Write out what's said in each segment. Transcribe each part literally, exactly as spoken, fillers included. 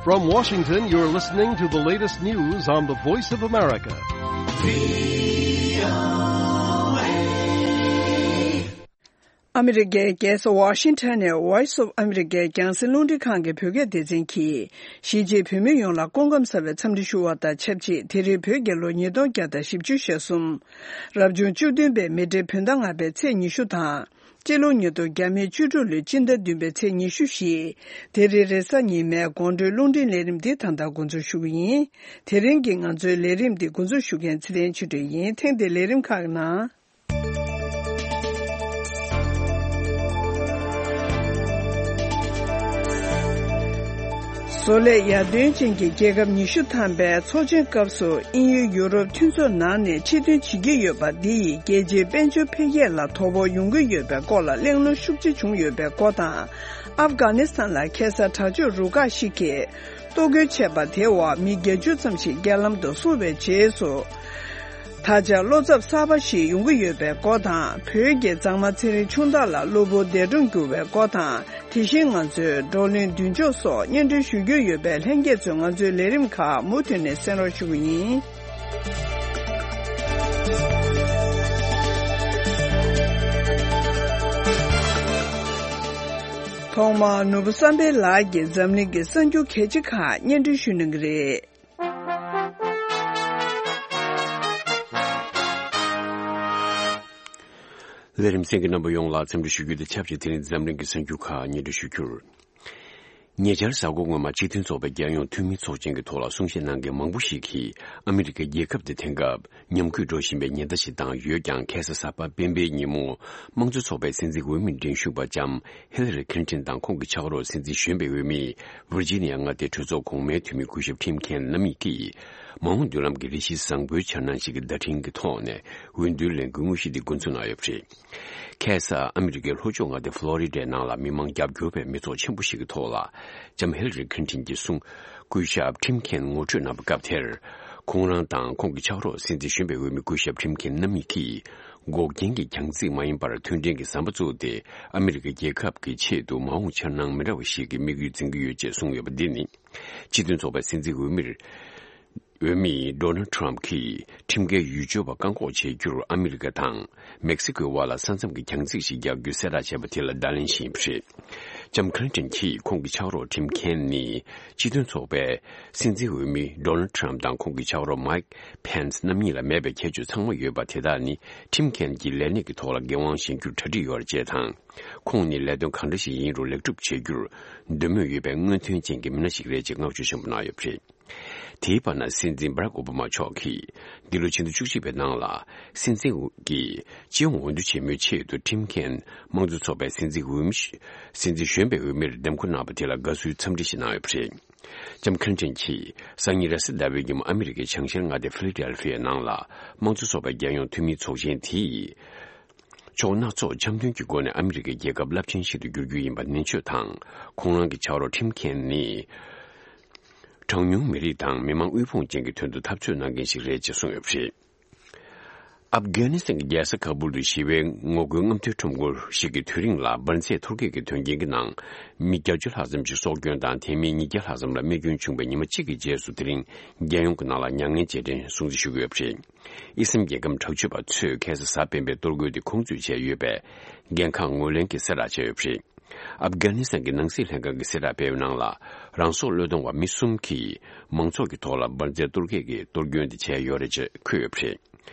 From Washington, you're listening to the latest news on the Voice of America. ཨ་མི་རི་ཀའི་རྒྱལ་ས་ཝ་ཤིང་ཊོན་ནས་Voice of America རྒྱང་སྲིང་རླུང་འཕྲིན་ཁང་གི་བོད་སྐད་སྡེ་ཚན་གྱིས། གཞིས་བྱེས་བོད་མི་ཡོངས་ལ་སྐུ་ཁམས་བཟང་བའི་འཚམས་འདྲི་ཞུ་བ་དང་ཆབས་ཅིག་དེ་རིང་བོད་རྒྱལ་ལོ་ཉིས་སྟོང་བརྒྱ་དང་བཞི་བཅུ་ཞེ་གསུམ། རབ་བྱུང་བཅུ་བདུན་པའི་མེ་སྤྲེལ་བོད་ཟླ་ལྔ་པའི་ཚེས་ཉི་ཤུ་དང་། སྤྱི་ལོ་ཉིས་སྟོང་བརྒྱ་མེད་བཅུ་དྲུག་ལོའི་སྤྱི་ཟླ་བདུན་པའི་ཚེས་ཉི་ཤུ་བཞི། དེ་རིང་རེས་གཟའ་ཉི་མའི་དགོང་དྲོའི་རླུང་འཕྲིན་ལས་རིམ་འདི་ད་ལྟ་འགོ་འཛུགས་ཞུ་གི་ཡིན། དེ་རིང་གི་ང་ཚོའི་ལས་རིམ་འདི་འགོ་འཛུགས་ཞུ་མཁན་ཚེ་བརྟན་ཆོས་སྒྲོན་ཡིན། ཐེངས་འདིའི་ལས་རིམ་ཁག་གི་ནང་། བཟོ་ལས་ཡར་ཐོན་ཅན་གྱི་རྒྱལ་ཁབ་ཉི་ཤུ་ཐམ་པའི་ཚོགས་ཆེན་སྐབས་སུ། དབྱིན་ཡུལ་ཡུ་རོབ་མཐུན་ཚོགས་ནང་ནས་ཕྱིར་ཐོན་བྱེད་ཀྱི་ཡོད་པ་འདི་ཡིས་རྒྱལ་སྤྱིའི་དཔལ་འབྱོར་འཕེལ་རྒྱས་ལ་དོ་ཕོག་ཡོང་གི་ཡོད་པའི་སྐོར་ལ་གླེང་སློང་ཤུགས་ཆེ་བྱུང་ཡོད་པའི་སྐོར་དང་། ཨབ་གྷ་ནི་སི་ཐན་ལ་ཁ་སང་དྲག་སྤྱོད་རུ་ཁག་ཞིག་གིས་གཏོར་རྒོལ་བྱས་པ་དེའི་འོག་མི་བརྒྱད་ཅུ་ཙམ་ཞིག་རྐྱེན་ལམ་དུ་སོང་བའི་རྗེས་སུ། ད་ཆ་བློ་འཚབ་གསར་པ་ཞིག་ཡོང་གི་ཡོད་པའི་སྐོར་དང་། བོད་ཀྱི་མཛངས་མ་ཚེ་རིང་ཆུང་བདག་ལ་གློ་བུར་འདས་གྲོངས་གྱུར་བའི་སྐོར་དང་། དེ་བཞིན་ང་ཚོའི་བགྲོ་གླེང་མདུན་ལྕོག་སོགས་སྙན་སྒྲོན་ཞུ་རྒྱུ་ཡོད་པས། ལྷན་རྒྱས་ཚོས་ང་ཚོའི་ལས་རིམ་ཁག་མུ་མཐུད་ནས་གསན་རོགས་ཞུ་གི་ཡིན། ཐོག་མར་ནོར་བུ་བསམ་འཕེལ་ལགས་ཀྱིས་འཛམ་གླིང་གི་གསར་འགྱུར་གལ་ཆེ་ཁག་སྙན་སྒྲོན་ཞུ་གནང་གི་རེད། ལས་རིམ་གསན་མཁན་རྣམ་པ་ཡོངས་ལ་འཚམས་འདྲི་ཞུ་རྒྱུ་དང་ཆབས་ཅིག་དེ་རིང་འཛམ་གླིང་གི་གསར་འགྱུར་ཁག་སྙན་སྒྲོན་ཞུ་རྒྱུར། ཉེ་ཆར་གཟའ་འཁོར་སྔོན་མ་སྤྱི་མཐུན་ཚོགས་པའི་རྒྱལ་ཡོངས་འཐུས་མི་ཚོགས་ཆེན་གྱི་ཐོག་ལ་གསུང་བཤད་གནང་མཁན་མང་པོ་ཞིག་གིས། ཨ་མི་རི་ཀའི་རྒྱལ་ཁབ་དེ་དེང་སྐབས་ཉམས་རྒུད་འགྲོ་བཞིན་པའི་ཉེན་བརྡ་ཞིག་བཏང་ཡོད་ཀྱང་། ཁ་སང་གཟའ་པ་སྤེན་པའི་ཉིན་མོ། དམངས་གཙོ་ཚོགས་པའི་སྲིད་འཛིན་འོས་མི་འགྲན་ཞུགས་པ་ལྕམ་ཧི་ལ་རི་ཁིན་ཏིན་དང་ཁོང་གི་ཕྱག་རོགས་སྲིད་འཛིན་གཞོན་པའི་འོས་མི་ཝིར་ཇི་ནི་ཡ་མངའ་སྡེའི་གྲོས་ཚོགས་གོང་མའི་འཐུས་མི་སྐུ་ཞབས་ཊིམ་ཁེན་རྣམ་གཉིས་ཀྱིས། མ་འོངས་མདུན་ལམ་གྱི་རེ་ཞིག་བཟང་པོའི་འཆར་སྣང་ཞིག་གི་བརྡ་འཕྲིན་གྱི་ཐོག་ནས་འོས་བསྡུའི་ལས་འགུལ་དངོས་གཞི་འདི་འགོ་འཛུགས་གནང་ཡོད་པ་རེད། ཁ་སང་ཨ་མི་རི་ཀའི་ལྷོ་ཕྱོགས་མངའ་སྡེ་ཧྥ་ལོ་རི་ཌའི་ནང་ལ་མི་མང་རྒྱབ་སྐྱོར་བའི་མི་ཚོགས་ཆེན་པོ་ཞིག་གི་ཐོག་ལ། ལྕམ་ཧི་ལ་རི་ཁིན་ཏིན་གྱི་གསུང་། སྐུ་ཞབས་ཊིམ་ཁེན་ངོ་སྤྲོད་གནང་བའི་སྐབས་དེར། ཁོང་རང་དང་ཁོང་གི་ཕྱག་རོགས་སྲིད་འཛིན་གཞོན་པའི་འོས་མི་སྐུ་ཞབས་ཊིམ་ཁེན་རྣམ་གཉིས་ཀྱིས། འགོག་རྐྱེན་གྱི་རྒྱང་ཚིག་མ་ཡིན་པར་མཐུན་སྒྲིལ་གྱི་ཟམ་པ་བཙུགས་ཏེ། ཨ་མི་རི་ཀའི་རྒྱལ་ཁབ་ཀྱི་ཆེད་དུ་མ་འོངས་འཆར་སྣང་མི་འདྲ་བ་ཞིག་གི་དམིགས་ཡུལ་འཛིན་གྱི་ཡོད་ཅེས་གསུངས་ཡོད་པ་འདི་ནི། སྤྱི་མཐུན་ཚོགས་པའི་སྲིད་འཛིན་འོས་མིར། འོས་མི་ཌོ་ནལ་ཊམ་གྱིས་ཁྲིམས་འགལ་ཡུལ་སྐྱོར་བ་བཀག་འགོག་བྱེད་རྒྱུར་ཨ་མི་རི་ཀ་དང་མེག་སི་ཀོའི་དབར་ལ་ས་མཚམས་ཀྱི་རྒྱང་ཚད་ཞིག་རྒྱག་རྒྱུའི་གསལ་བསྒྲགས་བྱས་པ་དེ་ལ་བརྡ་ལན་ཞུས་པ་རེད། ལྕམ་ཁི་ལིན་ཏོན་གྱིས་ཁོང་གི་ཕྱག་རོགས་ཊིམ་ཁེན་ནི་སྤྱི་མཐུན་ཚོགས་པའི་སྲིད་འཛིན་འོས་མི་ཌོ་ནལ་ཊམ་དང་ཁོང་གི་ཕྱག་རོགས་མའིག་ཕེན་སི་རྣམ་གཉིས་ལ་མེད་པའི་ཁྱད་ཆོས་ཚང་མ་ཡོད་པ་དེ་དག་ནི་ཊིམ་ཁེན་གྱི་ལས་གནས་ཀྱི་ཐོག་ལ་འགན་དབང་བཞེས་རྒྱུར་གྲ་སྒྲིག་ཡོད་རེད་ཅེས་དང་། ཁོང་ནི་ལས་དོན་གང་འདྲ་ཞིག་ཡིན་རུང་ལེགས་གྲུབ་བྱེད་རྒྱུར་འདོད་མོས་ཡོད་པའི་སྔོན་ཐོན་ཅན་གྱི་མི་སྣ་ཞིག་རེད་ཅེས་བསྔགས་བརྗོད་ཆེན་པོ་གནང་ཡོད་པ་རེད། དེའི་བར་ན་སྲིད་འཛིན་བྷ་རག་ཨོ་བྷ་མ་མཆོག་གིས་འདི་ལོ་ཕྱི་ཟླ་བཅུ་གཅིག་པའི་ནང་ལ་སྲིད་འཛིན་གྱི་སྤྱི་ཡོངས་འོས་བསྡུ་ཆེན་མོའི་ཆེད་དུ་ཊིམ་ཁེན་དམངས་གཙོ་ཚོགས་པའི་སྲིད་འཛིན་འོས་མི་སྲིད་འཛིན་གཞོན་པའི་འོས་མིར་འདེམས་བསྐོ་གནང་བ་དེ་ལ་དགའ་བསུའི་འཚམས་འདྲི་ཞིག་གནང་ཡོད་པ་རེད། ལྕམ་ཁི་ལིན་ཏོན་གྱིས་སང་ཉིན་རེས་གཟའ་ཟླ་བའི་ཉིན་མོ་ཨ་མི་རི་ཀའི་བྱང་ཤར་མངའ་སྡེ་ཕི་ལ་ཌེལ་ཕི་ཡའི་ནང་ལ་དམངས་གཙོ་ཚོགས་པའི་རྒྱལ་ཡོངས་འཐུས་མིའི་ཚོགས་ཆེན་དེ་ཡིས། ཕྱོགས་སྣ་ཚོགས་འཆམ་མཐུན་གྱི་སྒོ་ནས་ཨ་མི་རི་ཀའི་རྒྱལ་ཁབ་རླབས་ཆེན་ཞིག་ཏུ་འགྱུར་རྒྱུ་ཡིན་པ་ནན་བརྗོད་དང་། ཁོང་རང་གི་ཕྱག་རོགས་ཊིམ་ཁེན་ནི། གྲངས་ཉུང་མི་རིགས་དང་མི་མང་དབུལ་ཕོངས་ཅན་གྱི་དོན་དུ་འཐབ་རྩོད་གནང་མཁན་ཞིག་རེད་ཅེས་གསུངས་ཡོད་པ་རེད། ཨབ་གྷ་ནི་སི་ཐན་གྱི་རྒྱལ་ས་ཁ་བུལ་དུ་ཞི་བའི་ངོ་རྒོལ་རྔམ་སྟོན་ཁྲོམ་སྐོར་ཞིག་གི་དུས་རིང་ལ་འབར་རྫས་ཐོར་སྐྱོད་ཀྱི་དོན་རྐྱེན་གྱི་ནང་མི་བརྒྱད་ཅུ་ལྷག་ཙམ་ཞིག་སྲོག་སྐྱོན་དང་། དེ་མིན་ཉིས་བརྒྱ་ལྷག་ཙམ་ལ་རྨས་སྐྱོན་བྱུང་བའི་ཉི་མ་གཅིག་གི་རྗེས་སུ། དེ་རིང་རྒྱལ་ཡོངས་ཀྱི་ནང་ལ་མྱ་ངན་རྗེས་དྲན་སྲུང་བརྩི་ཞུ་གི་ཡོད་པ་རེད། དབྱི་སི་ལམ་རྒྱལ་ཁམས་དྲག་སྤྱོད་པ་ཚོས་ཁ་སང་གཟའ་སྤེན་པའི་གཏོར་རྒོལ་དེ་ཁོང་ཚོས་བྱས་ཡོད་པའི་འགན་ཁག་ངོས་ལེན་གྱི་གསལ་བསྒྲགས་བྱས་ཡོད་པ་རེད། ཨབ་གྷ་ནི་སི་ཐན་གྱི་ནང་སྲིད་ལྷན་ཁང་གིས་གསལ་བསྒྲགས་སྤེལ་བའི་ནང་ལ། རང་སྲོག་བློས་གཏོང་བ་མི་གསུམ་གྱིས་མང་ཚོགས་ཀྱི་ཐོག་ལ་འབར་རྫས་གཏོར་སྐྱོན་གྱི་གཏོར་སྐྱོན་དེ་བྱས་ཡོད་རེད་ཅེས་འཁོད་ཡོད་པ་རེད།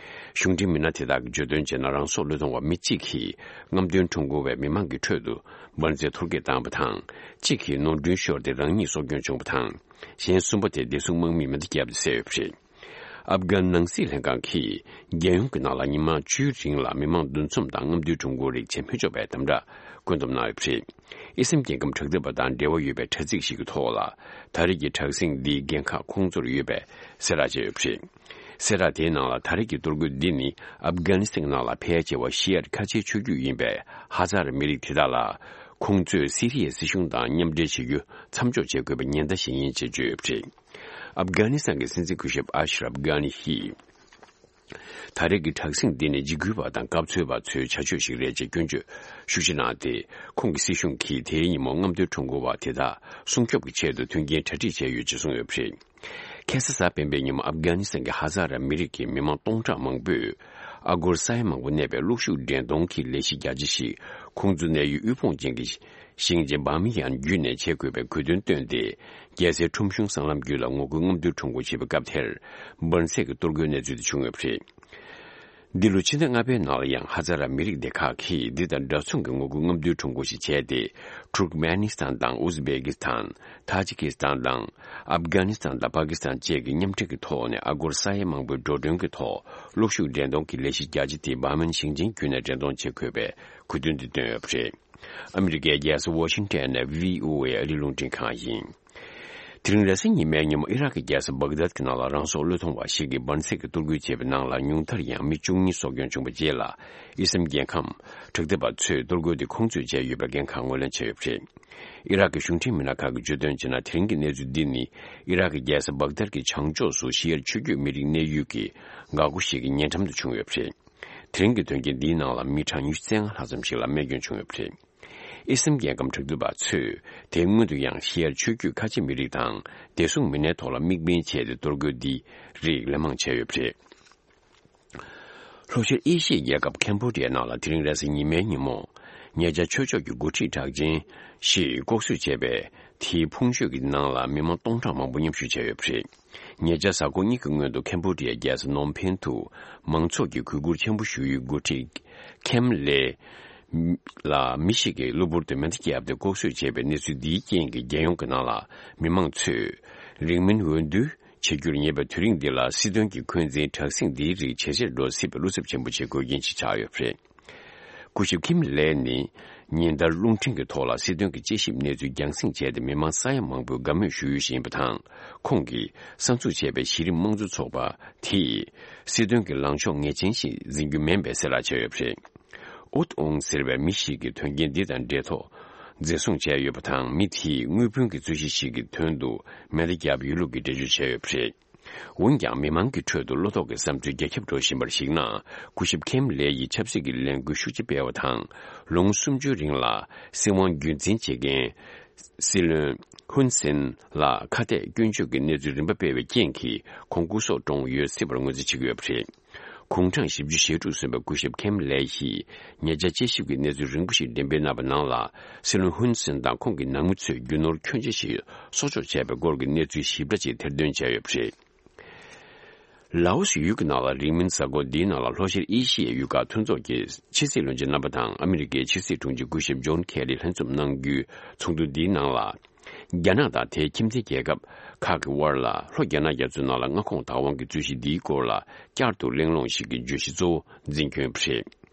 གཞུང་འབྲེལ་མི་སྣ་དེ་དག་གིས་བརྗོད་དོན་བྱས་ན། རང་སྲོག་བློས་གཏོང་བ་མི་གཅིག་གིས་རྔམ་སྟོན་ཁྲོམ་སྐོར་བས་མི་མང་གི་ཁྲོད་དུ་འབར་རྫས་གཏོར་སྐྱོན་བཏང་བ་དང་། གཅིག་གིས་ནོར་འཁྲུལ་ཤོར་ཏེ་རང་ཉིད་སྲོག་སྐྱོན་བྱུང་བ་དང་། གཞན་གསུམ་པ་དེ་བདེ་སྲུང་དམག་མིས་མེ་མདའ་བརྒྱབ་སྟེ་བསད་ཡོད་པ་རེད། ཨབ་གྷན་ནང་སྲིད་ལྷན་ཁང་གིས་རྒྱལ་ཡོངས་ཀྱི་ནང་ལ་ཉི་མ་བཅུའི་རིང་ལ་མི་མང་འདུ་འཛོམས་དང་རྔམ་སྟོན་ཁྲོམ་སྐོར་རིགས་བྱེད་མི་ཆོག་པའི་དམ་བསྒྲགས་བཀོད་འདོམས་གནང་ཡོད་པ་རེད། དབྱི་སི་ལམ་རྒྱལ་ཁམས་དྲག་འཐབ་པ་དང་འབྲེལ་བ་ཡོད་པའི་དྲ་ཚིགས་ཤིག་གི་ཐོག་ལ། ད་རེས་ཀྱི་དྲག་ཟིང་འདིའི་འགན་ཁག་ཁོང་ཚོར་ཡོད་པའི་གསལ་བསྒྲགས་བྱས་ཡོད་པ་རེད། གསལ་བསྒྲགས་དེའི་ནང་ལ། ད་རེས་ཀྱི་གཏོར་རྒོལ་འདི་ནི་ཨབ་གྷ་ནི་སི་ཐན་ནང་ལ་ཕལ་ཆེ་བ་ཤི་ཡ་ཁ་ཆེའི་ཆོས་བརྒྱུད་ཡིན་པའི་ཧ་ཛ་ར་མི་རིགས་དེ་དག་ལ། ཁོང་ཚོས་སི་རི་ཡའི་སྲིད་གཞུང་དང་མཉམ་འབྲེལ་བྱེད་རྒྱུ་མཚམས་འཇོག་བྱེད་དགོས་པའི་ཉེན་བརྡ་ཞིག་ཡིན་ཅེས་བརྗོད་ཡོད་པ་རེད། ཨབ་གྷ་ནི་སི་ཐན་གྱི་སྲིད་འཛིན་སྐུ་ཞབས་ཨ་ཤ་རབ་གྷ་ནི་ཡིས། ད་རེས་ཀྱི་དྲག་ཟིང་འདི་ནི་འཇིགས་སྐུལ་བ་དང་སྐབས་འཚོལ་བ་ཚོའི་བྱ་སྤྱོད་ཞིག་རེད་ཅེས་སྐྱོན་བརྗོད་ཤུགས་ཆེ་གནང་སྟེ། ཁོང་གི་སྲིད་གཞུང་གིས་དེའི་ཉིན་མོ་རྔམ་སྟོན་ཁྲོམ་སྐོར་བ་དེ་དག་སྲུང་སྐྱོབ་ཀྱི་ཆེད་དུ་མཐུན་རྐྱེན་གྲ་སྒྲིག་བྱས་ཡོད་ཅེས་གསུངས་ཡོད་པ་རེད། ཁ་སང་གཟའ་སྤེན་པའི་ཉིན་མོ་ཨབ་གྷ་ནི་སི་ཐན་གྱི་ཧ་ཛ་ར་མི་རིགས་ཀྱི་མི་མང་སྟོང་ཕྲག་མང་པོས། ཨ་སྒོར་ས་ཡ་མང་པོ་གནས་པའི་གློག་ཤུགས་འདྲེན་གཏོང་གི་ལས་གཞི་རྒྱ་ཆེ་ཞིག་ཁོང་ཚོའི་གནས་ཡུལ་དབུལ་ཕོངས་ཅན་གྱི་ཞིང་ཆེན་བྷ་མི་ཡན་བརྒྱུད་ནས་བྱེད་དགོས་པའི་དགོས་འདུན་བཏོན་ཏེ། རྒྱལ་སའི་ཁྲོམ་གཞུང་སྲང་ལམ་བརྒྱུད་ལ་ངོ་རྒོལ་རྔམ་སྟོན་ཁྲོམ་སྐོར་བྱེད་པའི་སྐབས་དེར། འབར་འཛེག་གི་གཏོར་རྒོལ་གནས་ཚུལ་དེ་བྱུང་ཡོད་པ་རེད། འདི་ལོ་ཕྱི་ཟླ་ལྔ་པའི་ནང་ལ་ཡང་ཧ་ཛ་ར་མི་རིགས་སྡེ་ཁག་གིས་འདི་དང་འདྲ་མཚུངས་ཀྱི་ངོ་རྒོལ་རྔམ་སྟོན་ཁྲོམ་སྐོར་ཞིག་བྱས་ཏེ། ཐུར་ཀ་མེ་ནི་སི་ཐན་དང་ཨུ་ཛི་བེ་ཀི་སི་ཐན། ཐ་ཇི་ཀི་སི་ཐན་དང་། ཨབ་གྷ་ནི་སི་ཐན་དང་པ་ཀི་སི་ཐན་བཅས་ཀྱི་མཉམ་འབྲེལ་གྱི་ཐོག་ནས་ཨ་སྒོར་ས་ཡ་མང་པོའི་འགྲོ་གྲོན་གྱི་ཐོག་གློག་ཤུགས་འདྲེན་གཏོང་གི་ལས་གཞི་རྒྱ་ཆེ་དེ་བྷ་མན་ཞིང་ཆེན་བརྒྱུད་ནས་འདྲེན་གཏོང་བྱེད་དགོས་པའི་དགོས་འདུན་དེ་བཏོན་ཡོད་པ་རེད། ཨ་མི་རི་ཀའི་རྒྱལ་ས་ཝ་ཤིང་ཊོན་ནས་བྷི་ཨོ་ཨེ་ཨ་རིའི་རླུང་འཕྲིན་ཁང་ཡིན། དེ་རིང་རེས་གཟའ་ཉི་མའི་ཉིན་མོ་ཨི་རག་གི་རྒྱལ་ས་སྦག་དཱད་ཀྱི་ནང་ལ་རང་སྲོག་བློས་གཏོང་བ་ཞིག་གིས་འབར་འཛེག་གི་གཏོར་རྒོལ་བྱས་པའི་ནང་ལ་ཉུང་མཐར་ཡང་མི་བཅུ་གཉིས་སྲོག་སྐྱོན་བྱུང་བའི་རྗེས་ལ། ཨི་སི་ལམ་རྒྱལ་ཁམས་དྲག་འཐབ་པ་ཚོས་གཏོར་རྒོལ་དེ་ཁོང་ཚོས་བྱས་ཡོད་པའི་འགན་ཁག་ངོས་ལེན་བྱས་ཡོད་པ་རེད། ཨི་རག་གི་གཞུང་འབྲེལ་མི་སྣ་ཁག་གིས་བརྗོད་དོན་བྱས་ན། དེ་རིང་གི་གནས་ཚུལ་འདི་ནི་ཨི་རག་གི་རྒྱལ་ས་སྦག་དར་གྱི་བྱང་ཕྱོགས་སུ་ཤི་ཡར་ཆོས་བརྒྱུད་མི་རིགས་གནས་ཡུལ་གྱི་འགག་སྒོ་ཞིག་གི་ཉེ་འགྲམ་དུ་བྱུང་ཡོད་པ་རེད། དེ་རིང་གི་དོན་རྐྱེན་འདིའི་ནང་ལ་མི་གྲངས་ཉི་ཤུ་རྩ་ལྔ་ལྷག་ཙམ་ཞིག་ལ་རྨས་སྐྱོན་བྱུང་ཡོད་པ་རེད། ཨི་སི་ལམ་རྒྱལ་ཁམས་དྲག་འཐབ་པ་ཚོས་དེའི་སྔོན་དུ་ཡང་ཤི་ཡར་ཆོས་བརྒྱུད་ཁ་ཆེ་མི་རིགས་དང་བདེ་སྲུང་མི་སྣའི་ཐོག་ལ་དམིགས་འབེན་བྱས་ཏེ་གཏོར་རྒོལ་འདི་རིགས་ལན་མང་བྱས་ཡོད་པ་རེད། ལྷོ་ཤར་ཨེ་ཤི་ཡའི་རྒྱལ་ཁབ་ཁེམ་བྷོ་ཌི་ཡའི་ནང་ལ་དེ་རིང་རེས་གཟའ་ཉི་མའི་ཉིན་མོ། ཉེ་ཆར་ཆོས་ཕྱོགས་ཀྱི་འགོ་ཁྲིད་གྲགས་ཅན་ཞིག་ལྐོག་གསོད་བྱས་པའི་དེའི་ཕུང་མཆོད་ཀྱི་ནང་ལ་མི་མང་སྟོང་ཕྲག་མང་པོ་མཉམ་ཞུགས་བྱས་ཡོད་པ་རེད། ཉེ་ཆར་གཟའ་འཁོར་གཉིས་ཀྱི་སྔོན་དུ་ཁེམ་བྷོ་ཌི་ཡའི་རྒྱལ་ས་ནོམ་ཕེན་དུ་མང་ཚོགས་ཀྱིས་གུས་བཀུར་ཆེན་པོ་ཞུ་ཡུལ་འགོ་ཁྲིད་ཁེམ་ལེ་ལ་མི་ཞིག་གིས་གློ་བུར་དུ་མེ་མདའ་བརྒྱབ་སྟེ་ལྐོག་གསོད་བྱས་པའི་གནས་ཚུལ་འདིའི་རྐྱེན་གྱིས། རྒྱལ་ཡོངས་ཀྱི་ནང་ལ་མི་མང་ཚོས་རིང་མིན་འོས་བསྡུ་བྱེད་རྒྱུར་ཉེ་བའི་དུས་རིང་འདི་ལ་སྲིད་དོན་གྱི་འཁོན་འཛིན་དྲག་ཟིང་འདིའི་རིགས་ཇེ་ཆེར་འགྲོ་སྲིད་པའི་བློ་འཚབ་ཆེན་པོ་བྱེད་དགོས་རྐྱེན་ཞིག་ཆགས་ཡོད་པ་རེད། སྐུ་ཞབས་ཁིམ་ལེ་ནི་ཉིན་ལྟར་རླུང་འཕྲིན་གྱི་ཐོག་ལ་སྲིད་དོན་གྱི་དཔྱད་ཞིབ་གནས་ཚུལ་རྒྱང་སྲིང་བྱས་ཏེ། མི་མང་ས་ཡ་མང་པོས་དགའ་མོས་ཞུ་ཡུལ་ཞིག་ཡིན་པ་དང་། ཁོང་གིས་གསར་འཛུགས་བྱས་པའི་གཞི་རིམ་དམངས་གཙོ་ཚོགས་པ་དེས་སྲིད་དོན་གྱི་ལངས་ཕྱོགས་ངེས་ཅན་ཞིག་འཛིན་རྒྱུ་མིན་པའི་གསལ་བསྒྲགས་བྱས་ཡོད་པ་རེད། ཨུད་ཨོང་ཟེར་བའི་མི་ཞིག་གིས་དོན་རྐྱེན་འདི་དང་འབྲེལ་ཐོག་འཛིན་བཟུང་བྱས་ཡོད་པ་དང་། མི་དེས་དངུལ་ཕོན་གྱི་རྩོད་གཞི་ཞིག་གི་དོན་དུ་མེ་མདའ་བརྒྱབ་ཡོད་ལུགས་ཀྱི་འགྲེལ་བརྗོད་བྱས་ཡོད་པ་རེད། འོན་ཀྱང་། མི་མང་གི་ཁྲོད་དུ་བློ་དོགས་ཀྱི་བསམ་ཚུལ་རྒྱ་ཁྱབ་འགྲོ་བཞིན་པར་གཞིགས་ན། སྐུ་ཞབས་ཁེམ་ལེ་ཡིས་ཆབ་སྲིད་ཀྱི་ལས་འགུལ་ཤུགས་ཆེ་སྤེལ་བ་དང་། ལོ་ངོ་སུམ་ཅུའི་རིང་ལ་སྲིད་དབང་རྒྱུན་འཛིན་བྱེད་མཁན་སྲིད་བློན་ཧུན་སེན་ལ་ཁ་གཏད་སྐྱོན་བརྗོད་ཀྱི་གནས་ཚུལ་རིམ་པ་སྤེལ་བའི་རྐྱེན་གྱིས། ཁོང་སྐུ་སྲོག་བཀྲོངས་ཡོད་སྲིད་པར་ངོས་འཛིན་བྱེད་ཀྱི་ཡོད་པ་རེད། དགུང་གྲངས་བཞི་བཅུ་ཞེ་དྲུག་སོན་པའི་སྐུ་ཞབས་ཁེམ་ལེ་ཡིས་ཉེ་ཆར་དཔྱད་ཞིབ་ཀྱི་གནས་ཚུལ་རིང་པོ་ཞིག་འགྲེམས་སྤེལ་གནང་བའི་ནང་ལ། སྲིད་བློན་ཧུན་སེན་དང་ཁོང་གི་ནང་མི་ཚོས་རྒྱུ་ནོར་ཁྱོན་ཆེ་ཞིག་སྲོག་སྐྱོབ་བྱས་པའི་སྐོར་གྱི་གནས་ཚུལ་ཞིབ་ཕྲ་ཅིག་ཐེར་འདོན་བྱས་ཡོད་པ་རེད། ལའོ་སི་ཡུལ་གྱི་ནང་ལ་རིང་མིན་གཟའ་འཁོར་འདིའི་ནང་ལ་ལྷོ་ཤར་ཨེ་ཤི་ཡའི་ཡུལ་ཁག་མཐུན་ཚོགས་ཀྱི་ཕྱི་སྲིད་བློན་ཆེན་རྣམ་པ་དང་ཨ་མི་རི་ཀའི་ཕྱི་སྲིད་དྲུང་ཆེ་སྐུ་ཞབས་ཇོན་ཁེ་ལི་ལྷན་འཛོམས་གནང་རྒྱུའི་ཚོགས་འདུ་འདིའི་ནང་ལ། རྒྱ་ནག་དང་དེའི་ཁྱིམ་མཚེས་རྒྱལ་ཁབ་ཁག་གི་དབར་ལ་ལྷོ་རྒྱ་ནག་རྒྱ་མཚོའི་ནང་ལ་མངའ་ཁོངས་བདག་དབང་གི་རྩོད་གཞི་འདིའི་སྐོར་ལ་བསྐྱར་དུ་གླེང་སློང་ཞིག་གི་བརྗོད་གཞི་གཙོ་བོ་འཛིན་སྐྱོང་བྱས་པ་རེད།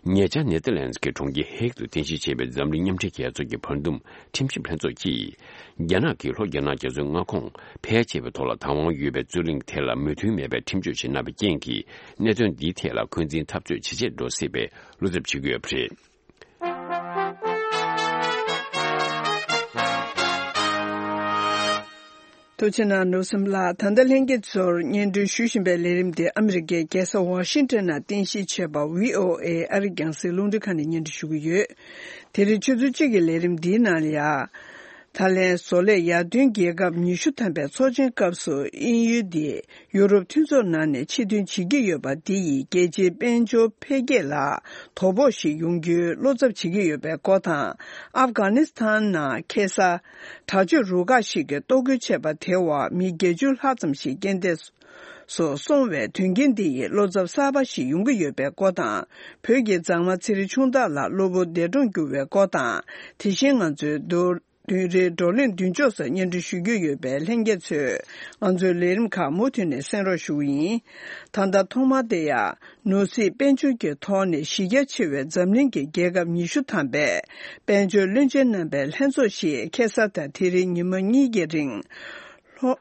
ཉེ་ཆར་ནེ་ཐར་ལན་སི་ཀྱི་གྲོང་ཁྱེར་ཧེག་ཏུ་རྟེན་གཞི་བྱས་པའི་འཛམ་གླིང་མཉམ་འབྲེལ་རྒྱལ་ཚོགས་ཀྱི་བར་འདུམ་ཁྲིམས་ཞིབ་ལྷན་ཚོགས་ཀྱིས། རྒྱ་ནག་གིས་ལྷོ་རྒྱ་ནག་རྒྱ་མཚོའི་མངའ་ཁོངས་ཕལ་ཆེ་བའི་ཐོག་ལ་བདག་དབང་ཡོད་པའི་རྩོད་གླེང་དེ་ལ་མོས་མཐུན་མེད་པའི་ཁྲིམས་གཅོད་ཅིག་གནང་བའི་རྐྱེན་གྱིས། གནད་དོན་འདིའི་ཐད་ལ་འཁོན་འཛིན་འཐབ་རྩོད་ཇེ་ཆེར་འགྲོ་སྲིད་པའི་བློ་འཚབ་བྱེད་ཀྱི་ཡོད་པ་རེད། ཐུགས་རྗེ་གནང་། ནོར་སེམས་ལགས། ད་ལྟ་ལྷན་རྒྱས་ཚོར་སྙན་སྒྲོན་ཞུ་བཞིན་པའི་ལས་རིམ་དེ་ཨ་མི་རི་ཀའི་རྒྱལ་ས་ཝ་ཤིང་ཊོན་ནང་རྟེན་གཞི་བྱས་པ་བྷི་ཨོ་ཨེ་ཨ་རིའི་རྒྱང་སྲིང་རླུང་འཕྲིན་ཁང་ནས་སྙན་སྒྲོན་ཞུ་གི་ཡོད། དེ་རིང་ཆུ་ཚོད་གཅིག་གི་ལས་རིམ་འདིའི་ནང་ལ་ཡ། ད་ལན་བཟོ་ལས་ཡར་ཐོན་རྒྱལ་ཁབ་ཉི་ཤུ་ཐམ་པའི་ཚོགས་ཆེན་སྐབས་སུ་དབྱིན་ཡུལ་འདི་ཡུ་རོབ་མཐུན་ཚོགས་ནང་ནས་ཕྱིར་ཐོན་བྱེད་ཀྱི་ཡོད་པ་འདི་ཡིས་རྒྱལ་སྤྱིའི་དཔལ་འབྱོར་འཕེལ་རྒྱས་ལ་དོ་ཕོག་ཞིག་ཡོང་རྒྱུའི་བློ་འཚབ་བྱེད་ཀྱི་ཡོད་པའི་སྐོར་དང་། ཨབ་གྷ་ནི་སི་ཐན་ནང་ཁེ་ས་དྲག་སྤྱོད་རུ་ཁག་ཞིག་གིས་གཏོར་རྒོལ་བྱས་པ་དེའི་འོག་མི་བརྒྱད་ཅུ་ལྷག་ཙམ་ཞིག་རྐྱེན་འདས་སུ་སོང་བའི་དོན་རྐྱེན་འདི་ཡིས་བློ་འཚབ་གསར་པ་ཞིག་ཡོང་གི་ཡོད་པའི་སྐོར་དང་། བོད་ཀྱི་མཛངས་མ་ཚེ་རིང་ཆུང་བདག་ལགས་གློ་བུར་འདས་གྲོངས་གྱུར་བའི་སྐོར་དང་། དེ་བཞིན་ང་ཚོའི་མདོར་བསྡུས་རེའི་བགྲོ་གླེང་མདུན་ཕྱོགས་སུ་སྙན་སྒྲོན་ཞུ་རྒྱུ་ཡོད་པས། ལྷན་རྒྱས་ཚོས་ང་ཚོའི་ལས་རིམ་ཁག་མུ་མཐུད་ནས་གསན་རོགས་ཞུ་གི་ཡིན། ད་ལྟ་ཐོག་མར་དེ་ཡང་ནོར་སྲིད་དཔལ་འབྱོར་གྱི་ཐོག་ནས་གཞི་རྒྱ་ཆེ་བའི་འཛམ་གླིང་གི་རྒྱལ་ཁབ་ཉི་ཤུ་ཐམ་པའི་དཔལ་འབྱོར་བློན་ཆེན་རྣམ་པའི་ལྷན་ཚོགས་ཤིག་ཁ་སང་དང་དེ་རིང་ཉི་མ་གཉིས་ཀྱི་རིང་ལྷོ།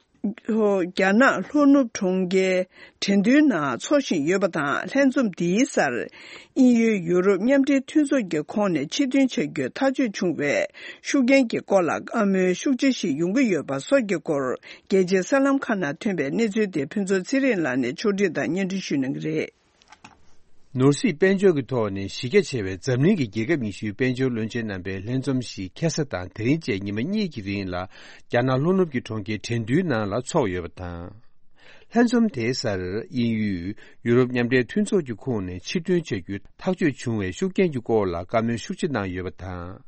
ལྷོ་རྒྱ་ནག་ལྷོ་ནུབ་གྲོང་ཁྱེར་ཁྲེང་ཏུའུ་ནང་འཚོགས་བཞིན་ཡོད་པ་དང་། ལྷན་འཛོམས་འདིའི་སར་དབྱིན་ཡུལ་ཡུ་རོབ་མཉམ་འབྲེལ་མཐུན་ཚོགས་ཀྱི་ཁོངས་ནས་ཕྱིར་ཐོན་བྱ་རྒྱུའི་ཐག་གཅོད་བྱུང་བའི་ཤུགས་རྐྱེན་གྱི་སྐོར་ལ་བཀའ་མོལ་ཤུགས་ཆེ་ཞིག་ཡོང་གི་ཡོད་པ་སོགས་ཀྱི་སྐོར། རྒྱལ་སྤྱིའི་གསར་ལམ་ཁག་ནང་ཐོན་པའི་གནས་ཚུལ་དེ་ཕུན་ཚོགས་ཚེ་རིང་ལགས་ནས་ཕྱོགས་སྒྲིག་དང་སྙན་སྒྲོན་ཞུ་གནང་གི་རེད། ནོར་སྲིད་དཔལ་འབྱོར་གྱི་ཐོག་ནས་གཞི་རྒྱ་ཆེ་བའི་འཛམ་གླིང་གི་རྒྱལ་ཁབ་ཉི་ཤུའི་དཔལ་འབྱོར་བློན་ཆེན་རྣམ་པའི་ལྷན་འཛོམས་ཤིག་ཁ་སང་དང་དེ་རིང་བཅས་ཉི་མ་གཉིས་ཀྱི་རིང་ལ་རྒྱ་ནག་ལྷོ་ནུབ་ཀྱི་གྲོང་ཁྱེར་ཁྲེང་ཏུའུ་ནང་ལ་འཚོགས་ཡོད་པ་དང་། ལྷན་འཛོམས་དེའི་སར་དབྱིན་ཡུལ་ཡུ་རོབ་མཉམ་འབྲེལ་མཐུན་ཚོགས་ཀྱི་ཁོངས་ནས་ཕྱིར་ཐོན་བྱ་རྒྱུའི་ཐག་གཅོད་བྱུང་བའི་ཤུགས་རྐྱེན་གྱི་སྐོར་ལ་བཀའ་མོལ་ཤུགས་ཆེ་གནང་ཡོད་པ་དང་།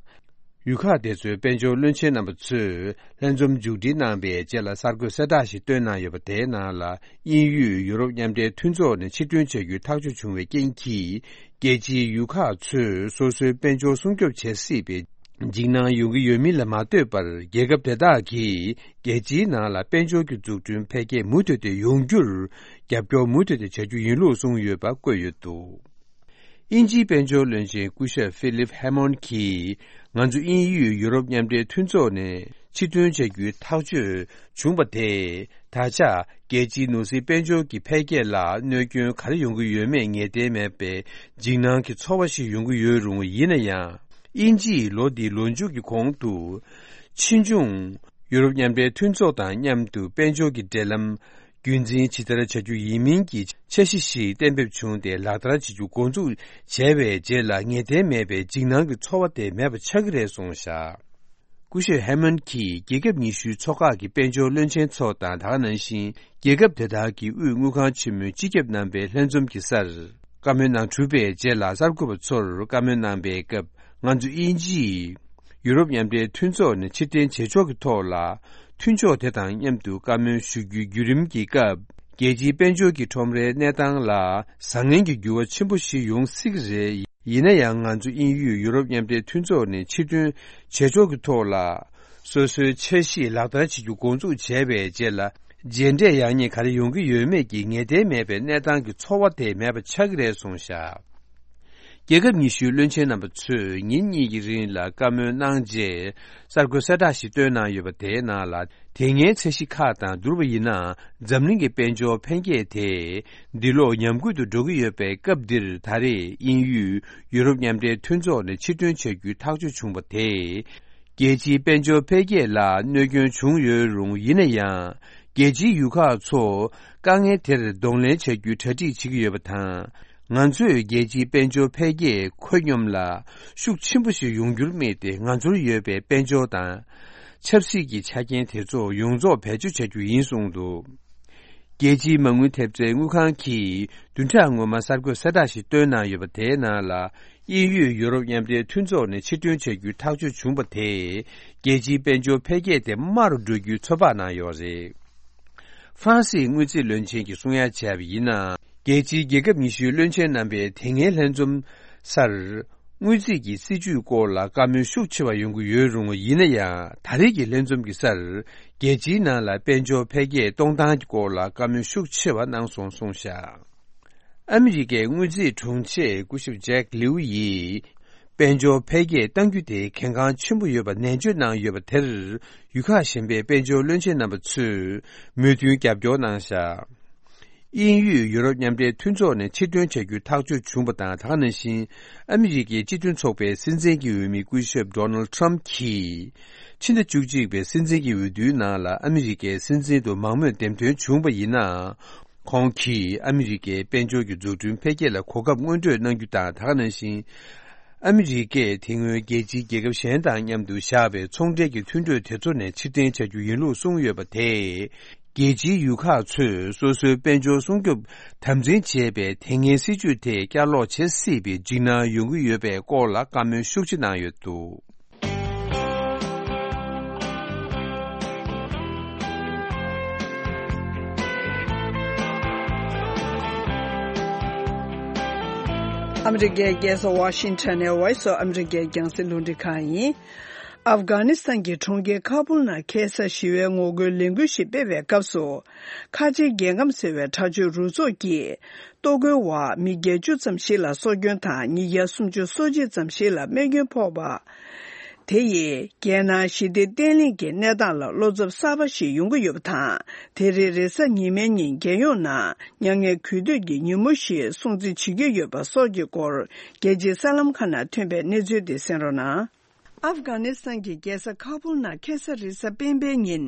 ཡུལ་ཁག་དེ་ཚོའི་དཔལ་འབྱོར་བློན་ཆེན་རྣམ་པ་ཚོས་ལྷན་འཛོམས་མཇུག་སྒྲིལ་གནང་བའི་རྗེས་ལ་གསར་འགོད་གསལ་བསྒྲགས་ཤིག་བཏོན་གནང་ཡོད་པ། དེའི་ནང་ལ་དབྱིན་ཡུལ་ཡུ་རོབ་མཉམ་འབྲེལ་མཐུན་ཚོགས་ནས་ཕྱིར་ཐོན་བྱ་རྒྱུའི་ཐག་གཅོད་བྱུང་བའི་རྐྱེན་གྱིས། རྒྱལ་སྤྱིའི་ཡུལ་ཁག་ཚོས་སོ་སོའི་དཔལ་འབྱོར་སྲུང་སྐྱོབ་བྱེད་སྲིད་པའི་འཇིགས་སྣང་ཡོང་གི་ཡོད་མིན་ལ་མ་ལྟོས་པར། རྒྱལ་ཁབ་དེ་དག་གིས་རྒྱལ་སྤྱིའི་ནང་ལ་དཔལ་འབྱོར་གྱི་འཛུགས་སྐྲུན་འཕེལ་རྒྱས་མུ་མཐུད་དེ་ཡོང་རྒྱུར་རྒྱབ་སྐྱོར་མུ་མཐུད་དེ་བྱ་རྒྱུ་ཡིན་ལུགས་གསུངས་ཡོད་པ་བཀོད་ཡོད་འདུག་དབྱིན་ཇིའི་དཔལ་འབྱོར་བློན་ཆེན་སྐུ་ཞབས་ཧྥི་ལིབ་ཧེ་མོན་གྱིས། ང་ཚོ་དབྱིན་ཡུལ་ཡུ་རོབ་མཉམ་འབྲེལ་མཐུན་ཚོགས་ནས་ཕྱིར་ཐོན་བྱ་རྒྱུའི་ཐག་གཅོད་བྱུང་བ་དེས། ད་ཆ་རྒྱལ་སྤྱིའི་ནོར་སྲིད་དཔལ་འབྱོར་གྱི་འཕེལ་རྒྱས་ལ་གནོད་སྐྱོན་ག་རེ་ཡོང་གི་ཡོད་མེད་ངེས་གཏན་མེད་པའི་འཇིགས་སྣང་གི་ཚོར་བ་ཞིག་ཡོང་གི་ཡོད་རུང་། ཡིན་ན་ཡང་། དབྱིན་ཇིས་ལོ་འདིའི་ལོ་མཇུག་གི་གོང་དུ། ཕྱིས་འབྱུང་ཡུ་རོབ་མཉམ་འབྲེལ་མཐུན་ཚོགས་དང་མཉམ་དུ་དཔལ་འབྱོར་གྱི་འབྲེལ་ལམ། རྒྱུན་འཛིན་ཇི་ལྟར་བྱ་རྒྱུ་ཡིན་མིན་གྱི་འཆར་གཞི་ཞིག་གཏན་འབེབས་བྱུང་སྟེ། ལག་བསྟར་བྱེད་རྒྱུ་འགོ་འཛུགས་བྱས་པའི་རྗེས་ལ། ངེས་གཏན་མེད་པའི་འཇིགས་སྣང་གི་ཚོར་བ་དེ་མེད་པ་ཆགས་ཀྱི་རེད་གསུངས་བཞག་སྐུ་ཞབས་ཧེ་མན་གྱིས་རྒྱལ་ཁབ་ཉི་ཤུའི་ཚོགས་ཁག་གི་དཔལ་འབྱོར་བློན་ཆེན་ཚོ་དང་། ད་ག་ནང་བཞིན་རྒྱལ་ཁབ་དེ་དག་གི་དབུས་དངུལ་ཁང་ཆེན་མོའི་སྤྱི་ཁྱབ་རྣམ་པའི་ལྷན་འཛོམས་ཀྱི་སར། བཀའ་མོལ་གནང་གྲུབ་པའི་རྗེས་ལ། གསར་འགོད་པ་ཚོར་བཀའ་མོལ་གནང་པའི་སྐབས། ང་ཚོ་དབྱིན་ཇིས་ཡུ་རོབ་མཉམ་འབྲེལ་མཐུན་ཚོགས་ནས་ཕྱིར་འཐེན་བྱེད་ཕྱོགས་ཀྱི་ཐོག་ལ། མཐུན་ཕྱོགས་དེ་དང་མཉམ་དུ་བཀའ་མོལ་ཞུ་རྒྱུའི་བརྒྱུད་རིམ་གྱི་སྐབས། རྒྱལ་སྤྱིའི་དཔལ་འབྱོར་གྱི་ཁྲོམ་རའི་གནས་སྟངས་ལ་བཟང་ངན་གྱི་འགྱུར་བ་ཆེན་པོ་ཞིག་ཡོང་སྲིད་ཀྱི་རེད། ཡིན་ན་ཡང་། ང་ཚོ་དབྱིན་ཡུལ་ཡུ་རོབ་མཉམ་འབྲེལ་མཐུན་ཚོགས་ནས་ཕྱིར་འཐེན་བྱེད་ཕྱོགས་ཀྱི་ཐོག་ལ། སོ་སོའི་འཆར་གཞི་ལག་བསྟར་བྱེད་རྒྱུ་འགོ་འཛུགས་བྱས་པའི་རྗེས་ལ། རྗེས་འབྲས་ཡག་ཉེས་ག་རེ་ཡོང་གི་ཡོད་མེད་ཀྱི་ངེས་གཏན་མེད་པའི་གནས་སྟངས་ཀྱི་ཚོར་བ་དེ་མེད་པ་ཆགས་ཀྱི་རེད་གསུངས་བཞག་རྒྱལ་ཁབ་ཉི་ཤུའི་བློན་ཆེན་རྣམ་པ་ཚོས་ཉིན་གཉིས་ཀྱི་རིང་ལ་བཀའ་མོལ་གནང་རྗེས། གསར་འགོད་གསལ་བསྒྲགས་ཤིག་བཏོན་གནང་ཡོད་པ། དེའི་ནང་ལ། དེ་སྔའི་འཆར་གཞི་ཁག་དང་བསྡུར་བ་ཡིན་ན། འཛམ་གླིང་གི་དཔལ་འབྱོར་འཕེལ་རྒྱས་དེ་འདི་ལོ་ཉམས་རྒུད་དུ་འགྲོ་གི་ཡོད་པའི་སྐབས་འདིར། ད་རེས་དབྱིན་ཡུལ་ཡུ་རོབ་མཉམ་འབྲེལ་མཐུན་ཚོགས་ནས་ཕྱིར་ཐོན་བྱ་རྒྱུའི་ཐག་གཅོད་བྱུང་བ་དེས། རྒྱལ་སྤྱིའི་དཔལ་འབྱོར་འཕེལ་རྒྱས་ལ་གནོད་སྐྱོན་བྱུང་ཡོད་རུང་། ཡིན་ན་ཡང་། རྒྱལ་སྤྱིའི་ཡུལ་ཁག་ཚོ་དཀའ་ངལ་དེར་གདོང་ལེན་བྱ་རྒྱུའི་གྲ་སྒྲིག་བྱེད་ཀྱི་ཡོད་པ་དང་། ང་ཚོས་རྒྱལ་སྤྱིའི་དཔལ་འབྱོར་འཕེལ་རྒྱས་ཁོད་སྙོམས་ལ་ཤུགས་ཆེན་པོ་ཞིག་ཡོང་རྒྱུར་དམིགས་ཏེ། ང་ཚོར་ཡོད་པའི་དཔལ་འབྱོར་དང་ཆབ་སྲིད་ཀྱི་ཆ་རྐྱེན་དེ་ཚོ་ཡོངས་རྫོགས་བེད་སྤྱོད་བྱ་རྒྱུ་ཡིན་གསུངས་འདུག་རྒྱལ་སྤྱིའི་མ་དངུལ་ཐེབས་རྩའི་དངུལ་ཁང་གིས་བདུན་ཕྲག་སྔོན་མ་གསར་འགོད་གསལ་བསྒྲགས་ཤིག་བཏོན་གནང་ཡོད་པ། དེའི་ནང་ལ། དབྱིན་ཡུལ་ཡུ་རོབ་མཉམ་འབྲེལ་མཐུན་ཚོགས་ནས་ཕྱིར་ཐོན་བྱ་རྒྱུའི་ཐག་གཅོད་བྱུང་བ་དེས། རྒྱལ་སྤྱིའི་དཔལ་འབྱོར་འཕེལ་རྒྱས་དེ་དམའ་རུ་འགྲོ་རྒྱུའི་ཚོད་དཔག་གནང་ཡོད་རེད། ཧྥ་རན་སིའི་དངུལ་རྩིས་བློན་ཆེན་གྱིས་གསུང་ཡ་བྱས་པ་ཡིན་ན། རྒྱལ་སྤྱིའི་རྒྱལ་ཁབ་ཉི་ཤུའི་བློན་ཆེན་རྣམ་པའི་དེ་སྔའི་ལྷན་འཛོམས་སར། དངུལ་རྩིས་ཀྱི་སྲིད་ཇུས་སྐོར་ལ་བཀའ་མོལ་ཤུགས་ཆེ་བ་ཡོང་གི་ཡོད་རུང་། ཡིན་ན་ཡང་། ད་རེས་ཀྱི་ལྷན་འཛོམས་ཀྱི་སར། རྒྱལ་སྤྱིའི་ནང་ལ་དཔལ་འབྱོར་འཕེལ་རྒྱས་གཏོང་སྟངས་ཀྱི་སྐོར་ལ་བཀའ་མོལ་ཤུགས་ཆེ་བ་གནང་སོང་གསུངས་བཞག་ཨ་མི་རི་ཀའི་དངུལ་རྩིས་དྲུང་ཆེ་སྐུ་ཞབས་ཇེག་ལིའུ་ཡིས། དཔལ་འབྱོར་འཕེལ་རྒྱས་གཏང་རྒྱུ་དེ་གལ་འགངས་ཆེན་པོ་ཡོད་པ་ནན་བརྗོད་གནང་ཡོད་པ་དེར། ཡུལ་ཁག་གཞན་པའི་དཔལ་འབྱོར་བློན་ཆེན་རྣམ་པ་ཚོས་མོས་མཐུན་རྒྱབ་སྐྱོར་གནང་བཞག་དབྱིན་ཡུལ་ཡུ་རོབ་མཉམ་འབྲེལ་མཐུན་ཚོགས་ནས་ཕྱིར་ཐོན་བྱ་རྒྱུའི་ཐག་གཅོད་བྱུང་བ་དང་། ད་ག་ནང་བཞིན་ཨ་མི་རི་ཀའི་སྤྱི་མཐུན་ཚོགས་པའི་སྲིད་འཛིན་གྱི་འོས་མི་སྐུ་ཞབས་ཌོ་ནལ་ཊམ་གྱིས། ཕྱི་ཟླ་བཅུ་གཅིག་པའི་སྲིད་འཛིན་གྱི་འོས་བསྡུའི་ནང་ལ་ཨ་མི་རི་ཀའི་སྲིད་འཛིན་དུ་མང་མོས་འདེམས་ཐོན་བྱུང་བ་ཡིན་ན། ཁོང་གིས་ཨ་མི་རི་ཀའི་དཔལ་འབྱོར་གྱི་འཛུགས་སྐྲུན་འཕེལ་རྒྱས་ལ་གོ་སྐབས་སྔོན་སྤྲོད་གནང་རྒྱུ་དང་། ད་ག་ནང་བཞིན། ཨ་མི་རི་ཀས་དེ་སྔོན་རྒྱལ་སྤྱིའི་རྒྱལ་ཁབ་གཞན་དང་མཉམ་དུ་བཞག་པའི་ཚོང་འབྲེལ་གྱི་མཐུན་གྲོས་དེ་ཚོ་ནས་ཕྱིར་འཐེན་བྱ་རྒྱུ་ཡིན་ལུགས་གསུངས་ཡོད་པ་དེས། རྒྱལ་སྤྱིའི་ཡུལ་ཁག་ཚོས་སོ་སོའི་དཔལ་འབྱོར་སྲུང་སྐྱོབ་དམ་འཛིན་བྱེད་པའི་དེ་སྔའི་སྲིད་ཇུས་དེ་བསྐྱར་ལོག་བྱེད་སྲིད་པའི་འཇིགས་སྣང་ཡོང་གི་ཡོད་པའི་སྐོར་ལ་བཀའ་མོལ་ཤུགས་ཆེ་གནང་ཡོད་འདུག་ཨ་མི་རི་ཀའི་རྒྱལ་ས་ཝ་ཤིང་ཊོན་ནས་Voice of America རྒྱང་སྲིང་རླུང་འཕྲིན་ཁང་ཡིན། ཨབ་གྷ་ནི་སི་ཐན་གྱི་གྲོང་ཁྱེར་ཁ་བུལ་ནང་ཁ་སང་ཞི་བའི་ངོ་རྒོལ་ལས་འགུལ་ཞིག་སྤེལ་བའི་སྐབས་སུ། ཁ་ཆེའི་རྒྱལ་ཁམས་ཟེར་བའི་དྲག་སྤྱོད་རུ་ཚོགས་ཀྱིས། གཏོར་རྒོལ་བ་མི་བརྒྱད་ཅུ་ཙམ་ཞིག་ལ་སྲོག་སྐྱོན་དང་། ཉིས་བརྒྱ་སུམ་ཅུ་སོ་གཅིག་ཙམ་ཞིག་ལ་རྨས་སྐྱོན་ཕོག་པ། དེ་ཡིས་རྒྱལ་ནང་ཞི་བདེ་བརྟན་ལྷིང་གི་གནས་སྟངས་ལ་བློ་འཚབ་གསར་པ་ཞིག་ཡོང་གི་ཡོད་པ་དང་། དེ་རིང་རེས་གཟའ་ཉི་མའི་ཉིན་རྒྱལ་ཡོངས་ནང་མྱ་ངན་གུས་འདུད་ཀྱི་ཉིན་མོ་ཞེས་སྲུང་བརྩི་བྱེད་ཀྱི་ཡོད་པ་སོགས་ཀྱི་སྐོར། རྒྱལ་སྤྱིའི་གསར་ལམ་ཁག་ནང་ཐོན་པའི་གནས་ཚུལ་དེ་གསན་རོགས་གནང་། ཨབ་གྷ་ནི་སི་ཐན་གྱི་རྒྱལ་ས་ཁ་བུལ་ནང་ཁ་སང་རེས་གཟའ་སྤེན་པའི་ཉིན།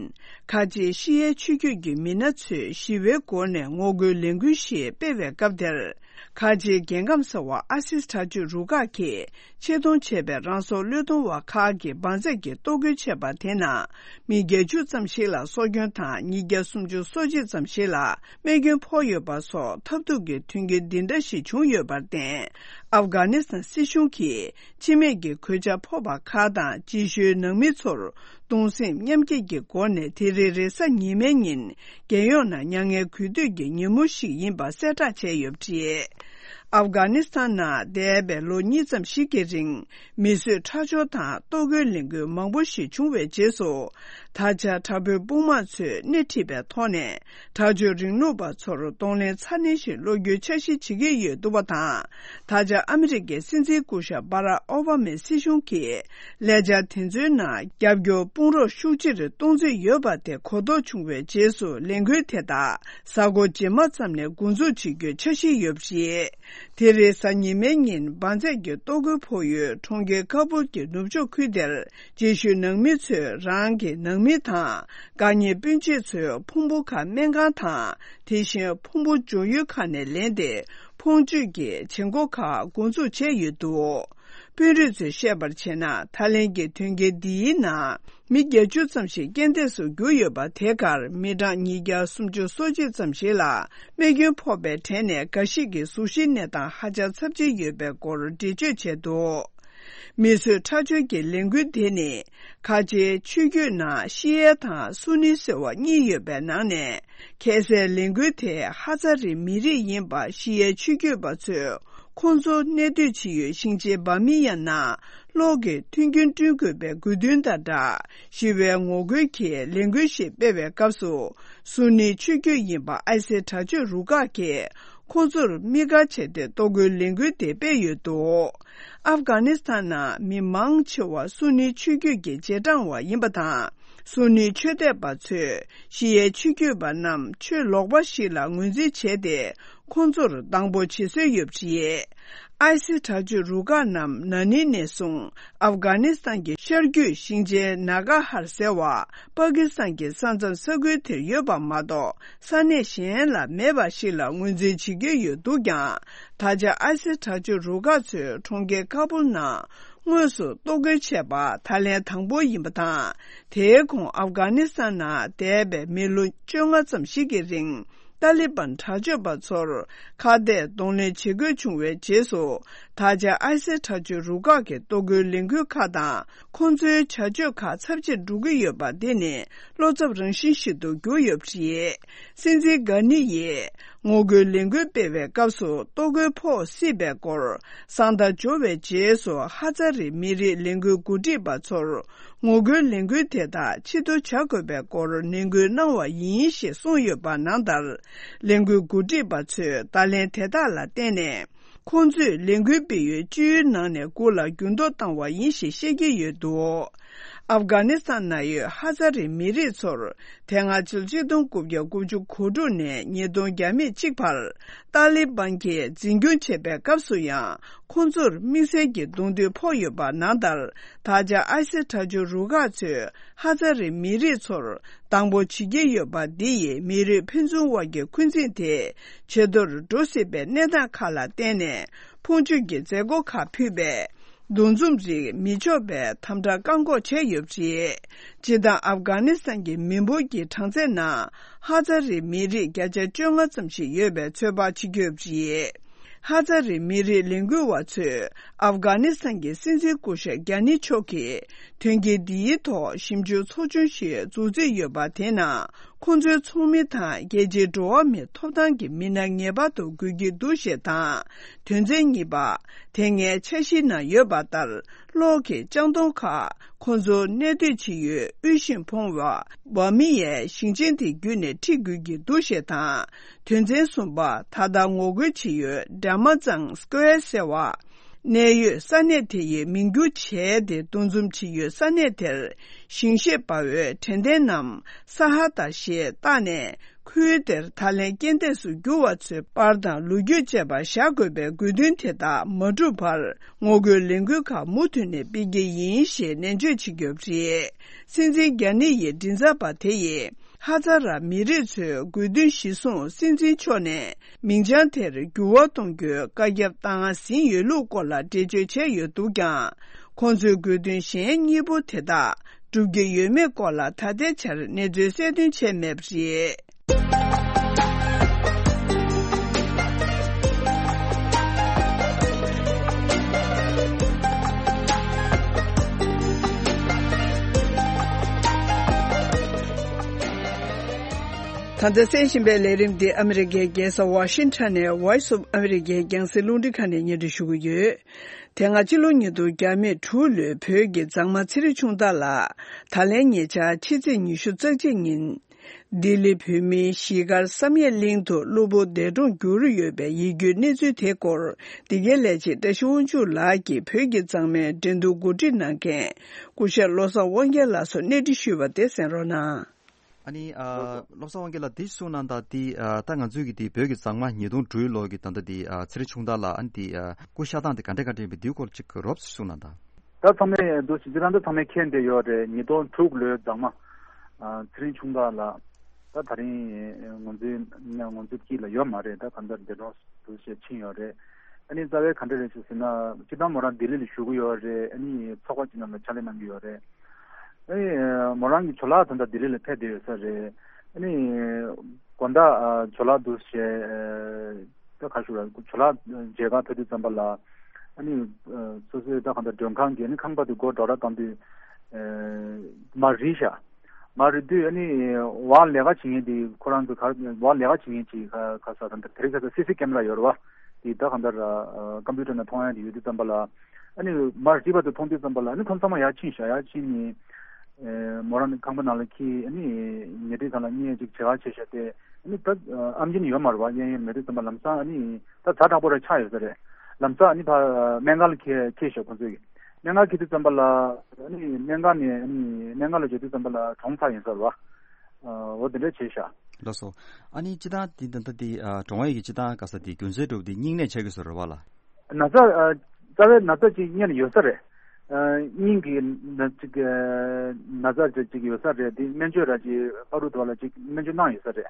ཁ་ཆེའི་ཤི་ཡའི་ཆོས་བརྒྱུད་ཀྱི་མི་སྣ་ཚོས་ཞི་བའི་སྒོ་ནས་ངོ་རྒོལ་ལས་འགུལ་ཞིག་སྤེལ་བའི་སྐབས་དེར། ཁ་ཆེའི་རྒྱལ་ཁམས་གསར་བ་ཨ་སིས་དྲག་སྤྱོད་རུ་ཁག་གིས་ཆེད་གཏོང་བྱས་པའི་རང་སྲོག་བློས་གཏོང་བ་ཁག་གིས་འབར་རྫས་ཀྱི་གཏོར་རྒོལ་བྱས་པ་དེ་ནང་མི་བརྒྱད་ཅུ་ཙམ་ཞིག་ལ་སྲོག་སྐྱོན་དང་། ཉིས་བརྒྱ་སུམ་ཅུ་སོ་གཅིག་ཙམ་ཞིག་ལ་རྨས་སྐྱོན་ཕོག་ཡོད་པ་སོགས་ཐབས་སྡུག་གི་དོན་རྐྱེན་འདི་འདྲ་ཞིག་བྱུང་ཡོད་པར་བརྟེན། ཨབ་གྷ་ནི་སི་ཐན་སྲིད་གཞུང་གིས་འཆི་རྨས་ཀྱི་གོད་ཆག་ཕོག་པ་ཁག་དང་རྗེས་ཤུལ་ནང་མི་ཚོར་གདུང་སེམས་མཉམ་སྐྱེད་ཀྱི་སྒོ་ནས་དེ་རིང་རེས་གཟའ་ཉི་མའི་ཉིན་རྒྱལ་ཡོངས་ནང་མྱ་ངན་གུས་འདུད་ཀྱི་ཉིན་མོ་ཞིག་ཡིན་པ་གསལ་བསྒྲགས་བྱས་ཡོད་པ་རེད། ཨབ་གྷ་ནི་སི་ཐན་ནང་འདས་པའི་ལོ་གཉིས་ཙམ་ཞིག་གི་རིང་མི་གསོད་ཁྲག་སྦྱོར་དང་གཏོར་རྒོལ་ལས་འགུལ་མང་པོ་ཞིག་བྱུང་བའི་རྗེས་སུ། ད་ཆ་དྲག་པོའི་དཔུང་དམག་ཚོས་སྣེ་ཁྲིད་པའི་ཐོག་ནས་དྲག་སྤྱོད་རིང་ལུགས་པ་ཚོར་གདོང་ལེན་ཚ་ནན་ཞིག་སློག་རྒྱུའི་འཆར་གཞི་བྱེད་ཀྱི་ཡོད་འདུག་པ་དང་། ད་ཆ་ཨ་མི་རི་ཀའི་སྲིད་འཛིན་སྐུ་ཞབས་སྦ་རག་ཨོ་བྷ་མའི་སྲིད་གཞུང་གིས་ལས་འཆར་དེ་ཚོའི་ནང་རྒྱབ་སྐྱོར་དཔུང་རོགས་ཤུགས་ཆེར་གཏོང་རྩིས་ཡོད་པ་དེ་གོ་རྟོགས་བྱུང་བའི་རྗེས་སུ་ལས་འགུལ་དེ་དག་གཟའ་འཁོར་རྗེས་མ་ཙམ་ནས་འགོ་འཛུགས་བྱེད་རྒྱུའི་འཆར་གཞི་ཡོད་པ་རེད། དེ་རིང་གཟའ་ཉི་མའི་ཉིན་འབར་རྫས་ཀྱི་གཏོར་རྒོལ་ཕོག་ཡུལ་གྲོང་ཁྱེར་ཁ་བུལ་གྱི་ནུབ་ཕྱོགས་ཁུལ་དེར་རྗེས་ཤུལ་ནང་མི་ཚོས་རང་གི་ནང་མི་དང་། དགའ་ཉེ་སྤུན་མཆེད་ཚོའི་ཕུང་པོ་ཁག་སྨན་ཁང་དང་། དེ་བཞིན་ཕུང་པོ་འཇོག་ཡུལ་ཁག་ནས་ལེན་ཏེ། ཕུང་མཆོད་ཀྱི་བྱེད་སྒོ་ཁག་འགོ་འཛུགས་བྱས་ཡོད་འདུག་དཔོན་རིགས་ཚོས་བཤད་པར་བྱས་ན། ད་ལན་གྱི་དོན་རྐྱེན་འདིའི་ནང་མི་བརྒྱད་ཅུ་ཙམ་ཞིག་རྐྱེན་འདས་སུ་གྱུར་ཡོད་པ་དེ་གར་མི་གྲངས་ཉིས་བརྒྱ་སུམ་ཅུ་སོ་གཅིག་ཙམ་ཞིག་ལ་རྨས་སྐྱོན་ཕོག་པའི་གྲས་ནས་འགའ་ཞིག་གི་གཟུགས་གཞིའི་གནས་སྟངས་ཧ་ཅང་ཚབས་ཆེན་ཡོད་པའི་སྐོར་འགྲེལ་བརྗོད་བྱས་འདུག་མི་གསོད་ཁྲག་སྦྱོར་གྱི་ལས་འགུལ་དེ་ནི། ཁ་ཆེའི་ཆོས་བརྒྱུད་ནང་ཤི་ཡའི་དང་སུ་ནི་ཟེར་བ་གཉིས་ཡོད་པའི་ནང་ནས། ཁ་སའི་ལས་འགུལ་དེ་ཧ་ཛ་རི་མི་རིགས་ཡིན་པ་ཤི་ཡའི་ཆོས་བརྒྱུད་པ་ཚོས། ཁོང་ཚོ་གནས་སྡོད་བྱེད་ཡུལ་ཞིང་ཆེན་བྷ་མི་ཡ་ནང་གློག་གི་མཐུན་རྐྱེན་བསྐྲུན་དགོས་པའི་དགོས་འདུན་དང་སྦྲགས། ཞི་བའི་ངོ་རྒོལ་གྱི་ལས་འགུལ་ཞིག་སྤེལ་བའི་སྐབས་སུ། སུ་ནི་ཆོས་བརྒྱུད་ཡིན་པ་ཨའི་སི་དྲག་སྤྱོད་རུ་ཁག་གིས། ཁོང་ཚོར་དམིགས་བཀར་བྱས་ཏེ་གཏོར་རྒོལ་ལས་འགུལ་དེ་སྤེལ་ཡོད་འདུག་ཨབ་གྷ་ནི་སི་ཐན་ནང་མི་མང་ཆེ་བ་སུ་ནི་ཆོས་བརྒྱུད་ཀྱི་རྗེས་འབྲང་བ་ཡིན་པ་དང་། སུ་ནི་ཆོས་དད་པ་ཚོས་ཤི་ཡའི་ཆོས་བརྒྱུད་པ་རྣམས་ཆོས་ལོག་པ་ཞིག་ལ་ངོས་འཛིན་བྱས་ཏེ། ཁོང་ཚོར་སྡང་པོ་བྱེད་སྲོལ་ཡོད་པ་རེད། ཨའི་སི་དྲག་སྤྱོད་རུ་ཁག་རྣམས་ན་ནིང་ནས་བཟུང་ཨབ་གྷ་ནི་སི་ཐན་གྱི་ཤར་རྒྱུད་ཞིང་ཆེན་ན་གྷ་ཧར་ཟེར་བ། པ་ཀི་སི་ཐན་གྱི་ས་མཚམས་ས་ཁུལ་དེར་ཡོད་པ་མ་གཏོགས། ས་གནས་གཞན་ལ་མེད་པ་ཞིག་ལ་ངོས་འཛིན་བྱེད་ཀྱི་ཡོད་འདུག་ཀྱང་། ད་ཆ་ཨའི་སི་དྲག་སྤྱོད་རུ་ཁག་ཚོས་གྲོང་ཁྱེར་ཁ་བུལ་ནང་དངོས་སུ་གཏོར་རྒོལ་བྱས་པ་ད་ལན་དང་པོ་ཡིན་པ་དང་། དེའི་གོང་ཨབ་གྷ་ནི་སི་ཐན་ནང་འདས་པའི་མི་ལོ་བཅོ་ལྔ་ཙམ་ཞིག་གི་རིང་། ཏཱ་ལི་བན་དྲག་སྤྱོད་པ་ཚོར་ཁ་གཏད་གདོང་ལེན་བྱེད་དགོས་བྱུང་བའི་རྗེས་སུ། ད་ཆ་ཨའི་སི་དྲག་སྤྱོད་རུ་ཁག་གི་གཏོར་རྒོལ་ལས་འགུལ་ཁག་དང་། ཁོང་ཚོའི་བྱ་སྤྱོད་ཁག་ཚབས་ཆེར་འགྲོ་གི་ཡོད་པ་འདི་ནི་བློ་འཚབ་རང་བཞིན་ཞིག་ཏུ་གྱུར་ཡོད་པ་རེད། སྲིད་འཛིན་གྷ་ནི་ཡིས་ངོ་རྒོལ་ལས་འགུལ་སྤེལ་བའི་སྐབས་སུ་གཏོར་རྒོལ་ཕོག་སྲིད་པའི་སྐོར་གསང་བརྡ་འབྱོར་བའི་རྗེས་སུ། ཧ་ཛ་རི་མི་རིགས་ལས་འགུལ་འགོ་ཁྲིད་པ་ཚོར་ངོ་རྒོལ་ལས་འགུལ་དེ་དག་ཕྱིར་བསྡུ་བྱ་དགོས་པའི་སྐོར་ནན་སྐུལ་གནང་བ་ཡིན་ཞེས་གསུངས་ཡོད་པ་ནང་ལྟར། ལས་འགུལ་འགོ་ཁྲིད་པ་ཚོས་བརྡ་ལན་དེ་དག་ལ་བརྟེན་ནས། ཁོང་ཚོས་ལས་འགུལ་སྤེལ་ཡུལ་སྤྱི་ཡུལ་ནང་ནས་དགུ་ལ་འགྱུར་ལྡོག་བཏང་བ་ཡིན་ཞེས་བཤད་ཀྱི་ཡོད་འདུག་ཨབ་གྷ་ནི་སི་ཐན་ནང་ཡོད་ཧ་ཛ་རི་མི་རིགས་ཚོར་དེ་སྔ་ཕྱི་ལོ་ཆིག་སྟོང་དགུ་བརྒྱ་དགུ་བཅུ་གོ་དྲུག་ནས་ཉིས་སྟོང་བརྒྱ་མེད་གཅིག་བར་ཏཱ་ལི་བན་གྱིས་འཛིན་སྐྱོང་བྱེད་པའི་སྐབས་སུ་ཡང་ཁོང་ཚོར་དམིགས་བསལ་གྱི་གདོང་ཐུག་ཕོག་ཡོད་པ་ནང་ལྟར། ད་ཆ་ཨའི་སི་དྲག་སྤྱོད་རུ་ཁག་ཚོས་ཧ་ཛ་རི་མི་རིགས་ཚོར་སྡང་པོ་བྱེད་ཀྱི་ཡོད་པ་འདི་ཡིས་མི་རིགས་ཕན་ཚུན་དབར་གྱི་འཁོན་འཛིན་དེ་ཇེ་མཐོར་འགྲོ་སྲིད་པའི་གནས་སྟངས་ཁག་ལ་བརྟེན་ནས་ཕུང་མཆོད་ཀྱི་མཛད་སྒོ་ཁག་ཕུད་པའི་འདུ་འཛོམས་རིགས་མི་ཆོག་པའི་དམ་དྲག་བཀག་འགོག་བྱས་ཡོད་པ་རེད། སྤྱིར་བཏང་ཨབ་གྷ་ནི་སི་ཐན་གྱི་མི་འབོར་གྱི་གྲངས་ཚད་ནང་ཧ་ཛ་རི་མི་རིགས་བརྒྱ་ཆ་བཅོ་ལྔ་ཙམ་ཞིག་ཡོད་པའི་ཚོད་དཔག་བྱེད་ཀྱི་ཡོད་པ་རེད། ཧ་ཛ་རི་མི་རིགས་ལས་འགུལ་བ་ཚོས་ཨབ་གྷ་ནི་སི་ཐན་གྱི་སྲིད་འཛིན་སྐུ་ཞབས་གྷ་ནི་མཆོག་གིས་དོན་རྐྱེན་འདིའི་ཐོག་ཞིབ་འཇུག་ཚོགས་ཆུང་ཞིག་འཛུགས་རྩིས་ཡོད་པ་དེ་ནང་ཁོང་ཚོའི་ཚོགས་མི་དང་རྒྱལ་སྤྱིའི་འགྲོ་བ་མིའི་ཐོབ་ཐང་གི་མི་སྣ་ངེས་པར་དུ་དགོས་ཀྱི་འདུག་ཞེས་དང་། དོན་ཚན་གཉིས་པ། དེ་སྔའི་འཆར་གཞིའི་ནང་ཡོད་པ་ལྟར། གློག་གི་ལྕགས་དོང་ཁག་ཁོང་ཚོ་གནས་སྡོད་བྱེད་ཡུལ་དབུལ་ཞིང་ཕོངས་པ་བྷ་མི་ཡའི་ཞིང་ཆེན་དེ་བརྒྱུད་ནས་ཁྲིད་དགོས་ཀྱི་འདུག་ཞེས་དང་། དོན་ཚན་གསུམ་པ། ད་ལྟ་ངོ་རྒོལ་བྱེད་ཡུལ་ཌ་མ་ཙང་སྐོའེ་ཟེར་བ། གནད་ཡོད་ས་གནས་དེ་ཡི་མིང་བསྒྱུར་བྱས་ཏེ་འདུ་འཛོམས་བྱེད་ཡུལ་ས་གནས་དེར་ཞིང་གཤེགས་དཔའ་བོའི་དྲན་རྟེན་ནམ་ས་ཧ་ད་ཞེས་བཏགས་ནས། ཁུལ་དེར་ད་ལན་རྐྱེན་འདས་སུ་གྱུར་བ་ཚོའི་པར་དང་ལོ་རྒྱུས་བཅས་པ་བཞག་དགོས་པའི་དགོས་འདུན་དེ་དག་མ་འགྲུབ་བར་ངོ་རྒོལ་ལས་འགུལ་ཁག་མུ་མཐུད་ནས་སྤེལ་གྱི་ཡིན་ཞེས་ནན་བརྗོད་བྱེད་ཀྱི་ཡོད་པ་རེད། སྲིད་འཛིན་རྒྱ་ནི་ཡི་མགྲིན་ཚབ་པ་དེ་ཡིས་ཧ་ཛ་ར་མི་རིགས་ཚོའི་དགོས་འདུན་གཞིར་བཟུང་སྲིད་འཛིན་མཆོག་ནས་མིང་བྱང་དེར་འགྱུར་བ་གཏོང་རྒྱུའི་བཀའ་ཁྱབ་བཏང་ཟིན་ཡོད་ལུགས་སྐོར་ལ་འགྲེལ་བརྗོད་བྱས་ཡོད་འདུག་ཀྱང་། ཁོང་ཚོའི་དགོས་འདུན་གཞན་གཉིས་པོ་དེ་དག་སྒྲུབ་ཀྱི་ཡོད་མེད་སྐོར་ལ་ད་ལྟའི་ཆར་གནས་ཚུལ་གསལ་སྟོན་བྱས་མེད་པ་རེད། ད་ལྟ་གསན་བཞིན་པའི་ལས་རིམ་འདི་ཨ་མི་རི་ཀའི་རྒྱལ་ས་ཝ་ཤིང་ཊོན་ནས་Voice of America རྒྱང་སྲིང་རླུང་འཕྲིན་ཁང་ནས་སྙན་སྒྲོན་ཞུ་གི་ཡོད། དེ་སྔ་ཕྱི་ལོ་ཉིས་སྟོང་བརྒྱ་མེད་དྲུག་ལོའི་བོད་ཀྱི་མཛངས་མ་ཚེ་རིང་ཆུང་བདག་ལགས་ད་ལན་ཉེ་ཆར་ཕྱི་ཚེས་ཉི་ཤུ་རྩ་གཅིག་ཉིན། ལྡི་ལི་བོད་མིའི་གཞིས་སྒར་བསམ་ཡས་གླིང་དུ་གློ་བུར་འདས་གྲོངས་གྱུར་ཡོད་པའི་ཡིད་སྐྱོའི་གནས་ཚུལ་དེའི་སྐོར་འདི་གའི་ལས་བྱེད་བཀྲ་ཤིས་དབང་ཕྱུག་ལགས་ཀྱིས་བོད་ཀྱི་མཛངས་མའི་འགྲན་བསྡུར་གོ་སྒྲིག་གནང་མཁན་སྐུ་ཞབས་བློ་བཟང་དབང་རྒྱལ་ལགས་སུ་གནས་འདྲི་ཞུས་པ་དེ་གསན་རོགས་གནང་། ཨ་ནི་ཨ་བློ་བཟང་དབང་རྒྱལ་ལགས་འདི་གསུངས་གནང་དང་འདི་ཨ་ད་ང་ཚོའི་གི་འདི་བོད་ཀྱི་མཛངས་མ་ཉིས་སྟོང་དྲུག་ལོ་གི་ད་ལྟ་འདི་ཨ་ཚེ་རིང་ཆུང་བདག་ལགས་ཨ་ནི་འདི་ཨ་སྐུ་གཤེགས་སྟངས་དེ་ག་འདྲ་ག་འདྲ་ཡིན་པའི་འདིའི་སྐོར་ཅིག་རོབ་ཙམ་གསུངས་གནང་དང་། ད་ཚང་མས་འདུག་ཟེར་ཅི་རང་ད་ཚང་མས་མཁྱེན་བསྡད་ཡོད་རེད། ཉིས་སྟོང་དྲུག་ལོའི་མཛངས་མ་ཨ་ཚེ་རིང་ཆུང་བདག་ལགས་ད་ད་རིང་ང་ཚོའི་ང་ཚོའི་དཀྱིལ་ལ་ཡོད་མ་རེད། ད་གང་ལྟར་འདས་གྲོངས་འདུག་ཟེར་ཕྱིན་ཡོད་རེད། ཨ་ནི་རྩ་བའི་ག་འདྲ་རེད་ཟེར་ན་སྤྱིར་བཏང་མོ་རང་ལྡི་ལི་ལ་བཞུགས་ཀྱི་ཡོད་རེད། ཨ་ནི་ཚོགས་པ་ཅིག་ནང་ལ་ཕྱག་ལས་གནང་གི་ཡོད་རེད། ཨ་ནི་མོ་རང་གི་ཇོ་ལགས་ད་ལྟ་ལྡི་ལི་ལ་ཕེབས་བསྡད་ཡོད་ས་རེད། ཨ་ནི་དགོང་དག་ཇོ་ལགས་འདུག་ཟེར་ད་ག་ཞུ་ར་ཇོ་ལགས་མཇལ་ཁ་ཕེབས་དུས་ཙམ་པ་ལ་ཨ་ནི་སོ་སོའི་ད་གང་ལྟར་མགྲོན་ཁང་གི་ཨ་ནི་ཁང་པ་དེ་སྒོ་འགྲོ་ར་བཏང་དུས་མར་རིལ་ཤག་མར་རིལ་དུས་ཨ་ནི་བར་ལས་ཀ་བྱེད་མཁན་དེ་ཁོ་རང་ཚོ་ག་བར་ལས་ཀ་བྱེད་མཁན་ཅིག་ག་ག་ས་ད་ལྟ་དེ་རིང་ཁ་སང་སི་སི་ཀེམ་ར་ཡོད་རེད་བ། དེ་ད་གང་ལྟར་ཀམ་པུ་ཊར་ནང་མཐོང་ཡ་དེ་ཡོད་དུས་ཙམ་པ་ལ་ཨ་ནི་མར་རིལ་བ་དེ་མཐོང་དུས་ཙམ་པ་ལ་ཨ་ནི་ཁོང་ཚང་མ་ཡར་ཕྱིན་ཤག་ཡར་ཕྱིན་ནས་མོ་རང་ཁང་པ་ནང་ལ་འཁྱེར་ཨ་ནི་ཉལ་ཁྲི་སྒང་ལ་གཉིད་ཅིག་བྱེད་ག་བྱས་ཤག་སྟེ་ཨ་ནི་ད་ཨམ་ཆི་ནི་ཡོད་མ་རེད་བ། གཡས་གཡོན་མེད་དུས་ཙམ་པ་ལམ་སང་ཨ་ནི་ད་ཛ་དྲག་པོ་ར་ཆགས་ཡོད་ས་རེད། ལམ་སང་ཨ་ནི་ཕ་སྨན་ཁང་ལ་འཁྱེར་འཁྱེར་ཤག་ཁོང་ཚོས་ཀྱིས། སྨན་ཁང་འཁྱེར་དུས་ཙམ་པ་ལ་ཨ་ནི་སྨན་ཁང་ནས་ཨ་ནི་སྨན་ཁང་ལ་འབྱོར་དུས་ཙམ་པ་ལ་གྲོངས་ཚར་ཡིན་ས་རེད་བ། འོ་དེ་འདྲ་བྱས་ཤག་ལགས་སོ། ཨ་ནི་སྤྱིར་བཏང་འདི་ད་ལྟ་འདི་ཨ་གྲོངས་ཡས་ཀྱི་སྤྱིར་བཏང་ག་ས་འདི་རྒྱུ་མཚན་འདྲ་བོ་འདི་སྙིང་ནད་ཆགས་ཀྱི་ས་རེད་བ་ལགས། ན་ཚ་ཨ་རྩ་བའི་ན་ཚ་ཅིག་སྔོན་ལ་ཡོད་ས་རེད། ཨ་སྙིང་གི་ན་ཅིག་ཨ་ན་ཚ་ཅིག་ཅིག་ཡོད་ས་རེད། འདི་སྨན་བཅོས་ར་ཅིག་པ་རུ་དོ་ལ་ཅིག་སྨན་བཅོས་གནང་ཡོད་ས་རེད།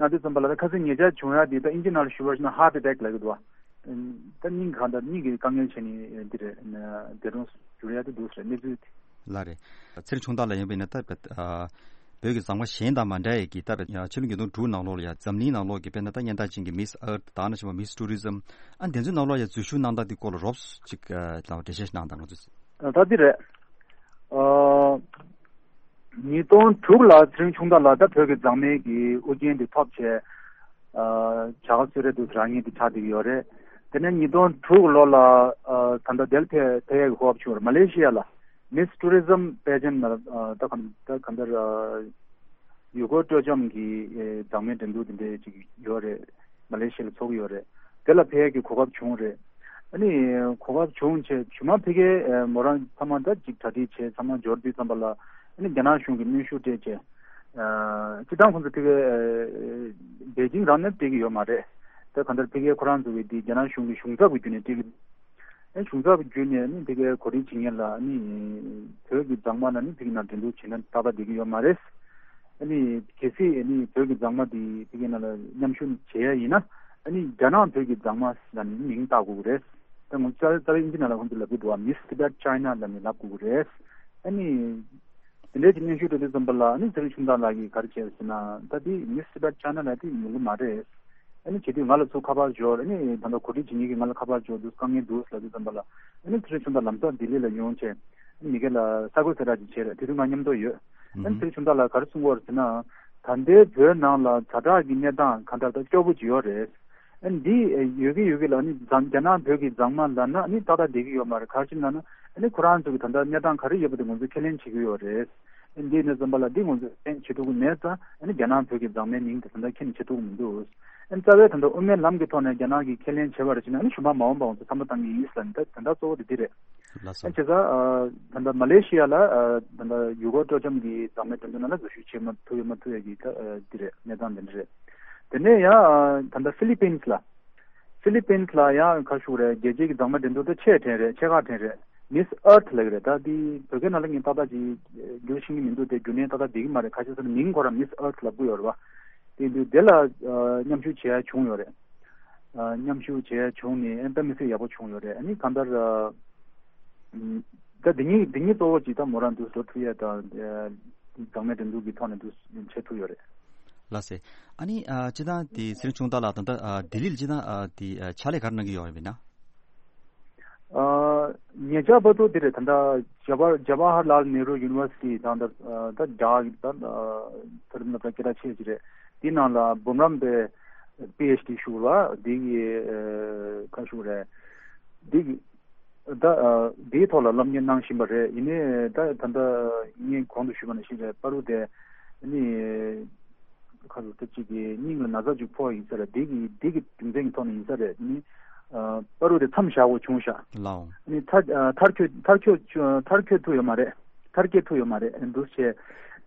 གནང་དུས་ཙམ་པ་ལ་ད་ཁ་སང་ཉེ་ཆར་བྱུང་ཡ་འདི་ད་ཨིན་ཇི་ནང་ལ་ཞུ་བ་ཞིག་ན་ཧར་ཊི་ཨེ་ཊེག་ལབ་ཀྱི་འདུག་བ། ད་སྙིང་གང་ལྟར་སྙིང་གི་དཀའ་ངལ་བྱས་ནས་འདི་རེད་འདས་གྲོངས་གྱུར་ཡ་དེ་འདུག་ཟེར་གནས་ཚུལ་དེ། ལགས་རེད། ཚེ་རིང་ཆུང་བདག་ལགས་ཡིན་པ་ཡིན་ན་ད་བོད་ཀྱི་མཛངས་མ་གཞན་དང་མ་འདྲ་ཡས་ཀྱི་ད་ཕྱི་ལོ་ཉིས་སྟོང་དྲུག་ནང་ལོགས་ལ་ཡ་འཛམ་གླིང་ནང་ལོགས་ཀྱི་དཔེར་ན་ད་སྙན་གྲགས་ཅན་གྱི་མིས་ཨར་ཐི་དང་ནང་བཞིན་པ་མིས་ཊུ་རི་ཛམ་ཨ་དེ་ཚོའི་ནང་ལོགས་ཡ་འཛུལ་ཞུགས་གནང་སྟངས་དེ་སྐོར་ལ་རོབ་ཙམ་ཅིག་ལ་འགྲེལ་བཤད་ཞིག་གནང་དང་ང་ཚོས། ད་འདི་རེད། ཨ། ཉིས་སྟོང་དྲུག་ལ་ཚེ་རིང་ཆུང་བདག་ལགས་ད་བོད་ཀྱི་མཛངས་མའི་གི་དབུ་རྒྱན་དེ་ཐོབ་བྱས། ཨ། བྱ་དགའ་གསོལ་རས་འདུག་རང་ཉིད་དེ་ཆགས་བསྡད་ཀྱི་ཡོད་རེད། དེ་ནས་ཉིས་སྟོང་དྲུག་ལོ་ལ་ཨ། ད་ལྟ་དེར་ཕེབས་ཕེབས་ཡས་ཀྱི་གོ་སྐབས་བྱུང་བ་རེད། མ་ལེ་ཤི་ཡ་ལ་མིས་ཊུ་རི་ཛམ་པེ་ཇེན་ཊི་ལ་ཨ། ད་ག་ད་གང་ལྟར་ཨ། ཡུལ་སྐོར་སྤྲོ་འཆམ་གྱི་ཨེ། མཛངས་མའི་འགྲན་བསྡུར་དེ་འདྲས་ཅིག་ཡོད་རེད། མ་ལེ་ཤི་ཡ་ལ་ཚོགས་ཀྱི་ཡོད་རེད། དེ་ལ་ཕེབས་ཡས་ཀྱི་གོ་སྐབས་བྱུང་རེད། ཨ་ནི་གོ་སྐབས་བྱུང་བྱས་ཇི་མ་ཕ་གིའི་མོ་རང་ཚང་མ་ད་ཅིག་གྲ་སྒྲིག་བྱས་ཚང་མ་འབྱོར་དུས་ཙམ་པ་ལ་ཨ་ནི་རྒྱ་ནག་གཞུང་གིས་གནོན་ཤུགས་སྤྲད་བྱས། སྤྱིར་བཏང་ཁོང་ཚོ་ཕ་གིའི་པེ་ཅིང་རང་ནས་སྤྲད་ཀྱི་ཡོད་མ་རེད། ད་གང་ལྟར་ཕ་གིའི་ཁོ་རང་ཚོ་གི་འདི་རྒྱ་ནག་གཞུང་གི་གཞུང་ཚབ་ཀྱི་བརྒྱུད་ནས་སྤྲད་ཀྱི་འདུག་ཨ་གཞུང་ཚབ་བརྒྱུད་ནས་ནི་ཕ་གིའི་གོ་སྒྲིག་བྱེད་མཁན་ལ་ནི་བོད་ཀྱི་མཛངས་མ་ལ་ནི་ཕ་གི་ནང་འགྲན་བསྡུར་བྱེད་ན་ཏག་ཏག་བསྡད་ཀྱི་ཡོད་མ་རེད། ཨ་ནི་གལ་སྲིད་ཨ་ནི་བོད་ཀྱི་མཛངས་མ་དེ་ཕ་གི་ནང་ལ་མཉམ་ཞུགས་བྱེད་ཡ་ཡིན་ན་ཨ་ནི་རྒྱ་ནག་བོད་ཀྱི་མཛངས་མ་ལ་ནི་མིང་བཏགས་དགོས་ཀྱི་རེད། ད་ངོ་རྩ་རྩ་བའི་ཨིན་ཇི་ནང་ལ་ཁོང་ཚོས་ལབ་ཀྱི་འདུག་བ། Miss Tibet China ལབ་ནས་ལབ་དགོས་ཀྱི་རེད། ཨ་ནི་དེ་འདྲའི་ཅིག་གནོན་ཤུགས་སྤྲད་དུས་ཙམ་པ་ལ་ཨ་ནི་ཚེ་རིང་ཆུང་བདག་ལགས་ཀྱིས་ག་རེ་བྱས་ཟེར་ན་ད་དེ་Miss Tibet China ལབ་དེ་ཡོང་གི་མ་རེད། ཨ་ནི་བྱེད་དུས་ང་ལ་ཚུར་ཁ་པར་འབྱོར། ཨ་ནི་ད་ལྟ་གོ་སྒྲིག་བྱེད་མཁན་གྱིས་ང་ལ་ཁ་པར་འབྱོར་འདུག་དཀའ་ངལ་འདུག་ལབ་དུས་ཙམ་པ་ལ་ཨ་ནི་ཚེ་རིང་ཆུང་བདག་ལམ་སང་ལྡི་ལི་ལ་ཡོང་བྱས་ཨ་ནི་མི་སྒེར་ལ་ས་གོ་གསལ་བསྒྲགས་ཅིག་བྱས་རེད། དེ་དུས་ང་མཉམ་དུ་ཡོད། ཨ་ནི་ཚེ་རིང་ཆུང་བདག་ལགས་ག་རེ་གསུང་གི་ཡོད་རེད་ཟེར་ན། ད་ལྟའི་བོད་ནང་ལ་ཛ་དྲག་གི་གནས་སྟངས་གང་ལྟར་ད་སྐྱོ་པོ་ཅིག་ཡོད་རེད། ཨ་ནི་འདི་ཡོད་ཀྱི་ཡོད་ཀྱི་ལ་ཨ་ནི་རྒྱ་ནག་བོད་ཀྱི་མཛངས་མ་ལབ་ན་ཨ་ནི་ཏག་ཏག་བསྡད་ཀྱི་ཡོད་མ་རེད། ག་རེ་ཟེར་ན་ཨ་ནི་ཁོ་རང་ཚོ་གི་ད་ལྟ་གནས་སྟངས་ག་རེ་ཡོད་པ་དེ་ང་ཚོས་ཁས་ལེན་བྱེད་ཀྱི་ཡོད་རེད། ཨ་ནི་འདི་ཡིན་ཙམ་པ་ལ་འདི་ང་ཚོས་ཁས་ལེན་བྱེད་ཐུབ་ཀྱི་མེད་ཙང་ཨ་ནི་རྒྱ་ནག་བོད་ཀྱི་མཛངས་མའི་མིང་དེ་ད་ལྟ་ཁས་ལེན་བྱེད་ཐུབ་ཀྱི་མི་འདུག་ཨ་ནི་རྩ་བའི་ད་ལྟ་དབུ་མའི་ལམ་གྱི་ཐོག་ནས་རྒྱ་ནག་གིས་ཁས་ལེན་བྱས་པ་རེད་བྱས་ན། ཨ་ནི་གཞུང་འབངས་མ་འོངས་པ་ཚོ་བསམ་བློ་བཏང་གི་ཡིན་ཟེར་ལབ་ནས། ད་ད་ལྟ་གཙོ་བོ་དེ་འདི་རེད། ལགས་སོ། ཨ་བྱས་ཙང་ཨ་ད་ལྟ་མ་ལེ་ཤི་ཡ་ལ་ཨ་ད་ལྟ་ཡུ་གུར་སྤྲོ་འཆམ་གྱི་འཛིན་མའི་འགྲན་བསྡུར་ནང་ལ་འཛུལ་ཞུགས་བྱེད་མ་ཐུབ་ཡོད་མ་ཐུབ་ཡ་གི་ད་ཨ་འདི་རེད། གནས་སྟངས་འདི་འདྲ་རེད། དེ་ནས་ཡང་ཨ་ད་ལྟ་ཧྥི་ལི་པིན་ལ། ཧྥི་ལི་པིན་ལ་ཡང་ག་ཞུ་རེད། རྒྱལ་སྤྱིའི་གི་འཛིན་མའི་འགྲན་བསྡུར་དེ་ཆེས་དྲན་རེད། ཆེས་ཁག་དྲན་རེད། མིས་ཨར་ཐི་ལབ་ཀྱི་རེད། ད་འདི་བོད་སྐད་ནང་ལ་ངས་ཏག་ཏག་ཅིག་འགྱུར་ཤེས་ཀྱི་མི་འདུག་དེ་རྒྱུ་མཚན་ཏག་ཏག་བསྡད་ཀྱི་མ་རེད། ཁ་ཤས་ཚོ་ནི་མིང་ཁོ་རང་མིས་ཨར་ཐི་ལབ་ཀྱི་ཡོད་རེད་བ། དེ་འདུག་དེ་ལ་ཨ་མཉམ་ཞུགས་བྱས་བྱུང་ཡོད་རེད། ཨ་མཉམ་ཞུགས་བྱས་བྱུང་ནས་ཨ་དཔེ་མི་སྲིད་ཡག་པོ་བྱུང་ཡོད་རེད། ཨ་ནི་གང་ལྟར་ཨ་ད་འདི་གཉིས་འདི་གཉིས་གཙོ་བོ་ཅིག་ད་མོ་རང་འདུག་འགྲོ་ཐུབ་ཡས་དང་ཨ་འཛིན་མའི་འགྲན་བསྡུར་གྱི་ཐོག་ནས་འདུག་བྱེད་ཐུབ་ཡོད་རེད། ལགས་སེ། ཨ་ནི་ཨ་སྤྱིར་བཏང་དེ་ཚེ་རིང་ཆུང་བདག་ལགས་ད་ལྟ་ཨ་ལྡི་ལི་ལ་སྤྱིར་བཏང་ཨ་དེ་ཨ་ཕྱག་ལས་ག་རེ་གནང་གི་ཡོད་རེད་ན། ཨ་ཉེ་ཆར་བར་དུ་དེ་རེད། ད་ལྟ་ཇ་བ་ཇ་ཝ་ཧར་ལཱལ་ནེ་རུ་ཡུ་ནི་ཝར་སི་ཊི་དང་ད་ད་ཇ་ད་མཐོ་རིམ་སློབ་གྲྭ་སྐད་གྲགས་ཆེ་ཅིག་རེད། དེའི་ནང་ལ་འབུམ་རམས་པའི་པི་ཨེཆ་ཌི་ཞུ་བ་དེ་གི་ཨ་ག་ཞུ་རེད། དེ་གི་ད་ཨ་དེའི་ཐོག་ལ་སློབ་གཉེར་གནང་བཞིན་པ་རེད། ཡིན་ནའི་ད་ད་ལྟ་ངས་གོང་དུ་ཞུས་པ་ནང་བཞིན་རེད། བར་དུ་དེ་ནི་ཁ་ལོ་ཐབས་ཅིག་གི་སྙིང་ལ་ན་ཚ་ཅིག་ཕོག་ཡིན་ས་རེད། དེ་གི་དེ་གི་རྒྱུ་མཚན་གྱི་ཐོག་ནས་ཡིན་ས་རེད། ནི་ཨ་བར་དུ་དེ་མཚམས་བཞག་དགོས་བྱུང་ཤག་ལའོ། ནི་མཐར་ཨ་མཐར་འཁྱོལ་མཐར་འཁྱོལ་མཐར་འཁྱོལ་ཐུབ་ཡོད་མ་རེད། མཐར་སྐྱེལ་ཐུབ་ཡོད་མ་རེད། འདུག་བྱས་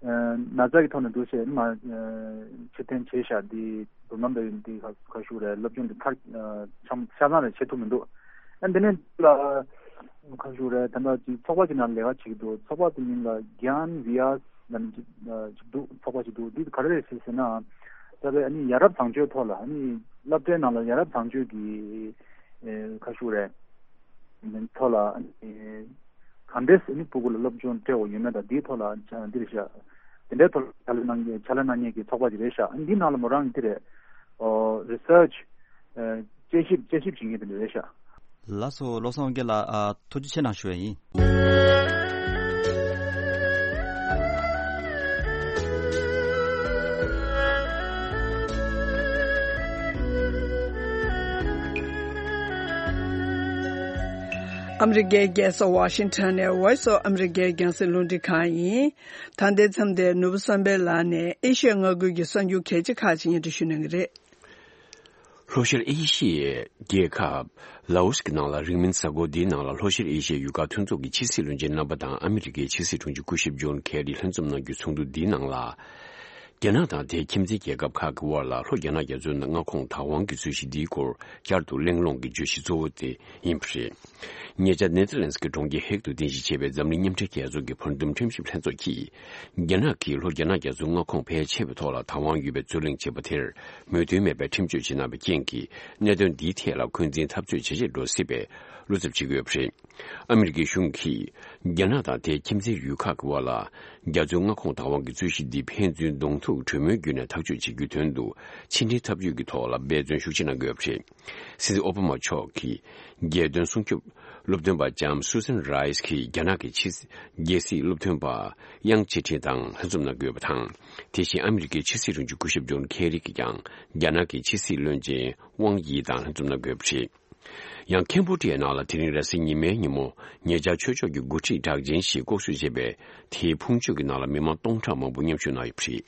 ཨ་ན་ཚ་གི་ཐོག་ནས་འདུག་བྱས་མ་ཨ་ཕྱིར་འཐེན་བྱས་ཤག་འདི་བུ་མོ་འདི་འདི་ག་ག་ཞུ་རེད། སློབ་སྦྱོང་འདི་མཐར་ཨ་ཆམ་ཆ་ཚང་རེད་བྱེད་ཐུབ་མི་འདུག་ཨ་འདི་ནས་ལ་ག་ཞུ་རེད། ད་ལྟ་ཅིག་ཚོགས་པ་ཅིག་ནང་ལས་ཀ་བྱེད་ཀྱི་འདུག་ཚོགས་པ་དེ་མིང་ལ་གྱཱན་བི་ཡ་ལབ་ནས་ཅིག་ཨ་ཅིག་འདུག་ཚོགས་པ་ཅིག་འདུག་འདི་ག་རེ་རེད་ཟེར་ཟེར་ན། ད་ལྟ་ཨ་ནི་ཡ་རབས་བཟང་སྤྱོད་ཐོག་ལ་ཨ་ནི་སློབ་གྲྭའི་ནང་ལ་ཡ་རབས་བཟང་སྤྱོད་ཀྱི་ཨེ་ག་ཞུ་རེད། ཐོག་ལ་ཨ་ནི་གང་འདྲས་ཨ་ནི་ཕྲུ་གུ་ལ་སློབ་སྦྱོང་སྤྲད་དགོས་ཡོད་མེད་དང་འདིའི་ཐོག་ལ་འདི་རེད་ཤག་དེ་འདྲའི་ཐོག་ལ་ཕྱག་ལས་གནང་མཁན་ཕྱག་ལས་གནང་མཁན་གྱི་ཚོགས་པ་ཅིག་རེད་ཤག་ཨ་ནི་འདིའི་ནང་ལ་མོ་རང་གི་འདི་རེད། ཨོ་རི་སར་ཆི་ཨ་དཔྱད་ཞིབ་དཔྱད་ཞིབ་བྱེད་མཁན་དེ་འདྲ་རེད་ཤག་ལགས་སོ། བློ་བཟང་དབང་རྒྱལ་ལགས། ཨ་ཐུགས་རྗེ་ཆེ་གནང་ཞུ་ཡ་ཡིན། ཨ་མི་རི་ཀའི་རྒྱལ་ས་ཝ་ཤིང་ཊོན་ནས་Voice of America རྒྱང་སྲིང་རླུང་འཕྲིན་ཁང་ཡིན། ད་ལྟའི་མཚམས་དེར་ནོར་བུ་བསམ་འཕེལ་ལགས་ནས་ཨེ་ཤི་ཡ་མངའ་ཁུལ་གྱི་གསར་འགྱུར་གལ་ཆེ་ཁག་ཅིག་སྙན་སྒྲོན་ཞུ་གནང་གི་རེད། ལྷོ་ཤར་ཨེ་ཤི་ཡའི་རྒྱལ་ཁབ་ལའོ་སི་ཀྱི་ནང་ལ་རིང་མིན་གཟའ་འཁོར་འདིའི་ནང་ལ་ལྷོ་ཤར་ཨེ་ཤི་ཡའི་ཡུལ་ཁག་མཐུན་ཚོགས་ཀྱི་ཕྱི་སྲིད་བློན་ཆེན་རྣམ་པ་དང་ཨ་མི་རི་ཀའི་ཕྱི་སྲིད་དྲུང་ཆེ་སྐུ་ཞབས་ཇོན་ཁེ་རི་ལྷན་འཛོམས་གནང་རྒྱུའི་ཚོགས་འདུ་འདིའི་ནང་ལ། རྒྱ་ནག་དང་དེའི་ཁྱིམ་མཚེས་རྒྱལ་ཁབ་ཁག་གི་དབར་ལ་ལྷོ་རྒྱ་ནག་རྒྱ་མཚོའི་མངའ་ཁོངས་བདག་དབང་གི་རྩོད་གཞི་འདིའི་སྐོར་བསྐྱར་དུ་གླེང་སློང་གི་བརྗོད་གཞི་གཙོ་བོ་དེ་ཡིན་པ་རེད། ཉེ་ཆར་ནེ་ཐར་ལན་སི་ཀྱི་གྲོང་ཁྱེར་ཧེག་ཏུ་རྟེན་གཞི་བྱས་པའི་འཛམ་གླིང་མཉམ་འབྲེལ་རྒྱལ་ཚོགས་ཀྱི་བར་འདུམ་ཁྲིམས་ཞིབ་ལྷན་ཚོགས་ཀྱིས། རྒྱ་ནག་གིས་ལྷོ་རྒྱ་ནག་རྒྱ་མཚོའི་མངའ་ཁོངས་ཕལ་ཆེ་བའི་ཐོག་ལ་བདག་དབང་ཡོད་པའི་རྩོད་གླེང་བྱས་པ་དེར་མོས་མཐུན་མེད་པའི་ཁྲིམས་གཅོད་བྱེད་གནང་བའི་རྐྱེན་གྱིས། གནད་དོན་འདིའི་ཐད་ལ་འཁོན་འཛིན་འཐབ་རྩོད་ཇེ་ཆེར་འགྲོ་སྲིད་པའི་བློ་འཚབ་བྱེད་ཀྱི་ཡོད་པ་རེད། ཨ་མི་རི་ཀའི་གཞུང་གིས་རྒྱ་ནག་དང་དེའི་ཁྱིམ་མཚེས་ཡུལ་ཁག་གི་དབར་ལ་རྒྱ་མཚོའི་མངའ་ཁོངས་བདག་དབང་གི་རྩོད་གཞི་འདི་ཕན་ཚུན་གདོང་ཐུག་གྲོས་མོལ་བརྒྱུད་ནས་ཐག་གཅོད་བྱེད་རྒྱུའི་དོན་དུ་ཕྱི་འབྲེལ་འཐབ་ཇུས་ཀྱི་ཐོག་ལ་འབད་བརྩོན་ཤུགས་ཆེ་གནང་གི་ཡོད་པ་རེད། སྲིད་འཛིན་ཨོ་བྷ་མ་མཆོག་གིས་རྒྱལ་དོན་སྲུང་སྐྱོབ་སློབ་སྟོན་པ་ལྕམ་སུ་སན་རའེ་སི་གིས་རྒྱ་ནག་གི་ཕྱི་རྒྱལ་སྲིད་སློབ་སྟོན་པ་དབྱང་ཅི་ཁྲིན་དང་ལྷན་འཛོམས་གནང་གི་ཡོད་པ་དང་། དེ་བཞིན་ཨ་མི་རི་ཀའི་ཕྱི་སྲིད་དྲུང་ཆེ་སྐུ་ཞབས་ཇོན་ཁེ་རི་གིས་ཀྱང་རྒྱ་ནག་གི་ཕྱི་སྲིད་བློན་ཆེན་ཝང་ཡི་དང་ལྷན་འཛོམས་གནང་གི་ཡོད་པ་རེད། ཡང་ཁེམ་བྷོ་ཌི་ཡའི་ནང་ལ་དེ་རིང་རེས་གཟའ་ཉི་མའི་ཉིན་མོ་ཉེ་ཆར་ཆོས་ཕྱོགས་ཀྱི་འགོ་ཁྲིད་གྲགས་ཅན་ཞིག་ལྐོག་གསོད་བྱས་པའི་དེའི་ཕུང་མཆོད་ཀྱི་ནང་ལ་མི་མང་སྟོང་ཕྲག་མང་པོ་མཉམ་ཞུགས་གནང་ཡོད་པ་རེད།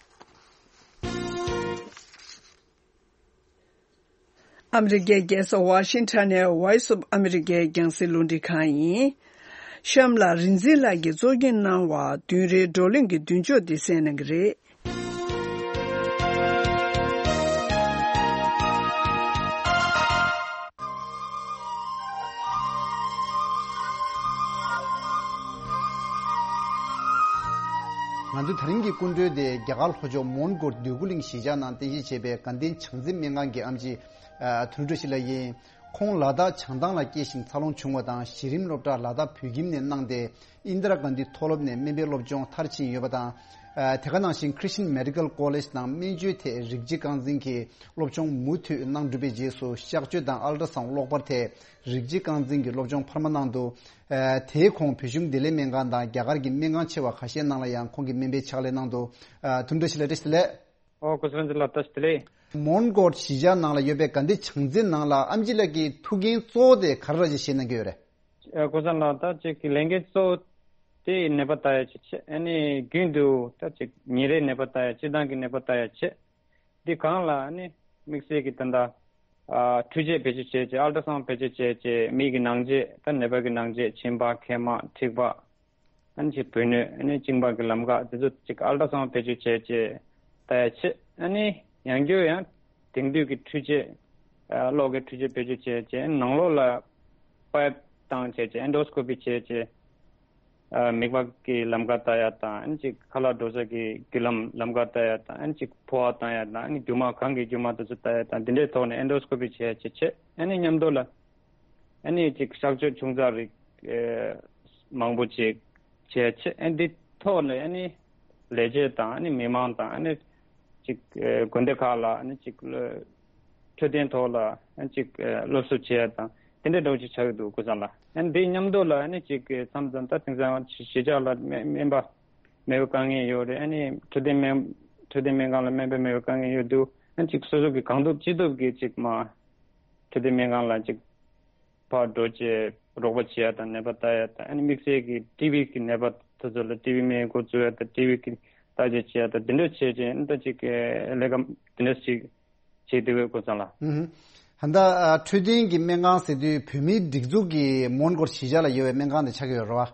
ཨ་མི་རི་ཀའི་རྒྱལ་ས་ཝ་ཤིང་ཊོན་ནས་Voice of America རྒྱང་སྲིང་རླུང་འཕྲིན་ཁང་ཡིན། གཤམ་ལ་རིག་འཛིན་ལགས་ཀྱིས་གཙོ་སྐྱོང་གནང་བ་བདུན་རེའི་བགྲོ་གླེང་གི་མདུན་ལྕོག་འདི་གསན་གནང་གི་རེད། ང་ཚོའི་ད་རིང་གི་སྐུ་མགྲོན་དེ་རྒྱ་གར་ལྷོ་ཕྱོགས་མོན་གྷོ་འདོད་རྒུ་གླིང་གཞིས་ཆགས་ནང་རྟེན་གཞི་བྱས་པའི་དགའ་ལྡན་བྱང་འཛིན་སྨན་ཁང་གི་ཨེམ་ཆི་ཨ་དོན་གྲུབ་བཀྲ་ཤིས་ལགས་ཡིན། ཁོང་ལ་དྭགས་བྱང་ཐང་ལ་སྐྱེས་ཤིང་འཚར་ལོངས་བྱུང་བ་དང་། གཞི་རིམ་སློབ་གྲྭ་ལ་དྭགས་བོད་ཁྱིམ་ནས་གནང་སྟེ། ཨིན་དྲ་གྷན་དྷི་མཐོ་སློབ་ནས་སྨན་པའི་སློབ་སྦྱོང་མཐར་ཕྱིན་ཡོད་པ་དང་། ཨ་དེ་ག་ནང་བཞིན་Christian Medical College ནང་སྨན་བཅོས་ཐད་རིགས་གཅིག་རྐང་འཛིན་གྱི་སློབ་སྦྱོང་མུ་མཐུད་གནང་གྲུབ་པའི་རྗེས་སུ། གཤགས་བཅོས་དང་ཨལ་ཊ་སའུན་གློག་པར་ཐད་རིགས་གཅིག་རྐང་འཛིན་གྱི་སློབ་སྦྱོང་འཕར་མ་གནང་འདུག་ཨ་དེའི་གོང་བོད་གཞུང་བདེ་ལེགས་སྨན་ཁང་དང་རྒྱ་གར་གྱི་སྨན་ཁང་ཆེ་བ་ཁ་ཤས་ནང་ལ་ཡང་ཁོང་གིས་སྨན་པའི་ཕྱག་ལས་གནང་འདུག་ཨ་དོན་གྲུབ་བཀྲ་ཤིས་ལགས་བཀྲ་ཤིས་བདེ་ལེགས། ཨོ་སྐུ་ཞབས་རིན་ཆེན་ལགས་བཀྲ་ཤིས་བདེ་ལེགས། མོན་གྷོ་གཞིས་ཆགས་ནང་ལ་ཡོད་པའི་དགའ་ལྡན་བྱང་འཛིན་ནང་ལ་ཨེམ་ཆི་ལགས་ཀྱིས་ཐུགས་འགན་གཙོ་བོ་དེ་ག་རེ་ར་ཅིག་བཞེས་གནང་གི་ཡོད་རེད། ཨ་སྐུ་ཞབས་ལགས་ད་ཅིག་གི་ལས་འགན་གཙོ་བོ་དེ་ནད་པ་ལྟ་ཡ་ཅིག་བྱས། ཨ་ནི་རྒྱུན་དུ་ད་ཅིག་ཉིན་རེའི་ནད་པ་ལྟ་ཡ། སྤྱིར་བཏང་གི་ནད་པ་ལྟ་ཡ་བྱས། འདི་གང་ལ་ཨ་ནི་ དམིགས་བསལ་གྱི་ད་ལྟ་ཨ་འཕྲུལ་ཆས་བེད་སྤྱོད་བྱས་བྱས་ཨལ་ཊ་སའུན་བེད་སྤྱོད་བྱས་བྱས་མིག་གི་ནང་རྗེས་ད་ནད་པ་གི་ནང་རྗེས་མཆིན་པ་མཁལ་མ་མཁྲིས་པ། ཨ་ནི་ཅིག་བུ་སྣོད། ཨ་ནི་གཅིན་པ་གི་ལམ་ཁ་དེ་ཚོ་ཅིག་ཨལ་ཊ་སའུན་བེད་སྤྱོད་བྱས་བྱས་ལྟ་ཡ་བྱེད། ཨ་ནི་ཡང་བསྐྱར་ཡང་དེང་དུས་ཀྱི་འཕྲུལ་ཆས་ཨ་གློག་གི་འཕྲུལ་ཆས་བེད་སྤྱོད་བྱས་བྱས་ནང་ལོགས་ལ་པའིབ་བཏང་བྱས་བྱས་ཨེན་ཌོ་སི་ཀོ་པི་བྱས་བྱས་ཨ་མིད་པ་གི་ལམ་ཁ་ལྟ་ཡ་དང་། ཨ་ནི་ཅིག་ཁ་ལག་འགྲོ་ས་གི་རྒྱུ་ལམ་ལམ་ཁ་ལྟ་ཡ་དང་། ཨ་ནི་ཅིག་ཕོ་བ་བཏང་ཡ་དང་། ཨ་ནི་རྒྱུ་མ་གང་གི་རྒྱུ་མ་དེ་ཚོ་ལྟ་ཡ་དང་། དེ་འདྲའི་ཐོག་ནས་ཨེན་ཌོ་སི་ཀོ་པི་བྱས་བྱས་བྱས། ཨ་ནི་མཉམ་དུ་ལ་ཨ་ནི་ཅིག་གཤག་བཅོས་ཆུང་ཙག་རིགས་ཨེ་མང་པོ་ཅིག་བྱས་བྱས། ཨ་ནི་འདི་ཐོག་ནས་ཨ་ནི་ལས་བྱེད་དང་། ཨ་ནི་མི་མང་དང་། ཨ་ནི་ཅིག་ཨེ་དགོན་སྡེ་ཁག་ལ་ཨ་ནི་ཅིག་ལ་འཕྲོད་བསྟེན་ཐོག་ལ་ཨ་ནི་ཅིག་ཨེ་སློབ་གསོ་བྱས་དང་། དེ་འདྲ་འདྲ་བོ་ཅིག་ཆགས་ཀྱི་འདུག་སྐུ་ཚང་ལ། ཨ་ནི་འདི་མཉམ་དུ་ལ་ཨ་ནི་ཅིག་ཨེ་མཚམས་མཚམས་ད་དེང་སང་གཞིས་ཆགས་ལ་སྨན་སྨན་པ་མེད་པའི་དཀའ་ངལ་ཡོད་རེད། ཨ་ནི་འཕྲོད་བསྟེན་སྨན་འཕྲོད་བསྟེན་སྨན་ཁང་ལ་སྨན་པ་མེད་པའི་དཀའ་ངལ་ཡོད་འདུག་ཨ་ནི་ཅིག་སོ་སོ་གི་གང་ཐུབ་ཅི་ཐུབ་ཀྱིས་ཅིག་མ་འཕྲོད་བསྟེན་སྨན་ཁང་ལ་ཅིག་ཕར་འགྲོ་བྱས་རོགས་པ་བྱེད་ཡ་དང་། ནད་པ་ལྟ་ཡ་དང་། ཨ་ནི་དམིགས་བསལ་གྱི་ཊི་བི་གི་ནད་པ་དེ་ཚོ་ལ་ཊི་བི་སྨན་འགོ་འཛུགས་ཡ་དང་། ཊི་བི་གི་བརྟག་དཔྱད་བྱེད་ཡ་དང་། དེ་འདྲ་བྱས་བྱས་ཨ་ནི་ད་ཅིག་ལས་ཀ་དེ་འདྲ་ཞིག་བྱེད་བསྡད་ཡོད་སྐུ་ཚང་ལ། ཨུ་ཧུ། ད་ལྟ་ཨ་འཕྲོད་བསྟེན་གྱི་སྨན་ཁང་ཟེར་དུས་བོད་མིའི་སྒྲིག་འཛུགས་ཀྱི་མོན་གྷོར་གཞིས་ཆགས་ལ་ཡོད་པའི་སྨན་ཁང་དེ་ཆགས་ཀྱི་ཡོད་རེད་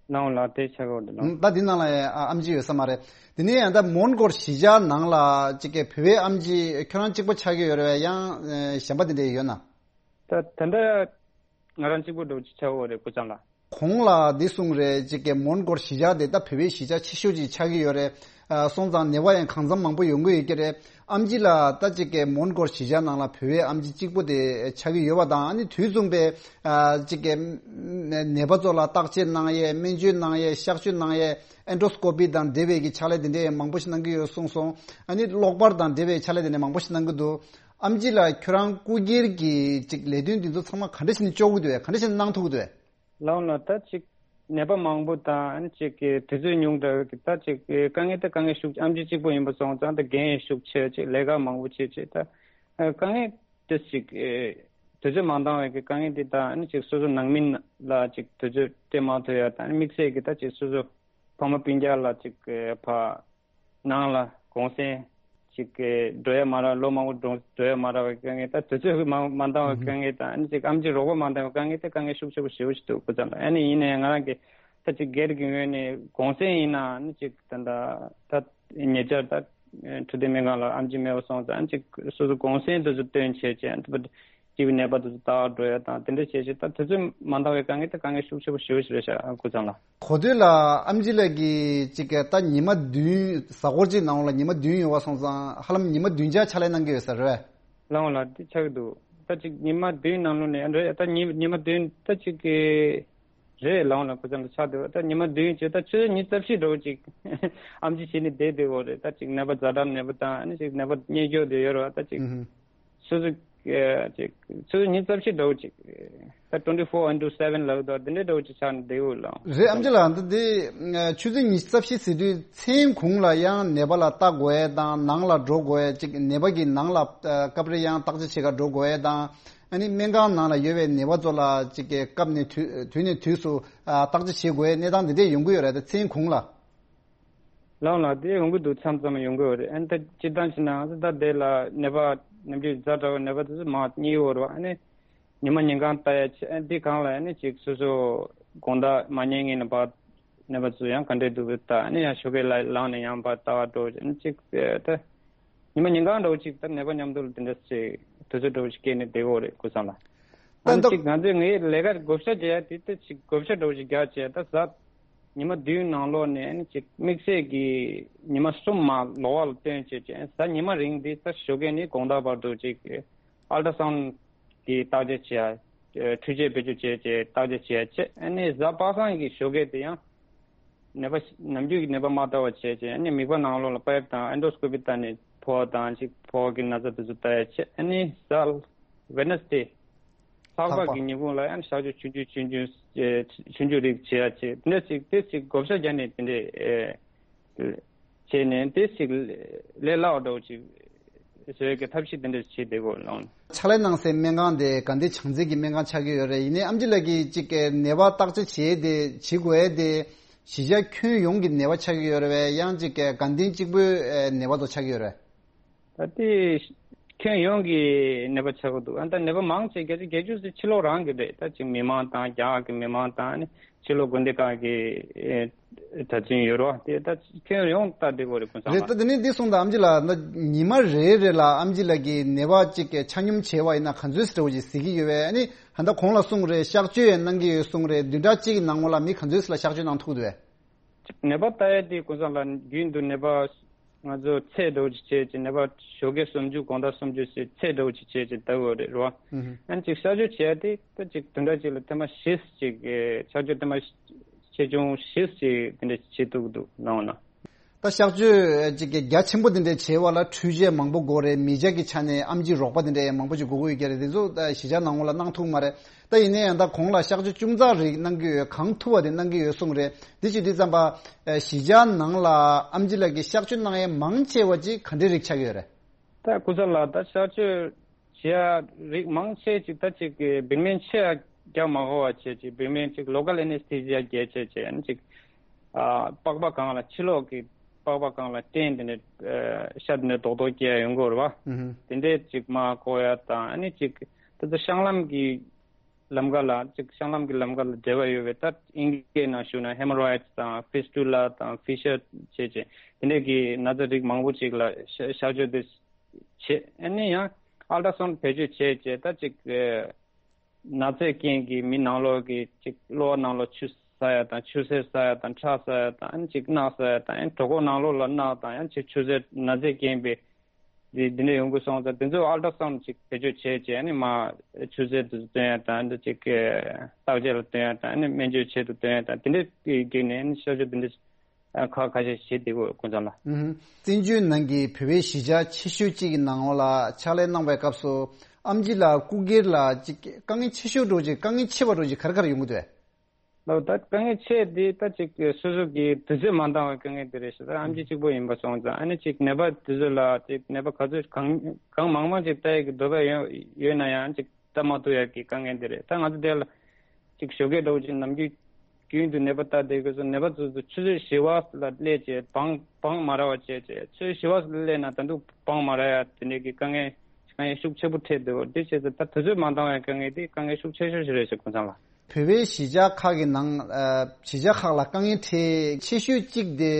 བ། ལའོ་ལ་དེ་ཆགས་ཀྱི་ཡོད་རེད་ལའོ། ད་འདི་ནང་ལ་ཨ་ཨེམ་ཆི་ཡོད་ས་མ་རེད། དེ་ནས་ཡང་ད་མོན་གྷོར་གཞིས་ཆགས་ནང་ལ་ཅིག་གི་བོད་པའི་ཨེམ་ཆི་ཁྱོད་རང་གཅིག་པོ་ཆགས་ཀྱི་ཡོད་རེད་བས། ཡང་ཨ་གཞན་པ་དེ་འདྲ་ཡོད་ན། ད་ད་ལྟ་ང་རང་གཅིག་པོ་འདྲ་བོ་ཅིག་ཆགས་ཡོད་རེད་སྐུ་ཚང་ལ། གོང་ལ་འདི་གསུངས་རེད། ཅིག་གི་མོན་གྷོར་གཞིས་ཆགས་དེ་ད་བོད་པའི་གཞིས་ཆགས་ཆེ་ཤོས་ཅིག་ཆགས་ཀྱི་ཡོད་རེད། ཨ་སོང་ཙང་ནད་པ་ཡང་གང་འཚམ་མང་པོ་ཡོང་གི་ཡོད་ཀྱི་རེད། ཨེམ་ཆི་ལ་ད་ཅིག་གི་མོན་གྷོར་གཞིས་ཆགས་ནང་ལ་བོད་པའི་ཨེམ་ཆི་གཅིག་པོ་དེ་ཆགས་ཀྱི་ཡོད་པ་དང་། ཨ་ནི་དུས་མཚུངས་པའི་ཨ་ཅིག་གི་ནད་པ་ཚོ་ལ་བརྟག་དཔྱད་གནང་ཡས། སྨན་བཅོས་གནང་ཡས། གཤག་བཅོས་གནང་ཡས། ཨེན་ཌོ་སི་ཀོ་པི་དང་འབྲེལ་བའི་གི་ཕྱག་ལས་དེ་འདྲའི་མང་པོ་ཞིག་གནང་གི་ཡོད་གསུངས་སོང་། ཨ་ནི་གློག་པར་དང་འབྲེལ་བའི་ཕྱག་ལས་དེ་འདྲ་མང་པོ་ཞིག་གནང་གི་འདུག་ཨེམ་ཆི་ལ་ཁྱོད་རང་སྐུ་སྒེར་གྱི་ཅིག་ལས་དོན་འདི་ཚོ་ཚང་མ་ག་འདྲ་ཞིག་ནས་ལྕོགས་ཀྱི་འདུག་གས། ག་འདྲ་ཞིག་ནས་གནང་ཐུབ་ཀྱི་འདུག་གས། ལའོ་ལ་ད་ཅིག་ནད་པ་མང་པོ་དང་ཨ་ནི་ཅིག་གི་དུས་ཚོད་ཉུང་དྲགས་ཀྱི་ད་ཅིག་གི་དཀའ་ངལ་ད་དཀའ་ངལ་ཤུགས་ཨེམ་ཆི་གཅིག་པོ་ཡིན་པ་སོང་ཙང་ད་འགན་ཡང་ཤུགས་ཆེ། ཅིག་ལས་ཀ་མང་པོ་བྱེད་ཅིག་ད་དཀའ་ངལ་དེ་ཅིག་དུས་ཚོད་མ་འདང་བའི་གི་དཀའ་ངལ་དེ་ད་ཨ་ནི་ཅིག་སོ་སོ་ནང་མི་ལ་ཅིག་དུས་ཚོད་སྤྲད་མ་ཐུབ་ཡ་དང་། ཨ་ནི་དམིགས་བསལ་གྱི་ད་ཅིག་སོ་སོ་ཕ་མ་སྤུན་ཀྱག་ལ་ཅིག་གི་ཕ་ནང་ལ་གུང་སེང་ཅིག་གི་འགྲོ་ཡ་མ་རག་ལོ་མང་པོ་འགྲོ་འགྲོ་ཡ་མ་རག་པའི་དཀའ་ངལ་དང་། དུས་ཚོད་མ་མ་འདང་བའི་དཀའ་ངལ་དང་། ཨ་ནི་ཅིག་ཨེམ་ཆི་རོགས་པ་མ་འདང་བའི་དཀའ་ངལ་དེ་དཀའ་ངལ་ཤུགས་ཆེ་པོ་ཞེ་པོ་ཞིག་འདུག་སྐུ་ཚང་ལ། ཨ་ནི་ཡིན་ནའང་ང་རང་གི་ད་ཅིག་སྒེར་གྱི་ངོས་ནས་གུང་སེང་ཡིན་ན་ཨ་ནི་ཅིག་ད་ད་ད་ཉེ་ཆར་ད་འཕྲོད་བསྟེན་སྨན་ཁང་ལ་ཨེམ་ཆི་མེད་པ་སོང་ཙང་། ཨ་ནི་ཅིག་སོ་སོ་གུང་སེང་དེ་ཚོ་བཏོན་བྱས་བྱས་ཨ་ནི་ཅིག་གི་ནད་པ་དེ་ཚོ་ལྟ་བར་འགྲོ་ཡ་དང་དེ་འདྲ་བྱས་བྱས་ད་དུས་ཚོད་མ་འདང་བའི་དཀའ་ངལ་དེ་དཀའ་ངལ་ཤུགས་ཆེ་པོ་ཞེ་པོ་ཞིག་རེད་ཤག་སྐུ་ཚང་ལ། གོ་ཐོས་ལ་ཨེམ་ཆི་ལགས་ཀྱིས་ཅིག་གི་ད་ཉི་མ་བདུན་གཟའ་འཁོར་གཅིག་ནང་ལ་ཉི་མ་བདུན་ཡོད་པ་སོང་ཙང་ཧ་ལམ་ཉི་མ་བདུན་ཆ་ཕྱག་ལས་གནང་གི་ཡོད་ས་རེད། ལའོ་ལ་དེ་ཆགས་ཀྱི་འདུག་ད་ཅིག་ཉི་མ་བདུན་ནང་ལོགས་ནས་རེད། ད་ཉི་ཉི་མ་བདུན་ད་ཅིག་གི་རེད། ལའོ་ལ་སྐུ་ཚང་ལ་ཆགས་འདུག་ད་ཉི་མ་བདུན་བྱས་ད་ཆུ་ཚོད་ཉི་ཤུ་རྩ་བཞི་འདྲ་བོ་ཅིག་ཨེམ་ཆི་བྱས་ནས་བསྡད་བསྡད་ཡོད་རེད། ད་ཅིག་ནད་པ་ཛ་དྲག་ནད་པ་དང་ཨ་ནི་ཅིག་ནད་པ་གཉེན་སྐྱོང་དེ་ཡོད་རེད་བ། ད་ཅིག་ཨུ་ཧུ། སོ་སོ་ཨ་ཅིག་ཆུ་ཚོད་ཉི་ཤུ་རྩ་བཞི་འདྲ་བོ་ཅིག་ད་twenty four into seven ལབ་དུས་དེ་འདྲའི་འདྲ་བོ་ཅིག་ཆགས་ནས་བསྡད་ཡོད་ལགས། རེད། ཨེམ་ཆི་ལགས། འདི་འདི་ཆུ་ཚོད་ཉི་ཤུ་རྩ་བཞི་ཟེར་དུས་མཚན་གུང་ལ་ཡང་ནད་པ་ལ་ལྟ་དགོས་ཡས་དང་ནང་ལ་འགྲོ་དགོས་ཡས། ཅིག་ནད་པ་གི་ནང་ལ་ཨ་སྐབས་རེ་ཡང་བརྟག་དཔྱད་བྱེད་ག་འགྲོ་དགོས་ཡས་དང་། ཨ་ནི་སྨན་ཁང་ནང་ལ་ཡོད་པའི་ནད་པ་ཚོ་ལ་ཅིག་གི་སྐབས་ནས་དུས་དུས་ནས་དུས་སུ་ཨ་བརྟག་དཔྱད་བྱེད་དགོས་ཡས་གནས་སྟངས་འདི་འདྲས་ཡོང་གི་ཡོད་རེད་ད་མཚན་གུང་ལ། ལའོ་ལ་དེ་ཡོང་གི་འདུག་མཚམས་མཚམས་ཡོང་གི་ཡོད་རེད། ཨ་ནི་ད་སྤྱིར་བཏང་བྱས་ན་ང་ཚོ་ད་དེ་ལ་ནད་པ་ནམ་རྒྱུན་ཛ་དྲག་པའི་ནད་པ་དེ་ཚོ་མང་རྙེད་ཡོད་རེད་བ། ཨ་ནི་ཉི་མ་ཉིན་གང་ལྟ་ཡ་ཆེད་ཨ་ནི་འདི་སྒང་ལ་ཨ་ནི་ཅིག་སོ་སོ་དགོང་དག་མ་ཉལ་སྔོན་ནས་ཕར་ནད་པ་ཚོ་ཡང་ག་འདྲས་འདུག་ལྟ། ཨ་ནི་ཡང་ཞོགས་ཀས་ལ་ལངས་ནས་ཡང་ཕར་ལྟ་བར་འགྲོ། ཨ་ནི་ཅིག་ད་ཉི་མ་ཉིན་གང་འདྲ་བོ་ཅིག་ད་ནད་པ་མཉམ་དུ་ལ་དེ་འདྲ་ཞིག་དུས་ཚོད་འདྲ་བོ་ཞིག་སྐྱེལ་ནས་བསྡད་ཡོད་རེད་སྐུ་ཚང་ལ། ད་ཨ་ནི་ད་ཅིག་ང་ཚོས་ངའི་ལས་ཀ་བགོ་བཤའ་རྒྱག་ཡ་དེ་ད་ཅིག་བགོ་བཤའ་འདྲ་བོ་ཞིག་རྒྱག་བྱས་ད་གཟའ་ཉི་མ་བདུན་ནང་ལོགས་ནས་ཨ་ནི་ཅིག་དམིགས་བསལ་གྱི་ཉི་མ་གསུམ་མ་ལོགས་ལ་བཏོན་བྱས་བྱས་གཟའ་ཉི་མ་རིང་དེ་ད་ཞོགས་ཀས་ནས་དགོང་དག་བར་དུ་ཅིག་ཨལ་ཊ་སའུན་གྱི་བརྟག་དཔྱད་བྱས་ཡ། འཕྲུལ་ཆས་བེད་སྤྱོད་བྱས་བྱས་བརྟག་དཔྱད་བྱས་བྱས། ཨ་ནི་གཟའ་པ་སངས་ཀྱི་ཞོགས་ཀས་དེ་ཡང་ནད་པ་ནམ་རྒྱུན་གྱི་ནད་པ་མ་ལྟ་བ་བྱས་བྱས། ཨ་ནི་མིད་པ་ནང་ལོགས་ལ་པའིབ་དང་ཨེན་ཌོ་སི་ཀོ་པི་བཏང་ནས་ཕོ་བ་དང་ཅིག་ཕོ་བ་གི་ན་ཚ་དེ་ཚོ་ལྟ་ཡ་བྱས། ཨ་ནི་གཟའ་ཝེ་ནེ་སི་ཌེ་ལྷག་པ་གི་ཉིན་གུང་ལ་ཡང་གཤག་བཅོས་ཆུང་ཆུང་ཆུང་ཆུང་ཆུང་ཆུང་རིགས་བྱེད་ཡ་བྱེད། འདི་འདྲ་ཞིག་དེ་ཞིག་བགོ་བཤའ་བརྒྱབ་ནས་དེ་འདྲས་བྱས་ནས་དེ་ཞིག་ལས་སླ་བ་འདྲ་བོ་ཞིག་བཟོ་ཡ་གི་ཐབས་ཤེས་དེ་འདྲ་བྱེད་བསྡད་དགོས་ལགས། ཕྱག་ལས་གནང་སའི་སྨན་ཁང་དེ་དགའ་ལྡན་བྱང་རྩེ་གི་སྨན་ཁང་ཆགས་ཀྱི་ཡོད་རེད། ཡིན་ནའི་ཨེམ་ཆི་ལགས་ཀྱིས་ཅིག་གི་ནད་པ་བརྟག་དཔྱད་བྱེད་དེ་བྱེད་དགོས་ཡ་དེ་གཞིས་ཆགས་ཁྱོན་ཡོངས་ཀྱི་ནད་པ་ཆགས་ཀྱི་ཡོད་རེད་བས། ཡང་ཅིག་གི་དགའ་ལྡན་གཅིག་པུའི་ནད་པ་ཚོ་ཆགས་ཀྱི་ཡོད་རེད། ད་ལྟའི་ ཁྱོན་ཡོངས་ཀྱི་ནད་པ་ཆགས་ཀྱི་འདུག་ཨ་ད་ནད་པ་མང་ཆེ་བརྒྱད་ཅུ་བརྒྱད་ཅུ་ཙམ་ཕྱི་ལོགས་རང་གི་རེད། ད་ཅིག་མི་མང་དང་རྒྱ་གར་གྱི་མི་མང་དང་ཨ་ནི་ཕྱི་ལོགས་དགོན་སྡེ་ཁག་གི་ཨེ་གྲྭ་བཙུན་ཡོད་རོགས་དེ་ད་ཁྱོན་ཡོངས་ལྟ་བསྡད་དགོས་རེད་དགུན་སང་རེད། ལ། ད་དེ་ནས་འདི་གསུངས་དང་ཨམ་ཆི་ལགས། ད་ཉི་མ་རེ་རེ་ལ་ཨམ་ཆི་ལགས་ཀྱི་ནད་པ་གཅིག་གི་ཆ་སྙོམས་བྱས་པ་ཡིན་ན་ག་ཚོད་ཙམ་ཞིག་གཟིགས་ཀྱི་ཡོད་པས། ཨ་ནི་ད་ལྟ་གོང་ལ་གསུངས་རེད། གཤག་བཅོས་ཡང་གནང་གི་ཡོད་གསུངས་རེད། བདུན་ཕྲག་གཅིག་གི་ནང་ལོགས་ལ་མི་ག་ཚོད་ཙམ་ལ་གཤག་བཅོས་གནང་ཐུབ་འདུག་པས། ནད་པ་ལྟ་ཡ་དེ་དགུན་སང་ལ་རྒྱུན་དུ་ནད་པ་ང་ཚོ་ཚད་འདྲ་བོ་ཅིག་བྱས་ཅིག་ནད་པ་ཞོགས་ཀས་སུམ་ཅུ་དགོང་དག་སུམ་ཅུ་ཟེར་ཚད་འདྲ་བོ་ཅིག་བྱས་ཅིག་ལྟ་དགོས་རེད་རོ། ཨ་ནི་ཅིག་གཤག་བཅོས་བྱས་ཏེ་ད་ཅིག་བདུན་ཕྲག་གཅིག་ལ་ཐེངས་མ་བཞི་ཅིག་གཤག་བཅོས་ཐེངས་མ་ཆེ་ཆུང་བཞི་ཅིག་དེ་འདྲ་བྱེད་ཐུབ་འདུག་ནང་ན། ད་གཤག་བཅོས་ཅིག་གི་རྒྱ་ཆེན་པོ་དེ་འདྲ་བྱས་པ་ལ་འཕྲུལ་ཆས་མང་པོ་དགོས་རེད། མི་ཆ་གི་ཆ་ནས་ཨམ་ཆི་རོགས་པ་དེ་འདྲ་ཡང་མང་པོ་ཅིག་དགོས་ཀྱི་ཡོད་ཀྱི་རེད། དེ་ཚོ་ད་གཞིས་ཆགས་ནང་ལོགས་ལ་གནང་ཐུབ་མ་རེད། ད་ཡིན་ན་ཡང་ད་གོང་ལ་གཤག་བཅོས་ཅུང་ཙག་རིགས་གནང་གི་ཡོད། གང་ཐུབ་པ་དེ་གནང་གི་ཡོད་གསུངས་རེད། དེ་བྱེད་དུས་ཙམ་པ་ཨ་གཞིས་ཆགས་ནང་ལ་ཨམ་ཆི་ལགས་ཀྱི་གཤག་བཅོས་གནང་ཡས་མང་ཆེ་བ་ཅིག་ག་འདྲའི་རིགས་ཆགས་ཀྱི་ཡོད་རེད། ད་སྐུ་ཚ་ལགས་ད་གཤག་བཅོས་བྱེད་ཡ་རིགས་མང་ཆེ་ཅིག་ད་ཅིག་བིག་མེན་ཆེ་ཡ་རྒྱག་མ་དགོས་པ་བྱས་ཅིག་བིག་མེན་ཅིག་ལོ་ཀལ་ཨེ་ནེ་སི་ཐེ་ཟི་ཡ་རྒྱག་བྱས་བྱས་ཨ་ནི་ཅིག་ཨ་པགས་པ་སྒང་ལ་ཕྱི་ལོགས་ཀྱི་པགས་པ་སྒང་ལ་སྐྲན་དེ་འདྲ་ཨ་ཤ་དེ་འདྲ་རྡོག་རྡོག་སྐྱེ་ཡ་ཡོང་གི་ཡོད་རེད་བ། ཨུ་ཧུ། དེ་འདྲས་ཅིག་མར་བཀོག་ཡ་དང་ཨ་ནི་ཅིག་ད་ལྟ་བཤང་ལམ་གྱི་ལམ་ཁ་ལ་ཅིག་བཤང་ལམ་གྱི་ལམ་ཁ་ལ་འབྲེལ་བ་ཡོད་པའི་ད་ཨིན་སྐད་ནང་ཞུ་ན་ཧེ་མོ་རོ་ཡིཌ་དང་ཕི་སི་ཊུ་ལ་དང་ཕི་ཤར་བྱས་བྱས་དེ་འདྲས་ཀྱི་ན་ཚ་རིགས་མང་པོ་ཅིག་ལ་གཤག་གཤག་བཅོས་དེ་བྱེད། ཨ་ནི་ཡང་ཨལ་ཏྲ་སའུན་བེད་སྤྱོད་བྱས་བྱས་ད་ཅིག་ཨེ་ན་ཚའི་རྐྱེན་གྱིས་མི་ནང་ལོགས་ཀྱི་ཅིག་གློ་བ་ནང་ལོགས་ཆུ་ཟག་ཡ་དང་ཆུ་སེར་ཟག་ཡ་དང་ཁྲག་ཟག་ཡ་དང་ཨ་ནི་ཅིག་རྣག་ཟག་ཡ་དང་ཨ་ནི་གྲོད་ཁོག་ནང་ལོགས་ལ་རྣག་དང་ཨ་ནི་ཅིག་ཆུ་སེར་ན་ཚའི་རྐྱེན་པས་འདི་འདི་འདྲ་ཡོང་གི་སོང་ཙང་དེ་ཚོ་ཨལ་ཏྲ་སའུན་ཅིག་བེད་སྤྱོད་བྱས་བྱས་ཨ་ནི་མར་ཆུ་སེར་དེ་ཚོ་སྟོན་ཡ་དང་ཨ་ནི་ཅིག་བརྟག་དཔྱད་ལ་སྟོན་ཡ་དང་ཨ་ནི་སྨན་བཅོས་ཆེད་དུ་སྟོན་ཡ་དང་དེ་འདྲའི་བརྒྱུད་ནས་ཨ་ནི་གཤག་བཅོས་དེ་འདྲ་ཁག་ཁ་ཤས་བྱེད་བསྡད་ཡོད་དགུན་སང་ལ། ཨུ་ཧུ། བཙན་བྱོལ་ནང་གི་བོད་པའི་གཞིས་ཆགས་ཆེ་ཤོས་གཅིག་གི་ནང་ལ་ཕྱག་ལས་གནང་བའི་སྐབས་སུ་ཨམ་ཆི་ལགས་སྐུ་སྒེར་ལ་ཅིག་དཀའ་ངལ་ཆེ་ཤོས་འདྲ་ཅིག་དཀའ་ངལ་ཆེ་བ་འདྲ་ཅིག་ག་རེ་ག་རེ་ཡོང་གི་འདུག་ཨེ། ལགས་ད་དཀའ་ངལ་ཆེ་འདི་ད་ཅིག་སོ་སོ་གི་དུས་ཚོད་མ་འདང་བའི་དཀའ་ངལ་དེ་རེད་ཤག་ད་ཨམ་ཆི་གཅིག་པོ་ཡིན་པ་སོང་ཙང་ཨ་ནི་ཅིག་ནད་པ་དེ་ཚོ་ལ་ཅིག་ནད་པ་ག་ཚོད་གང་གང་མང་མང་ཅིག་ལྟ་ཡག་གི་འདོད་པ་ཡོད་ཡོད་ན་ཡང་ཅིག་ལྟ་མ་ཐུབ་ཡག་གི་དཀའ་ངལ་འདི་རེད། ད་ང་ཚོ་དེ་ལ་ཅིག་ཞོགས་ཀས་འདྲ་བོ་ཅིག་ནམ་རྒྱུན་རྒྱུན་དུ་ནད་པ་ལྟ་བསྡད་དགོས་སོ། ནད་པ་ཚོ་ཚོ་ཆུ་ཚོད་བཞི་པ་ལ་སླེབས་བྱས་བང་བང་མ་རག་པ་བྱས་བྱས་ཆུ་ཚོད་བཞི་པ་ལ་སླེབས་ན་ད་དུང་བང་མ་རག་ཡ་དེ་འདྲའི་གི་དཀའ་ངལ་དཀའ་ངལ་ཤུགས་ཆེ་པོ་འཕྲད་འདུག་དེ་བྱས་ཙང་ད་དུས་ཚོད་མ་འདང་བའི་དཀའ་ངལ་དེ་དཀའ་ངལ་ཤུགས་ཆེ་ཤོས་ཤིག་རེད་ཤག་ཀུན་བཟང་ལགས། བོད་པའི་གཞིས་ཆགས་ཁག་གི་ནང་ཨ་གཞིས་ཆགས་ཁག་ལ་དཀའ་ངལ་འཕྲད་ཆེ་ཤོས་གཅིག་དེ་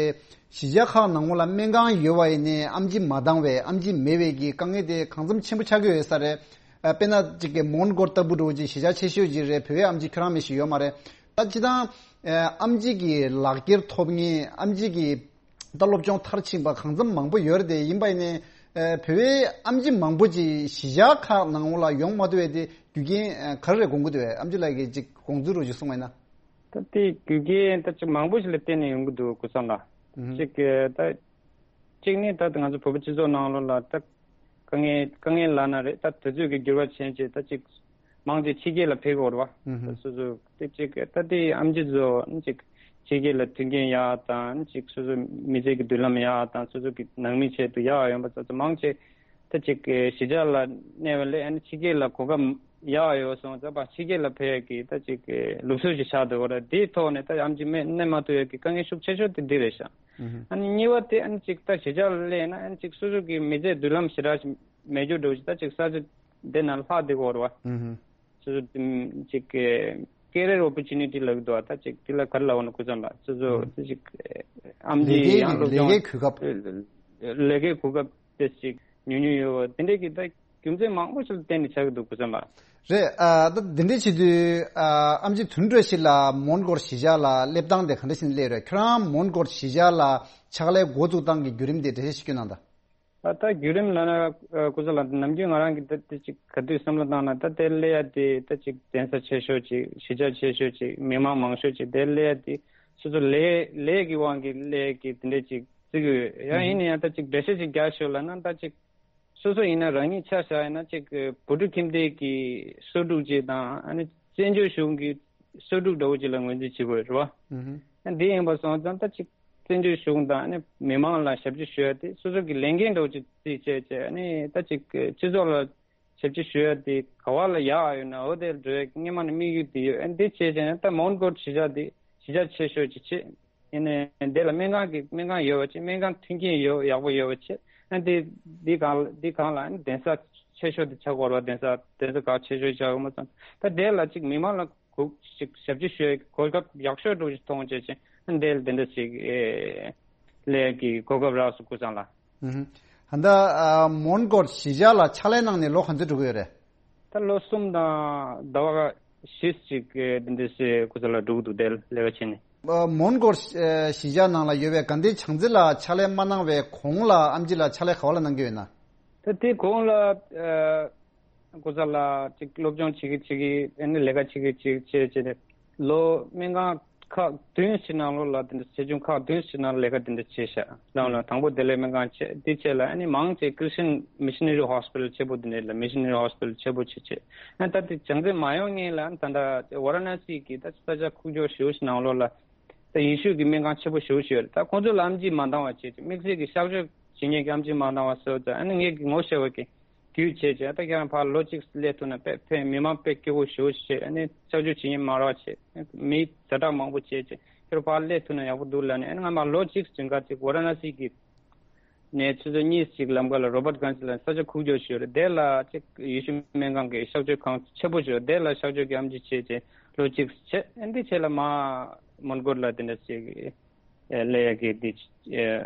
གཞིས་ཆགས་ཁག་ནང་ལ་སྨན་ཁང་ཡོད་པ་ཡིན་ནའི་ཨམ་ཆི་མ་འདང་བས་ཨམ་ཆི་མེད་པའི་གི་དཀའ་ངལ་དེ་གང་འཚམ་ཆེན་པོ་ཆགས་ཀྱི་ཡོད་ས་རེད། ཨ་དཔེར་ན་གཅིག་གི་མོན་གྷོ་ལྟ་བུ་འདྲ་བོ་ཅིག་གཞིས་ཆགས་ཆེ་ཤོས་ཅིག་རེད། བོད་པའི་ཨམ་ཆི་ཁྱོད་རང་མི་ཞིག་ཡོད་མ་རེད། ད་སྤྱིར་བཏང་ཨ་ཨམ་ཆི་གི་ལག་འཁྱེར་ཐོབ་མཁན་ཨམ་ཆི་གི་ད་སློབ་སྦྱོང་མཐར་ཕྱིན་པ་གང་འཚམ་མང་པོ་ཡོད་རེད་དེ། ཡིན་པ་ཡིན་ནའི་ཨ་བོད་པའི་ཨམ་ཆི་མང་པོ་ཅིག་གཞིས་ཆགས་ཁག་ནང་ལ་ཡོང་མ་ཐུབ་པའི་དེ་རྒྱུ་རྐྱེན་ཨ་ག་རེ་རེད་དགོངས་ཀྱི་འདུག་བས། ཨམ་ཆི་ལགས་ཀྱིས་ཅིག་དགོངས་ཚུལ་རོ་ཅིག་གསུངས་པ་ཡིན་ན། ད་དེ་རྒྱུ་རྐྱེན་ད་ཅིག་མང་པོ་ཞིག་ལ་བརྟེན་ནས་ཡོང་གི་འདུག་ཀུན་བཟང་ལགས། ཨུ་ཧུ། ཅིག་ད་གཅིག་ནི་ད་ང་ཚོ་བོད་པ་སྤྱི་ཚོགས་ནང་ལོགས་ལ་ད་དཀའ་ངལ་དཀའ་ངལ་ལབ་ན་རེད། ད་དུས་ཚོད་ཀྱི་འགྱུར་བ་ཕྱིན་བྱས་ད་ཅིག་མང་ཆེ་ཕྱི་རྒྱལ་ལ་ཕེབས་ཀྱི་ཡོད་རེད་བ། ཨུ་ཧུ། ད་སོ་སོ་དེ་ཅིག་ད་དེ་ཨམ་ཆི་ཚོ་ཅིག་ཕྱི་རྒྱལ་ལ་མཐུན་རྐྱེན་ཡག་དང་ཅིག་སོ་སོ་མི་ཚེ་གི་མདུན་ལམ་ཡག་དང་སོ་སོ་གི་ནང་མི་ཆེད་དུ་ཡག་ཡོང་པ་ཚོ་ཚོ་མང་ཆེ་ད་ཅིག་གཞིས་ཆགས་ལ་གནས་པ་ལས་ཨ་ནི་ཕྱི་རྒྱལ་ལ་གོ་སྐབས་ཡག་ཡོད་སོང་ཙང་ཕྱི་རྒྱལ་ལ་ཕེབས་ཡག་གི་ད་ཅིག་ལུགས་སྲོལ་ཞིག་ཆགས་འདུག་གོ་ར། དེའི་ཐོག་ནས་ད་ཨམ་ཆི་མེད་གནས་མ་ཐུབ་ཡག་གི་དཀའ་ངལ་ཤུགས་ཆེ་ཤོས་དེ་འདི་རེད་ཤག་ཨ་ནི་གཉིས་པ་དེ་ཨ་ནི་ཅིག་ད་གཞིས་ཆགས་ལ་སླེབས་ན་ཨ་ནི་ཅིག་སོ་སོ་གི་མི་ཚེ་མདུན་ལམ་ཞེ་དྲག་ཞིག་མེད་རྒྱུ་འདྲ་བོ་ཞིག་ད་ཅིག་ས་ཆ་དེ་ན་ལྷག་བསྡད་ཀྱི་ཡོད་རེད་བ། སོ་སོ་ཅིག་ཀེ་རེར་ཨོ་པོར་ཅུ་ནི་ཊི་ལབ་ཀྱི་འདུག་བ། ད་ཅིག་དེ་ལ་ག་རེ་ལབ་དགོས་ན་ཀུན་བཟང་ལགས། སོ་སོ་ཅིག་ཨམ་ཆི་ཡང་སློབ་སྦྱོང་ལས་ཀའི་གོ་སྐབས། ལས་ཀའི་གོ་སྐབས་དེ་ཅིག་ཉུང་ཉུང་ཡོད་བ། དེ་འདྲའི་གི་ད་རྒྱུ་མཚན་མང་པོ་ཞིག་ལ་བརྟེན་ནས་ཆགས་ཀྱི་འདུག་ཀུན་བཟང་ལགས། རེད། ཨ་ད་དེ་འདྲ་བྱེད་དུས་ཨ་ཨམ་ཆི་དུང་འགྲོ་ཞིག་ལ་མོན་གྷོར་གཞིས་ཆགས་ལ་སླེབས་སྟངས་དེ་ག་འདྲ་ཞིག་སླེབས་རེད། ཁྱོད་རང་མོན་གྷོར་གཞིས་ཆགས་ལ་ཕྱག་ལས་འགོ་བཙུགས་སྟངས་ཀྱི་བརྒྱུད་རིམ་དེ་འགྲེལ་བཤད་ཞིག་སྐྱོན་གནང་དང་། ད་ད་བརྒྱུད་རིམ་ལབ་ན་ཀུན་བཟང་ལགས་ནམ་རྒྱུན་ང་རང་གི་ད་དེ་ཅིག་ག་དུས་བསམ་བློ་བཏང་ན་ད་དེ་སླེབས་ཡ་དེ་ད་ཅིག་གདན་ས་ཆེ་ཤོས་ཅིག་གཞིས་ཆགས་ཆེ་ཤོས་ཅིག་མི་མང་མང་ཤོས་ཅིག་དེ་སླེབས་ཡ་དེ་སོ་སོ་ལས་ལས་ཀྱི་དབང་གིས་སླེབས་ཀྱི་དེ་འདྲ་ཅིག་བརྩི་གི་ཡོད། ཡང་ཡིན་ན་ཡང་ད་ཅིག་འགྲེལ་བཤད་ཅིག་རྒྱག་ཤོག་ལབ་ན་ད་ཅིག་སོ་སོ་ཡིན་ན་རང་ཉིད་ཆ་བཞག་ཡིན་ན་ཅིག་བོད་ཕྲུག་ཁྱིམ་སྡེ་གི་གསོ་ཕྲུག་ཅིག་དང་ཨ་ནི་བཙན་བྱོལ་གཞུང་གི་གསོ་ཕྲུག་འདྲ་བོ་ཅིག་ལ་ངོས་འཛིན་བྱེད་དགོས་རེད་བ། ཨ་འདི་ཡིན་པ་སོང་ཙང་ད་ཅིག་བཙན་བྱོལ་གཞུང་དང་ཨ་ནི་མི་མང་ལ་ཞབས་ཕྱི་ཞུ་ཡ་དེ་སོ་སོ་གི་ལས་འགན་འདྲ་བོ་ཅིག་བརྩིས་བྱས་བྱས་ཨ་ནི་ད་ཅིག་སྤྱི་ཚོགས་ལ་ཞབས་ཕྱི་ཞུ་ཡ་དེ་ག་བ་ལ་ཡག་ཡོད་ན་འོ་དེ་ལ་འགྲོ་ཡ་སྔོན་མ་ནས་དམིགས་ཡུལ་དེ་ཡོད། ཨ་འདི་བྱས་བྱས་ན་ད་མོན་གྷོ་གཞིས་ཆགས་དེ་གཞིས་ཆགས་ཆེ་ཤོས་ཅིག་བྱས། ཡིན་ནའི་འདི་ལ་སྨན་ཁང་གི་སྨན་ཁང་ཡོད་པ་བྱས། སྨན་ཁང་མཐུན་རྐྱེན་ཡོད་ཡག་པོ་ཡོད་པ་བྱས། ཨ་འདི་འདི་གང་འདི་གང་ལ་ཨ་ནི་གདན་ས་ཆེ་ཤོས་དེ་ཆགས་དགོས་རེད་པ། གདན་ས་གདན་ས་ག་ཆེ་ཤོས་ཆགས་དགོས་མ་སོང་། ད་དེ་ལ་ཅིག་མི་མང་ལ་གུག་ཅིག་ཞབས་ཕྱི་ཞུ་ཡའི་གོ་སྐབས་ཡག་ཤོས་འདྲ་ཅིག་མཐོང་བྱས་ཅིག་ཨ་འདི་ལ་དེ་འདྲ་ཅིག་ཨེ་ལས་ཀྱི་གོ་སྐབས་རག་སོང་ཀུན་བཟང་ལགས། ཧུམ། ད་ལྟ་ཨ་མོན་གྷོ་གཞིས་ཆགས་ལ་ཕྱག་ལས་གནང་ནས་ལོ་ག་ཚོད་འགྲོ་གི་ཡོད་རེད། ད་ལོ་གསུམ་དང་ཟླ་བ་བཞི་ཅིག་གི་འདི་འདྲ་ཞིག་ཁོ་ཚོ་ལ་འགྲོ་གི་འདུག་དེ་ལས་ཀ་བྱས་ནས། ཨ་མོན་གྷོ་ཨ་གཞིས་ཆགས་ནང་ལ་ཡོད་པའི་དགའ་ལྡན་བྱང་རྩེ་ལ་ཕྱག་ལས་མ་གནང་བའི་གོང་ལ་ཨེམ་ཆི་ལགས་ཕྱག་ལས་ག་བ་ལ་གནང་གི་ཡོད་ན། ད་དེ་གོང་ལ་ཨ་ཁོ་ཚོ་ལ་ཅིག་སློབ་སྦྱོང་བྱེད་ཀྱི་བྱེད་ཀྱི་ཨ་ནི་ལས་ཀ་བྱེད་ཀྱི་བྱེད་ཀྱི་བྱས་བྱས་ཏེ་ལོ་སྨན་ཁང་ཁག་བདུན་ཞིག་ནང་ལོགས་ལ་དེ་འདྲ་ཆེ་ཆུང་ཁག་བདུན་ཞིག་ནང་ལས་ཀ་དེ་འདྲ་བྱས་ཤག་ནང་ལ་དང་པོ་བདེ་ལེགས་སྨན་ཁང་བྱས། དེ་རྗེས་ལ་ཨ་ནི་མང་ཆེ་Christian Missionary Hospital་ཆེ་པོ་དེ་འདྲ་ལ་Missionary Hospital་ཆེ་པོ་བྱས་བྱས། ཨ་ད་དེ་བྱང་རྩེ་མ་ཡོང་སྔོན་ལ་ཨ་ད་ལྟ་ཝ་ར་ཎ་སི་གི་ད་ས་ཆ་ཁུག་ཀྱོག་ཞེ་པོ་ཞིག་ནང་ལོགས་ལ་ད་ཡེ་ཤུ་གི་སྨན་ཁང་ཆེ་པོ་ཞེ་པོ་ཞིག་ཡོད་རེད། ད་ཁོང་ཚོ་ལ་ཨེམ་ཆི་མ་འདང་བ་བྱས་བྱས་དམིགས་བསལ་གྱི་གཤག་བཅོས་བྱེད་མཁན་གྱི་ཨེམ་ཆི་མ་འདང་བ་བཟོས་ཙང་ཨ་ནི་ངས་ཀྱི་ངོ་ཤེས་པ་གི་བརྒྱུད་བྱས་བྱས། ད་ཁྱེད་རང་ཕར་ལོ་གཅིག་སླེབས་ཐུབ་ན་དཔེ་ཕན། མི་མང་དཔེ་སྐྱིད་པོ་ཞེ་པོ་ཞིག་བྱས། ཨ་ནི་གཤག་བཅོས་བྱེད་མཁན་མང་རུ་བྱས། མི་ཛ་དྲག་མང་པོ་བྱས་བྱས། ཁྱེད་རང་ཕར་སླེབས་ཐུབ་ན་ཡག་པོ་འདུག་ལབ་ནས། ཨ་ནི་ང་མར་ལོ་གཅིག་རིང་ག་ཅིག་ཝ་ར་ཎ་སི་གི་ནས་ཆུ་ཚོད་གཉིས་ཅིག་ལམ་ཁ་ལ་རོ་བར་གྷན་ཇི་ལ་ས་ཆ་ཁུག་ཀྱོག་ཞིག་ཡོད་རེད། དེ་ལ་ཅིག་ཡེ་ཤུ་སྨན་ཁང་གི་གཤག་བཅོས་ཁང་ཆེན་པོ་ཞིག་ཡོད། དེ་ལ་གཤག་བཅོས་ཀྱི་ཨེམ་ཆི་བྱས་བྱས་ལོ་གཅིག་བྱས། ཨ་ནི་དེ་རྗེས་ལ་མར་མོན་གྷོ་ལ་དེ་འདྲ་ཅིག་ཨེ་སླེབས་ཡག་གི་འདི་ཨེ་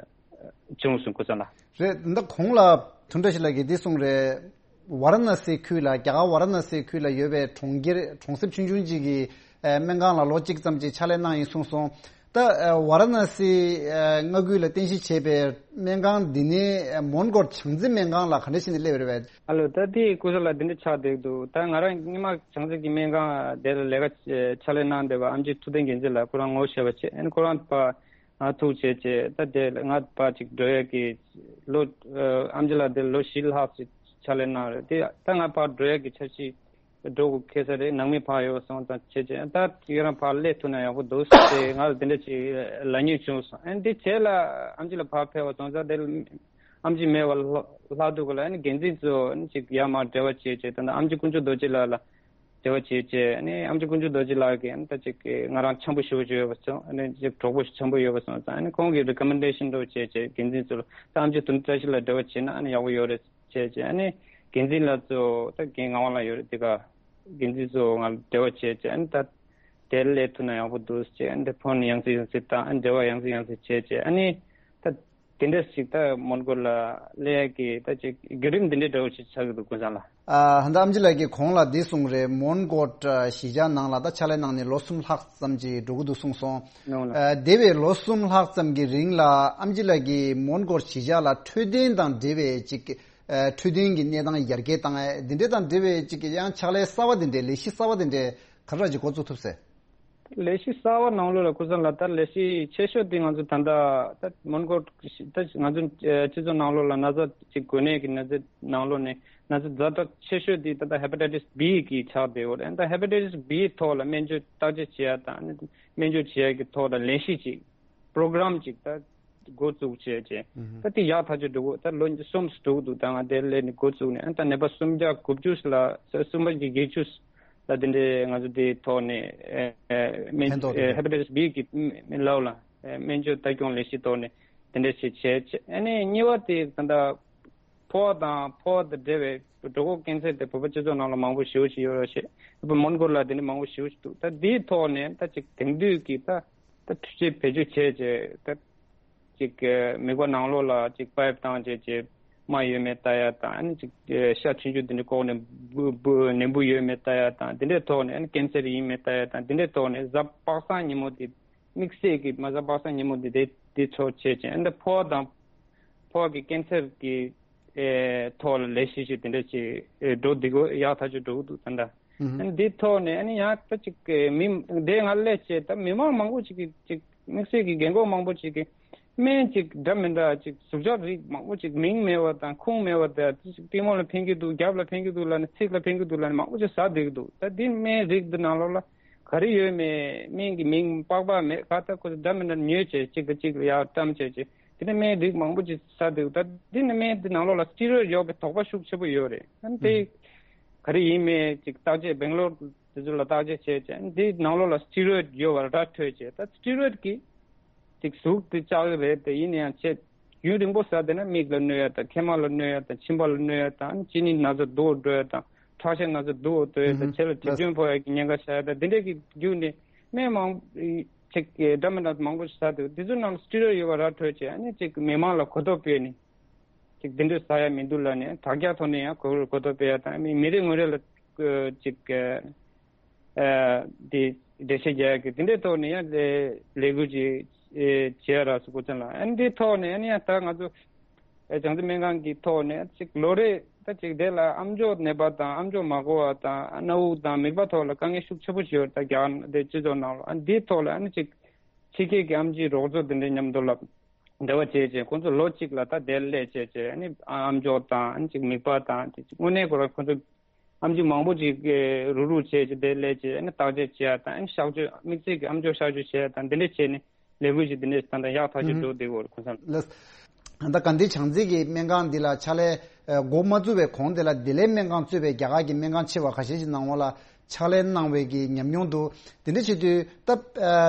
བྱུང་སོང་ཀུན་བཟང་ལགས། རེད། ད་གོང་ལ་དུང་བཀྲ་ཤིས་ལགས་ཀྱིས་འདི་གསུངས་རེད། ཝ་ར་ཎ་སི་ཁུལ་ལ། རྒྱ་གར་ཝ་ར་ཎ་སི་ཁུལ་ལ་ཡོད་པའི་གྲོང་ཁྱེར་གྲོང་གསེབ་ཆུང་ཆུང་ཅིག་གི་ཨེ་སྨན་ཁང་ལ་ལོ་གཅིག་ཙམ་ཅིག་ཕྱག་ལས་གནང་ཡིན་གསུངས་སོང་། ད་ཨེ་ཝ་ར་ཎ་སི་ཨེ་མངའ་ཁུལ་ལ་རྟེན་གཞི་བྱས་པའི་སྨན་ཁང་འདི་ནས་ཨེ་མོན་གྷོ་བྱང་རྩེ་སྨན་ཁང་ལ་ག་འདྲ་བྱས་ནས་སླེབས་རེད་པས། ཨ་ལོ། ད་དེ་ཀུན་བཟང་ལགས་འདི་འདྲ་ཆགས་བསྡད་འདུག་ད་ང་རང་སྔོན་མ་བྱང་རྩེ་གི་སྨན་ཁང་དེ་ལ་ལས་ཀ་ཕྱག་ལས་གནང་བསྡད་པ་ཨེམ་ཆི་ཐུབ་བསྟན་རྒྱལ་མཚན་ལགས་ཁོ་རང་ངོ་ཤེས་པ་བྱས། ཨ་ནི་ཁོ་རང་ཕར་ང་ཐུག་བྱས་བྱས། ད་དེ་ལ་ང་ཕར་ཅིག་འགྲོ་ཡག་གི་ལོ་ཨ་ཨེམ་ཆི་ལགས་དེ་ལོ་བཞི་ལྷག་ཅིག་ཕྱག་ལས་གནང་རེད། དེ་ད་ང་ཕར་འགྲོ་ཡག་གི་འཆར་གཞི་འགྲོ་དགོས་ཁེལ་ས་རེད། ནང་མི་ཕར་ཡོད་སོང་ཙང་བྱས་བྱས། ད་ཁྱེད་རང་ཕར་སླེབས་ཐུབ་ན་ཡག་པོ་འདུག་ཟེར་ང་ལ་དེ་འདྲ་ཅིག་ལབ་མྱོང་བྱུང་སོང་། ཨ་ནི་དེ་རྗེས་ལ་ཨེམ་ཆི་ལགས་ཕར་ཕེབས་པ་སོང་ཙང་དེ་ལ་ཨེམ་ཆི་མེད་པ་ལྷག་ལྷག་འདུག་ག་ལ། ཨ་ནི་འགན་འཛིན་ཚོ་ཨ་ནི་ཅིག་ཡར་མར་འབྲེལ་བ་བྱས་བྱས། ད་ལྟ་ཨེམ་ཆི་དཀོན་མཆོག་རྡོ་རྗེ་ལགས་ལ་འབྲེལ་བ་བྱས་བྱས། ཨ་ནི་ཨེམ་ཆི་དཀོན་མཆོག་རྡོ་རྗེ་ལགས་ཀྱིས་ཨ་ནི་ད་ཅིག་ང་རང་འཆམ་པོ་ཞེ་པོ་ཅིག་ཡོད་པ་སོང་། ཨ་ནི་ཅིག་གྲོགས་པོ་ཞིག་འཆམ་པོ་ཡོད་པ་སོང་ཙང་། ཨ་ནི་ཁོང་གིས་རི་ཀོ་མེན་ཌེ་ཤན་འདྲ་བོ་བྱས་བྱས་འགན་འཛིན་ཚོ་ལ། ད་ཨེམ་ཆི་དུང་བཀྲ་ཤིས་ལ་འབྲེལ་བ་བྱས་ན་ཨ་ནི་ཡག་པོ་ཡོད་རེད་བྱས་བྱས། ཨ་ནི་འགན་འཛིན་ལགས་ཚོ་ད་རྒན་ངག་དབང་ལགས་ཡོད་རེད། དེ་ག་འགན་འཛིན་ཚོ་ང་ལ་འབྲེལ་བ་བྱས་བྱས། ཨ་ནི་ད་དེར་སླེབས་ཐུབ་ན་ཡག་པོ་འདུག་ཟེར་བྱས། ཨ་ནི་དེ་ཕོན་ཡང་སེ་ཡང་སེ་བཏང་། ཨ་ནི་འབྲེལ་བ་ཡང་སེ་ཡང་སེ་བྱས་བྱས། ཨ་ནི་ད་དེ་འདྲ་ཞིག་ད་མོན་གྷོ་ལ་སླེབས་ཡག་གི་ད་ཅིག་བརྒྱུད་རིམ་འདི་འདྲའི་འདྲ་བོ་ཞིག་ཆགས་ཀྱི་འདུག་ཀུན་བཟང་ལགས། ཨ་ཧན་ད་ཨེམ་ཆི་ལགས་ཀྱིས་གོང་ལ་འདི་གསུངས་རེད། མོན་གྷོ་གཞིས་ཆགས་ནང་ལ་ད་ཕྱག་ལས་གནང་ནས་ལོ་གསུམ་ལྷག་ཙམ་ཅིག་འགྲོ་གི་འདུག་གསུངས་སོང་། ནོ་ལགས། ཨ་འདས་པའི་ལོ་གསུམ་ལྷག་ཙམ་གྱི་རིང་ལ་ཨེམ་ཆི་ལགས་ཀྱིས་མོན་གྷོ་གཞིས་ཆགས་ལ་འཕྲོད་བསྟེན་དང་འབྲེལ་བའི་ཅིག་ཨ་འཕྲོད་བསྟེན་གྱི་གནས་སྟངས་ཡར་རྒྱས་བཏང་ཡ་འདི་འདྲ་དང་འབྲེལ་བའི་ཅིག་ཡང་ཕྱག་ལས་གསར་བ་འདི་འདྲའི་ལས་གཞི་གསར་བ་འདི་འདྲའི་ག་རེ་ཅིག་འགོ་བཙུགས་ཐུབ་ཟེར། ལས་གཞི་གསར་བ་ནང་ལོགས་ལ་ཀུན་བཟང་ལགས། ད་ལས་གཞི་ཆེ་ཤོས་དེ་ང་ཚོ་ད་ལྟ་ད་མོན་གྷོ་ད་ང་ཚོ་སྤྱི་ཚོགས་ནང་ལོགས་ལ་ན་ཚ་ཅིག་འགོས་ནད་ཀྱི་ན་ཚ་ནང་ལོགས་ནས་ན་ཚ་ཛ་དྲག་ཆེ་ཤོས་དེ་ད་ལྟ་ཧེ་པ་ཊའི་ཊིས་བྷི་གི་ཆགས་བསྡད་ཡོད་རེད། ད་ཧེ་པ་ཊའི་ཊིས་བྷི་ཐོག་ལ་སྨན་བཅོས་བརྟག་དཔྱད་བྱེད་ཡ་དང་སྨན་བཅོས་བྱེད་ཡ་གི་ཐོག་ལ་ལས་གཞི་ཅིག་པྲོ་གྷ་རམ་ཅིག་ད་འགོ་བཙུགས་བྱས་བྱས། ད་དེ་ཡག་ཐག་ཆོད་འགྲོ་གི་ད་ལོ་གསུམ་འགྲོ་གི་འདུག་ད་ང་དེ་སླེབས་ནས་འགོ་བཙུགས་ནས་ཨ་ད་ནད་པ་སུམ་བརྒྱ་དགུ་བཅུ་ལ་སུམ་བརྒྱ་བརྒྱད་ཅུ་ལ་དེ་འདྲའི་ང་ཚོ་དེའི་ཐོག་ནས་ཨེ་ཨེ་སྨན་ཕན་ཐོགས་ཨེ་ཧེ་པ་ཊའི་ཊིས་བྷི་གི་ལབ་ལ་ཨེ་སྨན་བཅོས་ལྟ་སྐྱོང་ལས་གཞི་ཐོག་ནས་དེ་འདྲ་ཞིག་བྱས་བྱས། ཨ་ནི་གཉིས་པ་དེ་ད་ལྟ་ཕོ་བ་དང་ཕོ་བ་དང་འབྲེལ་བའི་གྲོད་ཁོག་ཀན་སར་དེ་བོད་པ་སྤྱི་ཚོགས་ནང་ལ་མང་པོ་ཞེ་པོ་ཞིག་ཡོད་རེད་ཤག་བོད་པ་མོན་གྷོ་ལ་དེ་འདྲ་མང་པོ་ཞེ་པོ་ཞིག་འདུག་ད་དེའི་ཐོག་ནས་ད་ཅིག་དེང་དུས་ཀྱི་ད་ད་འཕྲུལ་ཆས་བེད་སྤྱོད་བྱས་བྱས་ད། ཅིག་མིད་པ་ནང་ལོགས་ལ་ཅིག་པའིབ་བཏང་བྱས་བྱས་རྨ་ཡོད་མེད་ལྟ་ཡ་དང་། ཨ་ནི་ཅིག་ཤ་ཆུང་ཆུང་དེ་འདྲ་ལྐོག་ནས་འབུ་འབུ་ནད་འབུ་ཡོད་མེད་ལྟ་ཡ་དང་། དེ་འདྲའི་ཐོག་ནས་ཨ་ནི་ཀན་སར་ཡིན་མེད་ལྟ་ཡ་དང་། དེ་འདྲའི་ཐོག་ནས་གཟའ་པ་སངས་ཉིན་མོ་དེ་དམིགས་བསལ་གྱི་མ་གཟའ་པ་སངས་ཉིན་མོ་དེ་དེ་དེ་ཚོ་བྱས་བྱས། ཨ་ནི་ཕོ་བ་དང་ཕོ་བ་གི་ཀན་སར་གྱི་ཨེ་ཐོག་ལ་ལས་གཞི་ཞིག་དེ་འདྲ་ཅིག་ཨེ་འགྲོ་འདི་གོ་ཡག་ཐག་ཆོད་འགྲོ་གི་འདུག་ད་ལྟ། ཨ་ནི་འདི་ཐོག་ནས་ཨ་ནི་ཡང་ད་ཅིག་མི་འདི་ང་སླེབས་བྱས་ད་མི་མང་མང་པོ་ཅིག་གིས་ཅིག་དམིགས་བསལ་གྱི་རྒན་གོག་མང་པོ་ཅིག་གིས་སྨན་ཅིག་འདྲ་མི་འདྲ་ཅིག་ཟུག་གཟེར་རིགས་མང་པོ་ཅིག་མིང་མེད་པ་དང་ཁུངས་མེད་པ་དང་། ཅིག་པུས་མོ་ལ་ཕན་གྱི་འདུག་རྒྱབ་ལ་ཕན་གྱི་འདུག་ལབ་ནས་ཚིགས་ལ་ཕན་གྱི་འདུག་ལབ་ནས་མང་པོ་ཅིག་ཟ་བསྡད་ཀྱི་འདུག་ད་འདི་སྨན་རིགས་འདི་ནང་ལོགས་ལ་ག་རེ་ཡོད་མེད་སྨན་གྱི་མིང་པགས་པ་མེད་ག་ད་ཁོ་ཚོ་འདྲ་མི་འདྲ་ཉོས་བྱས་གཅིག་གིས་གཅིག་ལ་ཡར་བཀྲམ་བྱས་བྱས། དེ་ནས་སྨན་རིགས་མང་པོ་ཅིག་ཟ་འདུག་ད་འདི་ནས་སྨན་འདི་ནང་ལོགས་ལ་སི་ཊི་རོ་ཡིཌ་ཡོད་པའི་དོགས་པ་ཤུགས་ཆེ་པོ་ཡོད་རེད། ཨ་ནི་དེ་ག་རེ་ཡིན་མེད་ཅིག་བརྟག་དཔྱད་སྦེང་ལོར་དེ་ཚོ་ལ་བརྟག་དཔྱད་བྱས་བྱས། ཨ་ནི་འདི་ནང་ལོགས་ལ་སི་ཊི་རོ་ཡིཌ་ཡོད་པ་ར་འདྲ་ཐོས་བྱས། ད་སི་ཊི་རོ་ཡིཌ་གིས་ཅིག་ཟུག་དེ་བཅག་གི་རེད། དེ་ཡིན་ན་ཡང་ཆེད་ ཡུན་རིང་པོ་ཟ་བསྡད་ན་མིག་ལ་གནོད་ཡ་དང་མཁལ་མ་ལ་གནོད་ཡ་དང་མཆིན་པ་ལ་གནོད་ཡ་དང་གཅིན་སྙི་ན་ཚ་སྡུག་འགྲོ་ཡ་དང་ཁྲག་ཤེད་ན་ཚ་སྡུག་འགྲོ་ཡ་དང་ཆེ་ལ་དྲི་སྐྱོན་ཕོག་ཡ་གི་ཉེན་ཁ་ཤར་ཡ་དང་དེ་འདྲས་ཀྱི་བརྒྱུད་ནས་སྨན་མང་ཅིག་འདྲ་མི་འདྲ་མང་པོ་ཞིག་ཟ་འདུག་དེ་ཚོའི་ནང་ལ་སི་ཊི་རོ་ཡོད་པ་ར་འཕྲོད་བྱས་ཨ་ནི་ཅིག་མི་མང་ལ་གོ་རྟོགས་སྤེལ་ནས། ཅིག་འདི་འདྲ་ཟ་ཡ་མི་འདུག་ལབ་ནས་དྲ་རྒྱ་ཐོག་ནས་ཡང་གོ་གོ་རྟོགས་སྤེལ་ཡ་དང་མི་མི་རེ་ངོ་རེ་ལ་ཅིག་འདི་འགྲེལ་བཤད་རྒྱག་ཡ་གི་འདི་འདྲའི་ཐོག་ནས་ཡང་ལས་ལས་འགུལ་ཅིག་བྱེད་ཡ་རག་སོང་། ཁོ་ཚོ་ལ་ཨ་ནི་འདིའི་ཐོག་ནས་ཨ་ནི་ཡང་ད་ང་ཚོ་བྱང་རྩེ་སྨན་ཁང་གི་ཐོག་ནས་ཅིག་ལོ་རེ་ད་ཅིག་དེ་ལ་ཨམ་ཅོག་ནད་པ་དང་ཨམ་ཅོག་མ་འགོ་བ་དང་སྣ་དབུགས་དང་མིད་པ་ཐོག་ལ་དཀའ་ངལ་ཤུགས་ཆེ་པོ་ཞིག་ཡོད་ད་རྒྱ་གར་འདི་སྤྱི་ཚོགས་ནང་ལ་ཨ་ནི་འདིའི་ཐོག་ལ་ཨ་ནི་ཅིག་ཕྱི་རྒྱལ་གྱི་ཨམ་ཆིའི་རོགས་ཚོགས་འདི་འདྲའི་མཉམ་དུ་ལ། འབྲེལ་བ་བྱས་བྱས་ཁོང་ཚོ་ལོ་གཅིག་ལ་ད་དེར་སླེབས་བྱས་བྱས་ཨ་ནི་ཨམ་ཅོག་དང་ཨ་ནི་ཅིག་མིད་པ་དང་དེ་ཅིག་དངོས་གནས་ཁོ་རང་ཁོང་ཚོ་ཨམ་ཆི་མང་པོ་ཅིག་རུག་རུག་བྱས་བྱས་དེར་སླེབས་བྱས་ཨ་ནི་བརྟག་དཔྱད་བྱས་དང་ཨ་ནི་གཤག་བཅོས་དམིགས་བསལ་གྱི་ཨམ་ཅོག་གཤག་བཅོས་བྱས་དང་དེ་འདྲ་བྱས་ནས་ལས་འགུལ་ཞིག་དེ་འདྲ་ད་ལྟ་ཡག་ཐག་ཆོད་འགྲོ་བསྡད་ཡོད་རེད་ཁོང་ཚོ་ལ། ད་ག་འདི་བྱང་རྩེ་གི་སྨན་ཁང་འདི་ལ་ཕྱག་ལས་འགོ་མ་བཙུགས་པའི་གོང་དེ་ལ་བདེ་ལེགས་སྨན་ཁང་གཙོས་པའི་རྒྱ་གར་གྱི་སྨན་ཁང་ཆེ་བ་ཁ་ཤས་ཤིག་ནང་ལོགས་ལ་ཕྱག་ལས་གནང་བའི་གི་ཉམས་མྱོང་འདུག་དེ་འདྲ་བྱེད་དུས་ད་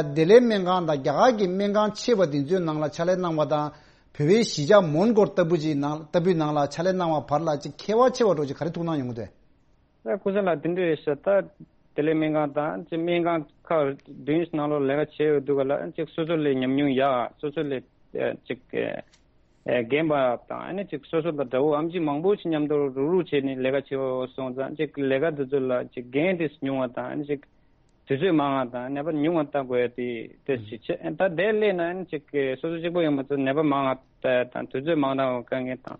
བདེ་ལེགས་སྨན་ཁང་དང་རྒྱ་གར་གྱི་སྨན་ཁང་ཆེ་བ་དེ་ཚོའི་ནང་ལ་ཕྱག་ལས་གནང་བ་དང་བོད་པའི་གཞིས་ཆགས་མོན་གྷོ་ལྟ་བུ་ཅིག་ནང་ལྟ་བུའི་ནང་ལ་ཕྱག་ལས་གནང་བ་བར་ལ་ཅིག་ཁྱད་པར་ཆེ་བ་འདྲ་ཅིག་ག་རེ་ཐུགས་སྣང་ཡོང་གི་འདུག་ད་སྐུ་ཞབས་ལགས་དེ་འདྲ་ཡོད་ཤག་ད་བདེ་ལེགས་སྨན་ཁང་དང་ཅིག་སྨན་ཁང་ཁག་བདུན་ནང་ལོགས་ལས་ཀ་བྱས་ཡོད་འདུག་ག་ལ་ཅིག་སོ་སོ་ལས་ཉམས་མྱོང་ཡག་སོ་སོ་ལས་ཅིག་རྒན་པ་དང་ཨ་ནི་ཅིག་སོ་སོ་དང་འདྲ་བོ་ཨམ་ཆི་མང་པོ་ཞིག་མཉམ་དུ་རུག་རུག་བྱས་ནས་ལས་ཀ་བྱེད་འོ་སོང་ཙང་ཅིག་ལས་ཀ་དེ་ཚོ་ལ་ཅིག་འགན་དེ་ཉུང་བ་དང་ཨ་ནི་ཅིག་དུས་ཚོད་མང་བ་དང་ནད་པ་ཉུང་བ་ལྟ་དགོས་ཡ་དེ་དེ་ཞིག་བྱས་ད་དེ་སླེབས་ན་ཨ་ནི་ཅིག་སོ་སོ་གཅིག་པོ་ཡོང་མ་ཚོ་ནད་པ་མང་བ་དང་དུས་ཚོད་མང་བ་དཀའ་ངལ་དང་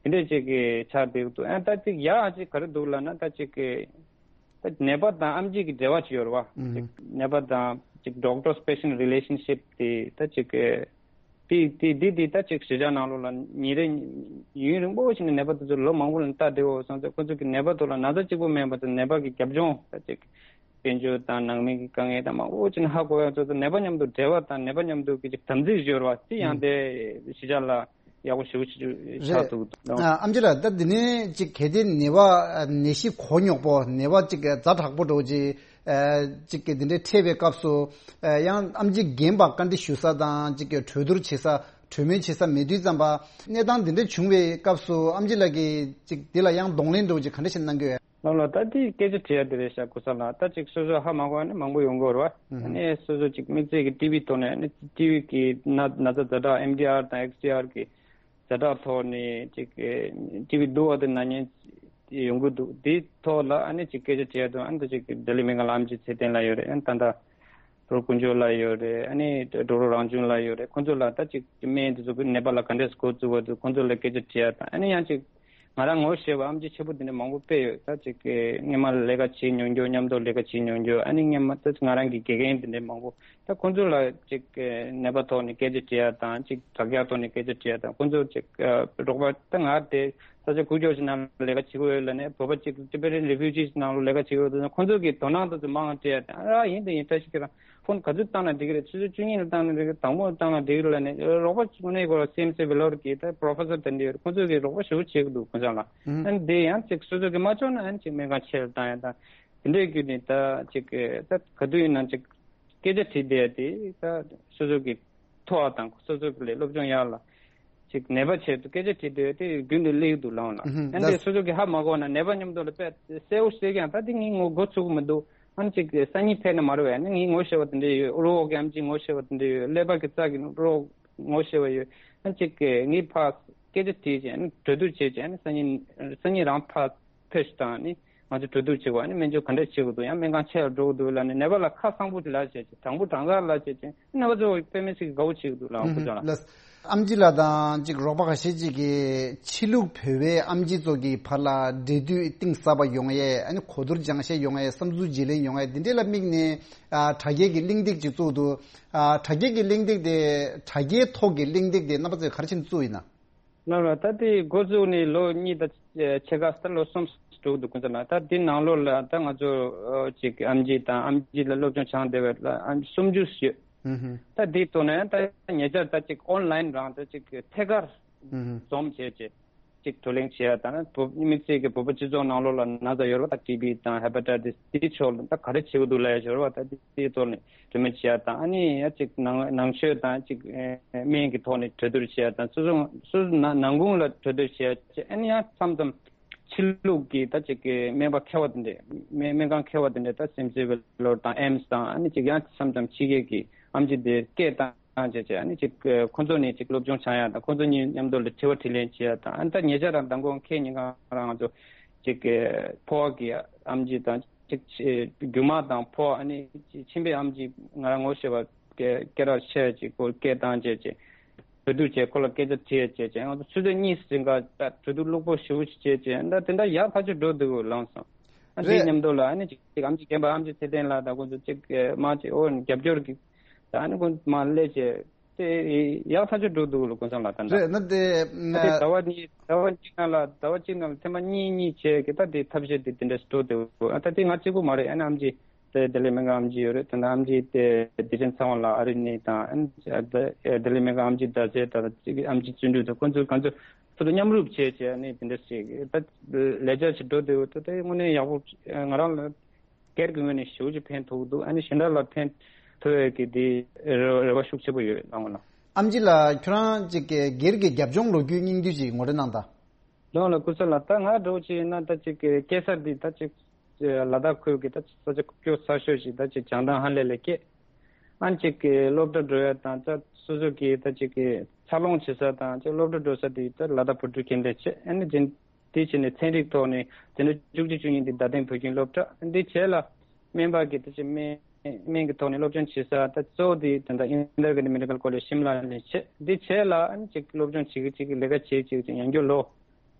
དེ་འདྲས་ཅིག་གི་ཆགས་བསྡད་འདུག་ཨ་ད་ཅིག་ཡག་ཅིག་ག་རེ་འདུག་ལབ་ན་ད་ཅིག་གི་ད་ནད་པ་དང་ཨམ་ཆི་གི་འབྲེལ་བ་ཅིག་ཡོད་རེད་བ། ཨུ་ཅིག་ནད་པ་དང་ཅིག་doctor patient relationship དེ་ད་ཅིག་དེ་དེ་དེ་ད་ཅིག་གཞིས་ཆགས་ནང་ལོགས་ལ་ཉིན་རེ་ཡུན་རིང་པོ་ཞིག་ནས་ནད་པ་དེ་ཚོ་ལོ་མང་པོ་ལ་ལྟ་བསྡད་འོ་སོང་ཙང་ཁོ་ཚོ་གི་ནད་པ་ཚོ་ལ་ན་ཚ་གཅིག་པོ་མེད་པ་དང་ནད་པ་གི་རྒྱབ་ལྗོངས་ད་ཅིག་དཔལ་འབྱོར་དང་ནང་མི་གི་དཀའ་ངལ་དང་མང་པོ་ཅིག་ནས་ཧ་གོ་ཡ་ཚོ་ཚོ་ནད་པ་མཉམ་དུ་འབྲེལ་བ་དང་ནད་པ་མཉམ་དུ་གི་ཅིག་དམ་ཚིག་ཡོད་རེད་བ་དེ་ཡང་དེ་གཞིས་ཆགས་ལ། ཡག་པོ་ཞེ་པོ་ཅིག་ཆགས་རེད། འདུག་ཨ་ཨམ་ཆི་ལགས་ད་འདི་ནས་ཅིག་གལ་ཏེ་ནད་པ་ནད་གཞི་གོ་རྙོག་པོ་ནད་པ་ཅིག་ཛ་དྲག་པོ་འདྲ་བོ་ཅིག་ཅིག་གི་འདི་འདྲའི་འཕྲད་པའི་སྐབས་སུ་ཡང་ཨམ་ཆི་རྒན་པ་བཀའ་འདྲི་ཞུ་ས་དང་ཅིག་གི་གྲོས་བསྡུར་བྱེད་ས་གྲོས་མོལ་བྱེད་ས་མེད་དུས་ཙམ་པ་གནས་སྟངས་འདི་འདྲ་བྱུང་བའི་སྐབས་སུ་ཨམ་ཆི་ལགས་ཀྱིས་ཅིག་འདི་ལ་ཡང་གདོང་ལེན་འདྲ་བོ་ཅིག་ག་འདྲ་ཞིག་གནང་གི་ཡོད། ལགས་ལགས་ད་དེ་སྐད་ཆ་དྲི་ཡ་དེ་རེད་ཤག་སྐུ་ཞབས་ལགས། ད་ཅིག་སོ་སོ་ཧ་མ་གོ་བ་ནི་མང་པོ་ཡོང་གི་ཡོད་རེད་བ། ཨ་ནི་སོ་སོ་ཅིག་དམིགས་བསལ་གྱི་ཊི་བི་ཐོག་ནས་ཨ་ནི་ཊི་བི་གི་ན་ན་ཚ་ཛ་དྲག་ཨེམ་ཌི་ཨར་དང་ཨེགས་ཌི་ཨར་གི་ཛ་དྲག་ཐོག་ནས་ཅིག་ཊི་བི་སྡུག་པ་དེ་ན་མཁན་ཡོང་གི་འདུག་དེའི་ཐོག་ལ་ཨ་ནི་ཅིག་སྐད་ཆ་དྲི་ཡ་འདུག་ཨ་ནི་ད་ཅིག་ལྡི་ལི་སྨན་ཁང་ལ་ཨམ་ཆི་ཚེ་བརྟན་ལགས་ཡོད་རེད། ཨ་ནི་ད་ལྟ་ཌོག་ཊར་དཀོན་མཆོག་ལགས་ཡོད་རེད། ཨ་ནི་ཌོག་ཊར་རང་བྱུང་ལགས་ཡོད་རེད། ཁོང་ཚོ་ལ་ད་ཅིག་སྨན་དེ་ཚོ་ནད་པ་ལ་ག་འདྲས་འགོ་བཙུགས་པ་འདུག་ཁོང་ཚོ་ལ་སྐད་ཆ་དྲི་ཡ་དང་ཨ་ནི་ཡང་ཅིག་ང་རང་ངོ་ཤེས་པ་ཨམ་ཆི་ཆེ་པོ་དེ་འདྲ་མང་པོ་དཔེ་ཡོད། ད་ཅིག་སྔོན་མ་ལས་ཀ་བྱེད་མྱོང་རྒྱུ་མཉམ་དུ་ལས་ཀ་བྱེད་མྱོང་རྒྱུ་ཨ་ནི་སྔོན་མ་ད་ང་རང་གི་དགེ་རྒན་དེ་འདྲ་མང་པོ་ད་ཁོང་ཚོ་ལ་ཅིག་ནད་པ་ཐོག་ནས་སྐད་ཆ་དྲི་ཡ་དང་ཅིག་དྲ་རྒྱ་ཐོག་ནས་སྐད་ཆ་དྲི་ཡ་དང་ཁོང་ཚོ་ཅིག་རོགས་པ་ད་ང་དེ་ས་ཆ་ཁུག་ཀྱོག་ཞིག་ནང་ལས་ཀ་བྱེད་ཀྱི་ཡོད་ལ་ནས་བོད་པ་ཅིག་ཊི་བེ་ཊན་རི་ཕིའུ་ཇིས་ནང་ལོགས་ལས་ཀ་བྱེད་ཀྱི་ཡོད་དུས་ཁོང་ཚོ་གི་དོ་སྣང་དེ་ཚོ་མང་དྲི་ཡ་དང་ཨ་ཡིན་དེ་ཡིན་བཀྲ་ཤིས་ཁྱེད་རང་། ཕོན་ག་ཚོད་བཏང་ན་འགྲིག་གི་རེད། ཆུ་ཚོད་བཅུ་གཉིས་ལ་བཏང་ན་འགྲིག་གི་རེད། དང་པོ་བཏང་ན་འགྲིག་གི་རེད་ལབ་ནས་རོགས་པ་གཅིག་ནས་ཁོ་རང་སི་ཨེམ་སི་བྷེ་ལོར་གྱི་ད་པོ་རོ་ཕེ་སར་དེ་འདྲ་ཡོད་རེད། ཁོ་ཚོས་གི་རོགས་པ་ཞེ་པོ་བྱེད་ཀྱི་འདུག་ཁོ་ཚོ་ལ། ཨ་ནི་དེ་ཡང་ཅིག་སོ་སོ་གི་མ་ལྕོགས་ན་ཨ་ནི་ཅིག་སྨན་ཁང་ཆེ་རུ་བཏང་ཡ་དང་དེ་འདྲའི་བརྒྱུད་ནས་ད་ཅིག་ད་ག་དུས་ཡིན་ན་ཅིག་སྐད་ཆ་དྲིས་བསྡད་ཡ་དེ་ད་སོ་སོ་གི་ཐོག་དང་སོ་སོ་གི་ལས་སློབ་སྦྱོང་ཡག་ལ། ཅིག་ནད་པ་ཆེད་དུ་སྐད་ཆ་དྲིས་དུས་དེ་རྒྱུན་དུ་སླེབས་འདུག་ལའང་ལ། ཨ་ནི་དེ་སོ་སོ་གི་ཧ་མ་གོ་ན་ནད་པ་མཉམ་དུ་ལ་དཔེ་གསལ་བོ་བཤད་ཀྱང་ད་དེ་ངའི་ངོ་གོ་ཚུགས་ཀྱི་མི་འདུག་ཨ་ནི་ཅིག་སང་ཉིན་ཕེབས་ན་མ་རེད་བས་ཨ་ནི་ངའི་ངོ་ཤེས་པ་དེ་འདྲ་ཡོད། རོགས་ཀྱི་ཨམ་ཆིའི་ངོ་ཤེས་པ་དེ་འདྲ་ཡོད། ཀླད་པ་གི་རྩ་གི་རོགས་ངོ་ཤེས་པ་ཡོད། ཨ་ནི་ཅིག་ངའི་ཕར་སྐད་ཆ་དྲིས་བྱས་ཨ་ནི་གྲོས་བསྡུར་བྱས་བྱས་ཨ་ནི་སང་ཉིན་སང་ཉིན་རང་ཕར་ཕེབས་ཤིག་དང་ཨ་ནི། ང་ཚོ་གྲོས་བསྡུར་བྱེད་དགོས། ཨ་ནི་སྨན་བཅོས་ག་འདྲས་བྱེད་དགོས་འདུག་ཡང་སྨན་ཁང་ཆེ་ལ་འགྲོ་དགོས་འདུག་ལབ་ནས་ནད་པ་ལ་ཁ་གསང་པོ་ཅིག་ལབ་བྱས་ཅིག་དྲང་པོ་དྲང་ག་ལབ་བྱས་ཅིག་ནད་པ་ཚོ་དཔེ་མི་སྲིད་ཀྱི་དགའ་བོ་བྱེད་ཀྱི་འདུག་ལབ་ཁོ་ཚོ་ལ། ལགས། ཨམ་ཆི་ལགས་དང་ཅིག་རོགས་པ་ཁ་ཤས་ཅིག་གིས་ཕྱི་ལུགས་བོད་པའི་ཨམ་ཆི་ཚོ་གི་བར་ལ་འབྲེལ་མཐུད་གཏིང་ཟབ་པ་ཡོང་ཡས་ཨ་ནི་གོ་བསྡུར་སྦྱང་བཤད་ཡོང་ཡས་བསམ་ཚུལ་བརྗེ་ལེན་ཡོང་ཡས་འདི་འདྲས་ལ་དམིགས་ནས་ཨ་དྲ་རྒྱའི་གི་གླེང་སྟེགས་ཅིག་བཙུགས་འདུག་ཨ་དྲ་རྒྱའི་གི་གླེང་སྟེགས་དེ་དྲ་རྒྱའི་ཐོག་གི་གླེང་སྟེགས་དེ་རྣམ་པ་ཚོས་ག་རེ་བྱས་ནས་བཙུགས་ཡིན་ན། ལགས་ལགས། ད་དེ་འགོ་བཙུགས་ནས་ལོ་གཉིས་དང་ཕྱེད་ཀ་ད་ལོ་གསུམ་འགྲོ་གི་འདུག་ཁོང་ཚོ་ལ། ད་དེ་ནང་ལོགས་ལ་ད་ང་ཚོ་ཅིག་ཨམ་ཆི་དང་ཨམ་ཆི་ལ་སློབ་སྦྱོང་སྦྱངས་བསྡད་པ་ལ་ཨམ་ཆི་སུམ་ཅུ་ཡོད། ད་དེའི་ཐོག་ནས་ད་ཉེ་ཆར་ད་ཅིག་ཨོན་ལའིན་རང་ད་ཅིག་ཐད་ཀར་འཛོམས་བྱས་བྱས། ཅིག་བགྲོ་གླེང་བྱེད་ཡ་དང་། བོད་དམིགས་བསལ་གྱི་བོད་པ་སྤྱི་ཚོགས་ནང་ལོགས་ལ་ན་ཚ་ཡོད་རེད་པ། ད་ཊི་བི་དང་ཧེ་པ་ཊའི་ཊི་སི་དེའི་ཕྱོགས་ལ་ད་ག་རེ་བྱེད་དགོས་འདུག་ལབ་ཡ་ཡོད་རེད་པ། ད་དེའི་ཐོག་ནས་གྲོས་མོལ་བྱེད་ཡ་དང་། ཨ་ནི་ཡ་ཅིག་ནང་ནང་ཆོས་དང་ཅིག་ཨེ་སྨན་གྱི་ཐོག་ནས་གྲོས་བསྡུར་བྱེད་ཡ་དང་། སོ་སོ་སོ་སོ་ནང་ནང་ཁུངས་ལ་གྲོས་བསྡུར་བྱེད་ཡ་བྱས། ཨ་ནི་ཡང་མཚམས་མཚམས་ཕྱི་ལུགས་ཀྱི་ད་ཅིག་གི་སྨན་པ་མཁས་པ་དེ་འདྲས། སྨན་སྨན་ཁང་མཁས་པ་དེ་འདྲས། ད་སིམ་སི་ཝེ་ལོར་དང་ཨེམ་སི་དང་། ཨ་ནི་ཅིག་ཡང་མཚམས་མཚམས་ཕྱི་རྒྱལ་གྱི་ཨེམ་ཆི་དེ་སྐད་བཏང་བྱས་བྱས། ཨ་ནི་ཅིག་ཁོང་ཚོ་ནས་ཅིག་སློབ་སྦྱོང་སྦྱང་ཡ་དང་། ཁོང་ཚོ་གཉིས་མཉམ་དུ་ལ་དྲི་བ་དྲིས་ལན་བྱེད་ཡ་དང་། ཨ་ནི་ད་ཉེ་ཆར་རང་མདང་དགོང་ཁ་ཉིན་གང་རང་ང་ཚོ་ཅིག་ཕོ་བ་གི་ཨེམ་ཆི་དང་། ཅིག་རྒྱུ་མ་དང་ཕོ་བ། ཨ་ནི་མཆིན་པའི་ཨེམ་ཆི། ང་རང་ངོ་ཤེས་པ་སྐད་སྐད་གྲགས་ཆེ་ཅིག་ཁོ་སྐད་བཏང་བྱས་བྱས། གྲོས་བསྡུར་བྱས། ཁོ་ལ་སྐད་ཆ་དྲིས་བྱས་བྱས། ང་ཚོ་ཆུ་ཚོད་གཉིས་ཟིན་ག་ད་གྲོས་བསྡུར་ལྷུག་པོ་ཞེ་པོ་ཞིག་བྱས་བྱས། ད་དེ་འདྲ་ཡག་ཐག་ཆོད་འགྲོ་འདུག་ལངས་སོང་། ཨ་འདིའི་རེད། མཉམ་དུ་ལ་ཨ་ནི་ཅིག་ཨེམ་ཆི་རྒན་པ་ཨེམ་ཆི་ཚེ་བརྟན་ལགས་དང་ཁོང་ཚོ་ཅིག་མ་ཅིག་ཨོ་རྒྱབ་སྐྱོར་གྱི། ད་ཨ་ནི་ཁོང་མ་སླེབས་བྱས། དེ་ཡག་ཐག་ཆོད་འགྲོ་འདུག་ལ་ཀུན་བཟང་ལགས། ད་ད་རེད་ན་དེ། ཨ་དེ་ཟླ་བ་གཉིས་ཟླ་བ་གཅིག་ནང་ལ་ཟླ་བ་གཅིག་ནང་ལ་ཐེངས་མ་གཉིས་གཉིས་བྱས་ཀྱི་ད་དེ་ཐབས་ཤེས་དེ་དེ་འདྲ་ཞིག་འགྲོ་འདུག་ཨ་ད་དེ་ང་གཅིག་པུ་མ་རེད། ཨ་ནི་ཨེམ་ཆི་དེ་ལྡི་ལི་སྨན་ཁང་ཨེམ་ཆི་ཡོད་རེད། ད་ནི་ཨེམ་ཆི་དེ་བདེ་ཆེན་ཚེ་དབང་ལགས་ཨ་རི་ནས་དང་། ཨ་ནི་ལྡི་ལི་སྨན་ཁང་ཨེམ་ཆི་ཟླ་ཚེ་དང་ཨེམ་ཆི་བརྩོན་འགྲུས་དང་ཁོང་ཚོ་གང་ཚོ་ཁོ་ཚོ་མཉམ་རུབ་བྱས་བྱས་ནས་དེ་འདྲ་ཞིག་ད་ལས་འཆར་ཞིག་འགྲོ་འདུག་ད་དེ་དངོས་གནས་ཡག་པོ། ང་རང་ལ་སྒེར་གྱི་ངོས་ནས་ཞེ་པོ་ཅིག་ཕན་ཐོགས་འདུག་ཨ་ནི་གཞན་དག་ལ་ཕན་ཐོགས་ཡས་ཀྱི་དེ་རེ་རེ་བ་ཤུགས་ཆེ་པོ་ཡོད་ལགས་ངོ་ལ། ཨེམ་ཆི་ལགས། ཁྱོད་རང་ཅིག་གི་སྒེར་གྱི་རྒྱབ་ལྗོངས་ལོ་རྒྱུས་སྙིང་བསྡུས་ཅིག་ངོ་སྤྲོད་གནང་དང་། ལགས་ལགས་ཀུན་བཟང་ལགས། ད་ང་འདྲ་བོ་ཅིག་ཡིན་ན་ད་ཅིག་གི་སྐྱེས་ས་འདི་ད་ཅིག་ལ་དྭགས་ཁུལ་གྱི་ད་ཅིག་ས་ཆ་ཁུག་ཀྱོག་ས་ཤོས་ཤིག་ད་ཅིག་བྱང་ཐང་ཧ་ལས་ལ་སྐྱེས། ཨ་ནི་ཅིག་གི་སློབ་གྲྭ་འགྲོ་ཡ་དང་། ད་སོ་སོ་གི་ད་ཅིག་གི་འཚར་ལོངས་བྱེད་ས་དང་ཅིག་སློབ་གྲྭ་འགྲོ་ས་དེ་ད་ལ་དྭགས་བོད་ཕྲུག་ཁྱིམ་སྡེ་བྱས། ཨ་ནི་རྗེས་དེའི་ཕྱི་ནས་ཚན་རིག་ཐོག་ནས་འཛིན་གྲྭ་བཅུ་གཅིག་བཅུ་གཉིས་འདི་རྡ་སྟེང་བོད་ཁྱིམ་སློབ་གྲྭ། འདི་བྱས་ལ་སྨན་པ་གི་ད་ཅིག་སྨན་སྨན་གྱི་ཐོག་ནས་སློབ་སྦྱོང་བྱེད་ས་ད་གཙོ་བོ་འདི་ད་ལྟ་ཨིན་དར་གྷན་ཌི་མེ་ཌི་ཀལ་ཀོ་ལེཇ་ཤིམ་ལ་ནས་བྱས། འདི་བྱས་ལ་ཨ་ནི་ཅིག་སློབ་སྦྱོང་བྱེད་ཀྱི་བྱེད་ཀྱི་ལས་ཀ་བྱེད་བྱེད་ཀྱི་ཡང་བསྐྱར་ལོ་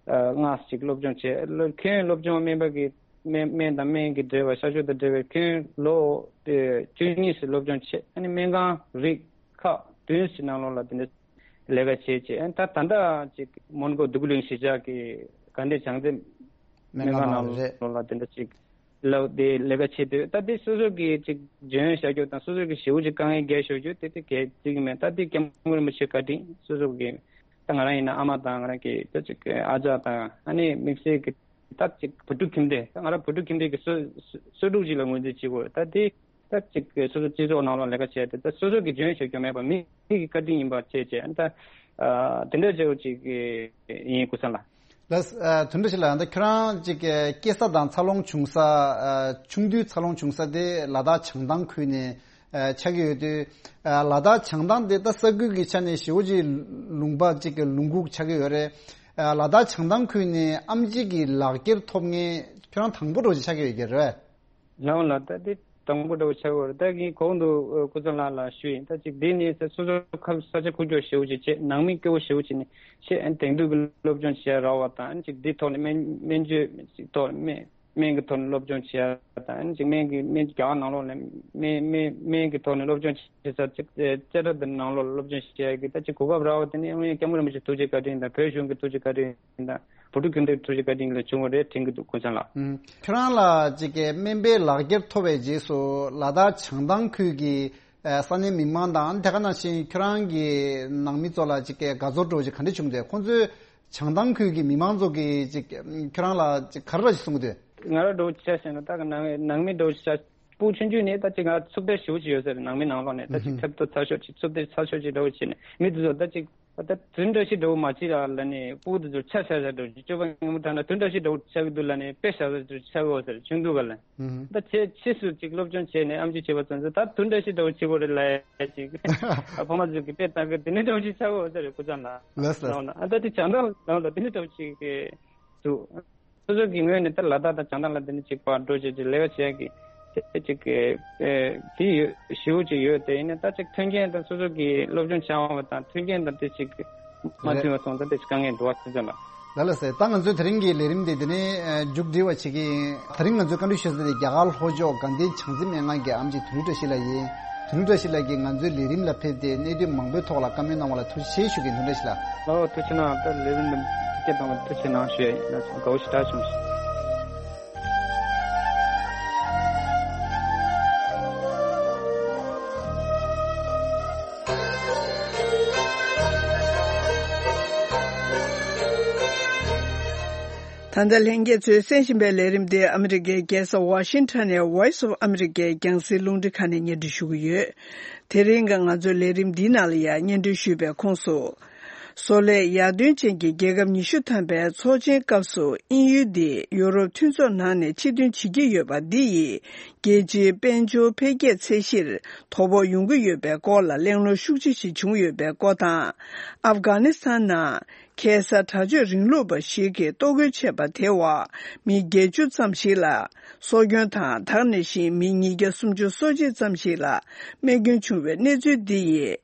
ལྔ་ཅིག་སློབ་སྦྱོང་བྱས། ལོ་ཁྱོན་སློབ་སྦྱོང་སྨན་པ་གི་སྨན་སྨན་དང་སྨན་གྱི་འབྲེལ་བ་གཤག་བཅོས་དང་འབྲེལ་བའི་ཁྱོན་ལོ་བཅུ་གཉིས་ཤིག་སློབ་སྦྱོང་བྱས། ཨ་ནི་སྨན་ཁང་རིགས་ཁག་བདུན་ཞིག་ནང་ལོགས་ལ་དེ་འདྲ་ལས་ཀ་བྱས་བྱས། ཨ་ནི་ད་ད་ལྟ་ཅིག་མོན་གྷོ་འདུ་ཁུ་ལིང་གཞིས་ཆགས་ཀྱི་དགའ་ལྡན་བྱང་རྩེ་སྨན་ཁང་ནང་ལོགས་ལ་དེ་འདྲ་ཅིག་ལ་དེ་ལས་ཀ་བྱེད་དུས། ད་དེ་སོ་སོ་གི་ཅིག་འཇོན་བྱ་རྒྱུ་དང་སོ་སོ་གི་ཞེ་པོ་ཅིག་དཀའ་ངལ་འགེལ་ཤོར་རྒྱུ་དེ་དེ་གལ་སྲིད་ཀྱི་མེད། ད་དེ་སྐྱབས་མགོན་རིན་པོ་ཆེ་བཀའ་དྲིན། སོ་སོ་གི་ད་ང་རང་ཡིན་ན་ཨ་མ་དང་ང་རང་གི་ད་ཅིག་ཨ་ཅག་དང་། ཨ་ནི་དམིགས་བསལ་གྱི་ད་ཅིག་བོད་ཕྲུག་ཁྱིམ་སྡེ། ད་ང་རང་བོད་ཕྲུག་ཁྱིམ་སྡེ་གི་སོ་སོ་སོ་ཕྲུག་ཅིག་ལ་ངོས་འཛིན་བྱེད་དགོས། ད་དེ་ད་ཅིག་སོ་སོ་སྤྱི་ཚོགས་ནང་ལོགས་ལས་ཀ་བྱས་ཏེ་ད་སོ་སོ་གི་འཇོན་ཤོད་རྒྱུ་མེད་པ་མི་གི་བཀའ་དྲིན་ཡིན་པ་བྱས་བྱས། ད་ཨ་དེ་འདྲ་བྱས་པ་ཅིག་ཡིན་ཀུན་བཟང་ལགས། ལགས། ཨ་དོན་འགྲོ་ཞིག་ལ་ད་ཁྱོད་རང་ཅིག་སྐྱེས་ས་དང་འཚར་ལོངས་བྱུང་ས། ཨ་ཆུང་དུས་འཚར་ལོངས་བྱུང་ས་དེ་ལ་དྭགས་བྱང་ཐང་ཁུལ་ནས་ཨ་ཆགས་ཀྱི་ཡོད་དུས། ཨ་ལ་དྭགས་བྱང་ཐང་དེ་ད་ས་ཁུལ་གྱི་ཆ་ནས་ཞེ་པོ་ཅིག་ལུང་པ་ཅིག་གི་ལུང་ཁུག་ཆགས་ཀྱི་ཡོད་རེད། ཨ་ལ་དྭགས་བྱང་ཐང་ཁུལ་ནས་ཨེམ་ཆི་གི་ལག་འཁྱེར་ཐོབ་མཁན་ཁྱོད་རང་དང་པོ་འདྲ་བོ་ཅིག་ཆགས་ཀྱི་ཡོད་ཀྱི་རེད། ལགས་ལགས། ད་འདི་དང་པོ་འདྲ་བོ་ཆགས་ཀྱི་ཡོད་རེད། ད་ངས་གོང་དུ་ཨ་ཀུན་བཟང་ལགས་ལ་ཞུས་ཡིན། ད་ཅིག་འདི་ནི་ས་སོ་སོ་ཁ་ས་ཆ་ཁུག་ཀྱོག་ཞེ་པོ་ཅིག་བྱས། ནང་མི་སྐྱོ་བོ་ཞེ་པོ་ཅིག་ནས་བྱས། ཨ་ནི་དེང་དུས་ཀྱི་སློབ་སྦྱོང་བྱེད་ཡ་རག་པ་དང་། ཨ་ནི་ཅིག་འདི་ཐོག་ནས་སྨན་སྨན་བཅོས་ཅིག་ཐོག་ནས་སྨན་སྨན་གྱི་ཐོག་ནས་སློབ་སྦྱོང་བྱེད་ཡ་དང་། ཨ་ནི་ཅིག་སྨན་གྱི་སྨན་རྒྱ་གར་ནང་ལོགས་ནས་སྨན་སྨན་སྨན་གྱི་ཐོག་ནས་སློབ་སྦྱོང་བྱེད་ས་ཅིག་ཨ་ཅ་ཊ་དེ་ནང་ལོགས་ལ་སློབ་སྦྱོང་བྱེད་ཡ་གི་ད་ཅིག་གོ་སྐབས་རག་པ་དེ་ནི་ཨ་ནི་སྐྱབས་མགོན་རིན་པོ་ཆེ་ཐུགས་རྗེ་བཀའ་དྲིན་དང་། བོད་གཞུང་གི་ཐུགས་རྗེ་བཀའ་དྲིན་དང་། བོད་ཕྲུག་ཁྱིམ་སྡེ་ཐུགས་རྗེ་བཀའ་དྲིན་ལས་བྱུང་བ་རེད་དྲན་གྱི་འདུག་ཀུན་བཟང་ལགས། ཨུམ། ཁྱོད་རང་ལ་ཅིག་གི་སྨན་པའི་ལག་འཁྱེར་ཐོབ་པའི་རྗེས་སུ་ལ་དྭགས་བྱང་ཐང་ཁུལ་གྱི་ཨ་ས་གནས་མི་མང་དང་། དེ་ག་ནང་བཞིན་ཁྱོད་རང་གི་ནང་མི་ཚོ་ལ་ཅིག་གི་དགའ་ཚོར་འདྲ་བོ་ཅིག་ག་འདྲ་བྱུང་འདུག་ཁོང་ཚོས་བྱང་ཐང་ཁུལ་གྱི་མི་མང་ཚོ་གིས་ཅིག་ཁྱོད་རང་ལ་ཅིག་ག་རེ་ར་ཞིག་གསུང་གི་འདུག་ང་རང་འདྲ་བོ་ཆ་བཞག་ན་ད་ག་ནང་ནང་མི་འདྲ་བོ་ཆ། སྤུ་གུ་ཆུང་ཆུང་ནས་ད་ཅིག་ང་འཚུབ་ཏོག་ཞེ་པོ་ཅིག་ཡོད་ས་རེད། ནང་མི་ནང་ལོགས་ནས་ད་ཅིག་ཐེབས་ཏོག་ཚ་ཤོས་ཅིག་འཚུབ་ཏོག་ཚ་ཤོས་ཅིག་འདྲ་བོ་བྱས་ནས་མི་དེ་ཚོ་ད་ཅིག་ད་དུས་འདྲ་ཞིག་འདྲ་བོ་མ་བྱེད་ར་ལབ་ནས་སྤུ་གུ་དེ་ཚོ་ཆ་བཞག་བཞག་འདྲ་བོ་ཅིག་སྤྱོད་པ་ངན་པ་དྲག་ན་དུས་འདྲ་ཞིག་འདྲ་བོ་ཆགས་ཀྱི་འདུག་ལབ་ནས་དཔེ་བཞག་ས་ཅིག་ཆགས་ཀྱི་ཡོད་ས་རེད། ཆུང་དུས་སྒང་ལ། ད་ཆེ་ཕྱིས་སུ་ཅིག་སློབ་སྦྱོང་བྱས་ནས་ཨེམ་ཆི་བྱས་པ་ཙམ་ཚོ་ད་དུས་འདྲ་ཞིག་འདྲ་བོ་བྱེད་དགོས་རེད་ལབ་ཡ་ཅིག་ཨ་ཕ་མ་ཚོ་གིས་དཔེ་བལྟ་གི་དེ་འདྲ་འདྲ་བོ་ཅིག་ཆགས་ཀྱི་ཡོད་ས་རེད། ཀུན་བཟང་ལགས། ལགས་སོ། ལགས་སོ། ཨ་ད་དེ་བྱང་ཐང་ནང་ལ་དེ་འདྲ་འདྲ་བོ་ཅིག་གི་འདུག་སོ་སོ་གི་ངོས་ནས་ད་ལ་དྭགས་དང་བྱང་ཐང་ལ་དེ་ནི་གཅིག་པར་འགྲོ་བྱས་ཀྱི་ལས་ཀ་བྱས་ཀྱི་དེ་གཅིག་གི་ཨེ་དེ་ཡོད་ཞེ་པོ་ཅིག་ཡོད། དེ་ཡིན་ན་ད་ཅིག་མཐུན་རྐྱེན་དང་སོ་སོ་གི་སློབ་སྦྱོང་བྱ་བ་དང་མཐུན་རྐྱེན་དང་དེ་གཅིག་མ་མཐུན་པ་སོང་ཙང་དེ་གཅིག་དཀའ་ངལ་འདུག་པ་ཁྱེད་ཚོ་ལ། ལགས་ལགས་སེ། ད་ང་ཚོའི་དེ་རིང་གི་ལས་རིམ་དེ་དེ་ནས་ཨེ་མཇུག་སྒྲིལ་བ་བྱེད་ཀྱི་ཡིན། དེ་རིང་ང་ཚོས་བཀའ་འདྲི་ཞུ་ས་དེ་རྒྱ་གར་ལྷོ་ཕྱོགས་དགའ་ལྡན་བྱང་རྩེ་སྨན་ཁང་གི་ཨེམ་ཆི་དོན་གྲུབ་བཀྲ་ཤིས་ལགས་ཡིན། དོན་གྲུབ་བཀྲ་ཤིས་ལགས་ཀྱིས་ང་ཚོའི་ལས་རིམ་ལ་ཕེབས་ཏེ་གནད་དོན་མང་པོའི་ཐོག་ལ་བཀའ་མོལ་གནང་བ་ལ་ཐུགས་རྗེ་ཆེ་ཞུ་གི་ཡིན། དོན་གྲུབ་བཀྲ་ཤིས་ལགས། ཨོ་ཐུགས་རྗེ་གནང་། ད་ལས་རིམ་འདི་སྐད་གཏོང་བ་ཐུགས་རྗེ་གནང་ཞུ་ཡ་ཡིན། ལགས་སོ། དགའ་བོ་ཞེ་དྲག་བྱུང་སོང་། ད་ལྟ་ལྷན་རྒྱས་ཚོས་གསན་བཞིན་པའི་ལས་རིམ་དེ་ཨ་མི་རི་ཀའི་རྒྱལ་ས་ཝ་ཤིང་ཊོན་ནས་Voice of America རྒྱང་སྲིང་རླུང་འཕྲིན་ཁང་ནས་སྙན་སྒྲོན་ཞུ་གི་ཡོད། དེ་རིང་གི་ང་ཚོའི་ལས་རིམ་འདིའི་ནང་ལ་ཡང་སྙན་སྒྲོན་ཞུས་པའི་ཁོངས་སུ། བཟོ་ལས་ཡར་ཐོན་ཅན་གྱི་རྒྱལ་ཁབ་ཉི་ཤུ་ཐམ་པའི་ཚོགས་ཆེན་སྐབས་སུ་དབྱིན་ཡུལ་འདི་ཡུ་རོབ་མཐུན་ཚོགས་ནང་ནས་ཕྱིར་ཐོན་བྱེད་ཀྱི་ཡོད་པ་འདི་ཡིས། རྒྱལ་སྤྱིའི་དཔལ་འབྱོར་འཕེལ་རྒྱས་ཚད་གཞིར་དོ་ཕོག་ཡོང་གི་ཡོད་པའི་སྐོར་ལ་གླེང་སློང་ཤུགས་ཆེ་ཞིག་བྱུང་ཡོད་པའི་སྐོར་དང་། ཨབ་གྷ་ནི་སི་ཐན་ནང་ཁ་སང་དྲག་སྤྱོད་རིང་ལུགས་པ་ཞིག་གིས་གཏོར་རྒོལ་བྱས་པ་དེའི་འོག་མི་བརྒྱད་ཅུ་ཙམ་ཞིག་ལ་སྲོག་སྐྱོན་དང་། ད་ག་ནང་བཞིན་མི་ཉིས་བརྒྱ་སུམ་ཅུ་སོ་གཅིག་ཙམ་ཞིག་ལ་རྨས་སྐྱོན་བྱུང་བའི་གནས་ཚུལ་འདི་ཡིས།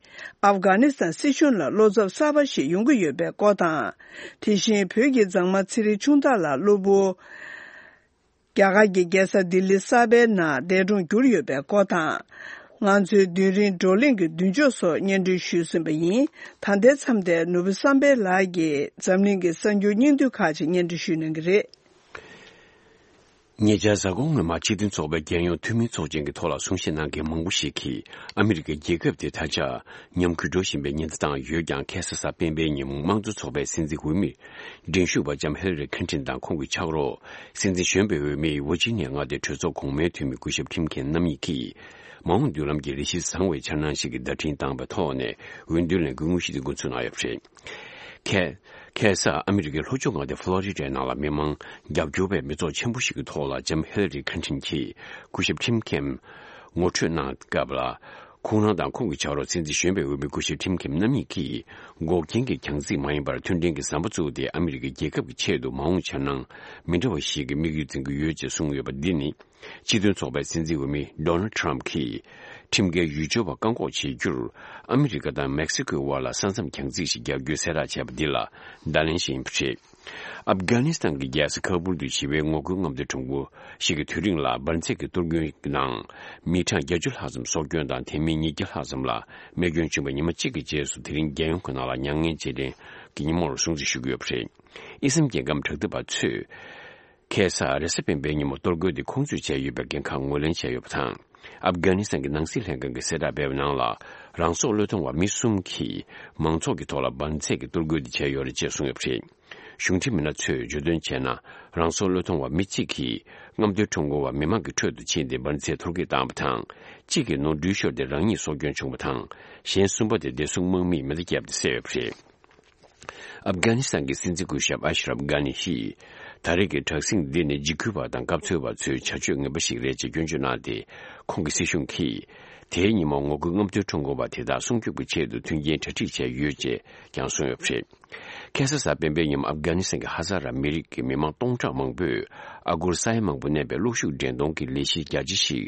ཨབ་གྷ་ནི་སི་ཐན་སྲིད་གཞུང་ལ་བློ་འཚབ་གསར་པ་ཞིག་ཡོང་གི་ཡོད་པའི་སྐོར་དང་། དེ་བཞིན་བོད་ཀྱི་མཛངས་མ་ཚེ་རིང་ཆུང་བདག་ལགས་གློ་བུར། རྒྱ་གར་གྱི་རྒྱལ་ས་ལྡི་ལི་གསར་པའི་ནང་འདས་གྲོངས་གྱུར་ཡོད་པའི་སྐོར་དང་། ང་ཚོའི་རྡུལ་རིང་བགྲོ་གླེང་གི་མདུན་ཅོག་སོགས་སྙན་སྒྲོན་ཞུས་ཟིན་པ་ཡིན། ད་ལྟའི་མཚམས་དེར་ནོར་བུ་བསམ་འཕེལ་ལགས་ཀྱིས་འཛམ་གླིང་གི་གསར་འགྱུར་སྙིང་བསྡུས་ཁག་ཅིག་སྙན་སྒྲོན་ཞུ་གནང་གི་རེད། ཉེ་ཆར་གཟའ་འཁོར་སྔོན་མ་སྤྱི་མཐུན་ཚོགས་པའི་རྒྱལ་ཡོངས་འཐུས་མིའི་ཚོགས་ཆེན་གྱི་ཐོག་ལ་གསུང་བཤད་གནང་མཁན་མང་པོ་ཞིག་གིས་ཨ་མི་རི་ཀའི་རྒྱལ་ཁབ་དེ་ད་ཆ་ཉམས་རྒུད་འགྲོ་བཞིན་པའི་ཉེན་བརྡ་བཏང་ཡོད་ཀྱང་། ཁ་སང་གཟའ་སྤེན་པའི་ཉིན་དམངས་གཙོ་ཚོགས་པའི་སྲིད་འཛིན་འོས་མི་འགྲན་ཞུགས་པ་ལྕམ་ཧི་ལ་རི་ཁིན་ཏིན་དང་ཁོང་གི་ཕྱག་རོགས་སྲིད་འཛིན་གཞོན་པའི་འོས་མི་ཝར་ཇི་ནི་ཡ་མངའ་སྡེའི་གྲོས་ཚོགས་གོང་མའི་འཐུས་མི་སྐུ་ཞབས་ཁྲིམ་ཁེན་རྣམ་གཉིས་ཀྱིས་མ་འོངས་མདུན་ལམ་གྱི་རེ་ཞིག་བཟང་བའི་འཆར་སྣང་ཞིག་གི་བརྡ་འཕྲིན་བཏང་བའི་ཐོག་ནས་འོས་བསྡུ་ལས་འགུལ་དངོས་གཞི་དེ་འགོ་འཛུགས་གནང་ཡོད་པ་རེད། ཁ་ཁ་སང་ཨ་མི་རི་ཀའི་ལྷོ་ཕྱོགས་མངའ་སྡེ་ཕློ་རི་ཌའི་ནང་ལ་མི་མང་རྒྱབ་སྐྱོར་བའི་མི་ཚོགས་ཆེན་པོ་ཞིག་གི་ཐོག་ལ་ལྕམ་ཧི་ལ་རི་ཁིན་ཏིན་གྱིས་སྐུ་ཞབས་ཁྲིམ་ཁེན་ངོ་སྤྲོད་གནང་སྐབས་ལ། ཁོང་རང་དང་ཁོང་གི་ཕྱག་རོགས་སྲིད་འཛིན་གཞོན་པའི་འོས་མི་སྐུ་ཞབས་ཁྲིམ་ཁེན་རྣམ་གཉིས་ཀྱིས་འགོག་རྐྱེན་གྱི་རྒྱང་ཚིག་མ་ཡིན་པར་མཐུན་སྒྲིལ་གྱི་ཟམ་པ་བཙུགས་ཏེ། ཨ་མི་རི་ཀའི་རྒྱལ་ཁབ་ཀྱི་ཆེད་དུ་མ་འོངས་འཆར་སྣང་མི་འདྲ་བ་ཞིག་གི་དམིགས་ཡུལ་འཛིན་གྱི་ཡོད་ཅེས་གསུངས་ཡོད་པ་འདི་ནི། སྤྱི་མཐུན་ཚོགས་པའི་སྲིད་འཛིན་འོས་མི་ཌོ་ནལ་ཌི་ཊརམ་ཕི་གིས་ཁྲིམས་འགལ་ཡུལ་སྐྱོར་བ་བཀག་འགོག་བྱེད་རྒྱུར་ཨ་མི་རི་ཀ་དང་མེག་སི་ཀོའི་དབར་ལ་ས་མཚམས་རྒྱང་རྩིས་ཤིག་རྒྱག་རྒྱུའི་གསལ་བསྒྲགས་བྱས་པ་འདི་ལ་བརྡ་ལན་ཞིག་ཡིན་པ་རེད། ཨབ་གྷ་ནི་སི་ཐན་གྱི་རྒྱལ་ས་ཁ་བུལ་དུ་བྱིས་པའི་ངོ་རྒོལ་རྔམ་སྟོན་ཁྲོམ་སྐོར་ཞིག་གི་དུས་རིང་ལ་འབར་འཛེགས་ཀྱི་གཏོར་རྒོལ་ནང་མི་གྲངས་བརྒྱད་ཅུ་ལྷག་ཙམ་སྲོག་སྐྱོན་དང་། དེ་མིན་ཉིས་བརྒྱ་ལྷག་ཙམ་ལ་རྨས་སྐྱོན་བྱུང་བའི་ཉི་མ་གཅིག་གི་རྗེས་སུ་དེ་རིང་རྒྱལ་ཡོངས་ཀྱི་ནང་ལ་མྱ་ངན་རྗེས་དྲན་གྱི་ཉིན་མོར་སྲུང་བརྩི་ཞུ་གི་ཡོད་པ་རེད། དབྱི་སི་ལམ་རྒྱལ་ཁམས་དྲག་འཐབ་པ་ཚོས་ཁ་སང་རེས་གཟའ་སྤེན་པའི་ཉིན་མོ་གཏོར་རྒོལ་དེ་ཁོང་ཚོས་བྱས་ཡོད་པའི་འགན་ཁག་ངོས་ལེན་བྱས་ཡོད་པ་དང་། ཨབ་གྷ་ནི་སི་ཐན་གྱི་ནང་སྲིད་ལྷན་ཁང་གིས་གསལ་བསྒྲགས་སྤེལ་བའི་ནང་ལ། རང་སྲོག་བློས་གཏོང་བ་མི་གསུམ་གྱིས་མང་ཚོགས་ཀྱི་ཐོག་ལ་འབར་འཛེགས་ཀྱི་གཏོར་རྒོལ་དེ་བྱས་ཡོད་རེད་ཅེས་གསུངས་ཡོད་པ་རེད། གཞུང་འབྲེལ་མི་སྣ་ཚོས་བརྗོད་དོན་བྱས་ན། རང་སྲོག་བློས་གཏོང་བ་མི་གཅིག་གིས་རྔམ་སྟོན་ཁྲོམ་སྐོར་བ་མི་མང་གི་ཁྲོད་དུ་ཕྱིན་ཏེ་འབར་འཛེགས་གཏོར་རྒོལ་བཏང་བ་དང་། གཅིག་གིས་ནོར་འཁྲུལ་ཤོར་ཏེ་རང་ཉིད་སྲོག་སྐྱོན་བྱུང་བ་དང་། གཞན་གསུམ་པ་དེ་བདེ་སྲུང་དམག་མིས་མེ་མདའ་བརྒྱབ་སྟེ་བསད་ཡོད་པ་རེད། ཨབ་གྷ་ནི་སི་ཐན་གྱི་སྲིད་འཛིན་སྐུ་ཞབས་ཨ་ཤ་རབ་གྷ་ནི་ཡིས། ད་རེས་ཀྱི་དྲག་ཟིང་འདི་ནི་འཇིགས་སྐུལ་བ་དང་སྐབས་འཚོལ་བ་ཚོའི་བྱ་སྤྱོད་ངན་པ་ཞིག་རེད་ཅེས་སྐྱོན་བརྗོད་གནང་སྟེ། ཁོང་གི་སྲིད་གཞུང་གིས་དེའི་ཉིན་མོ་ངོ་རྒོལ་རྔམ་སྟོན་ཁྲོམ་སྐོར་བ་དེ་དག་སྲུང་སྐྱོབ་ཀྱི་ཆེད་དུ་མཐུན་རྐྱེན་གྲ་སྒྲིག་བྱས་ཡོད་ཅེས་ཀྱང་གསུངས་ཡོད་པ་རེད། ཁ་སང་གཟའ་སྤེན་པའི་ཉིན་མོ་ཨབ་གྷ་ནི་སི་ཐན་གྱི་ཧ་ཛ་ར་མི་རིགས་ཀྱི་མི་མང་སྟོང་ཕྲག་མང་པོས་ཨ་སྒོར་ས་ཡ་མང་པོ་གནས་པའི་གློག་ཤུགས་འདྲེན་གཏོང་གི་ལས་གཞི་རྒྱ་ཆེ་ཞིག་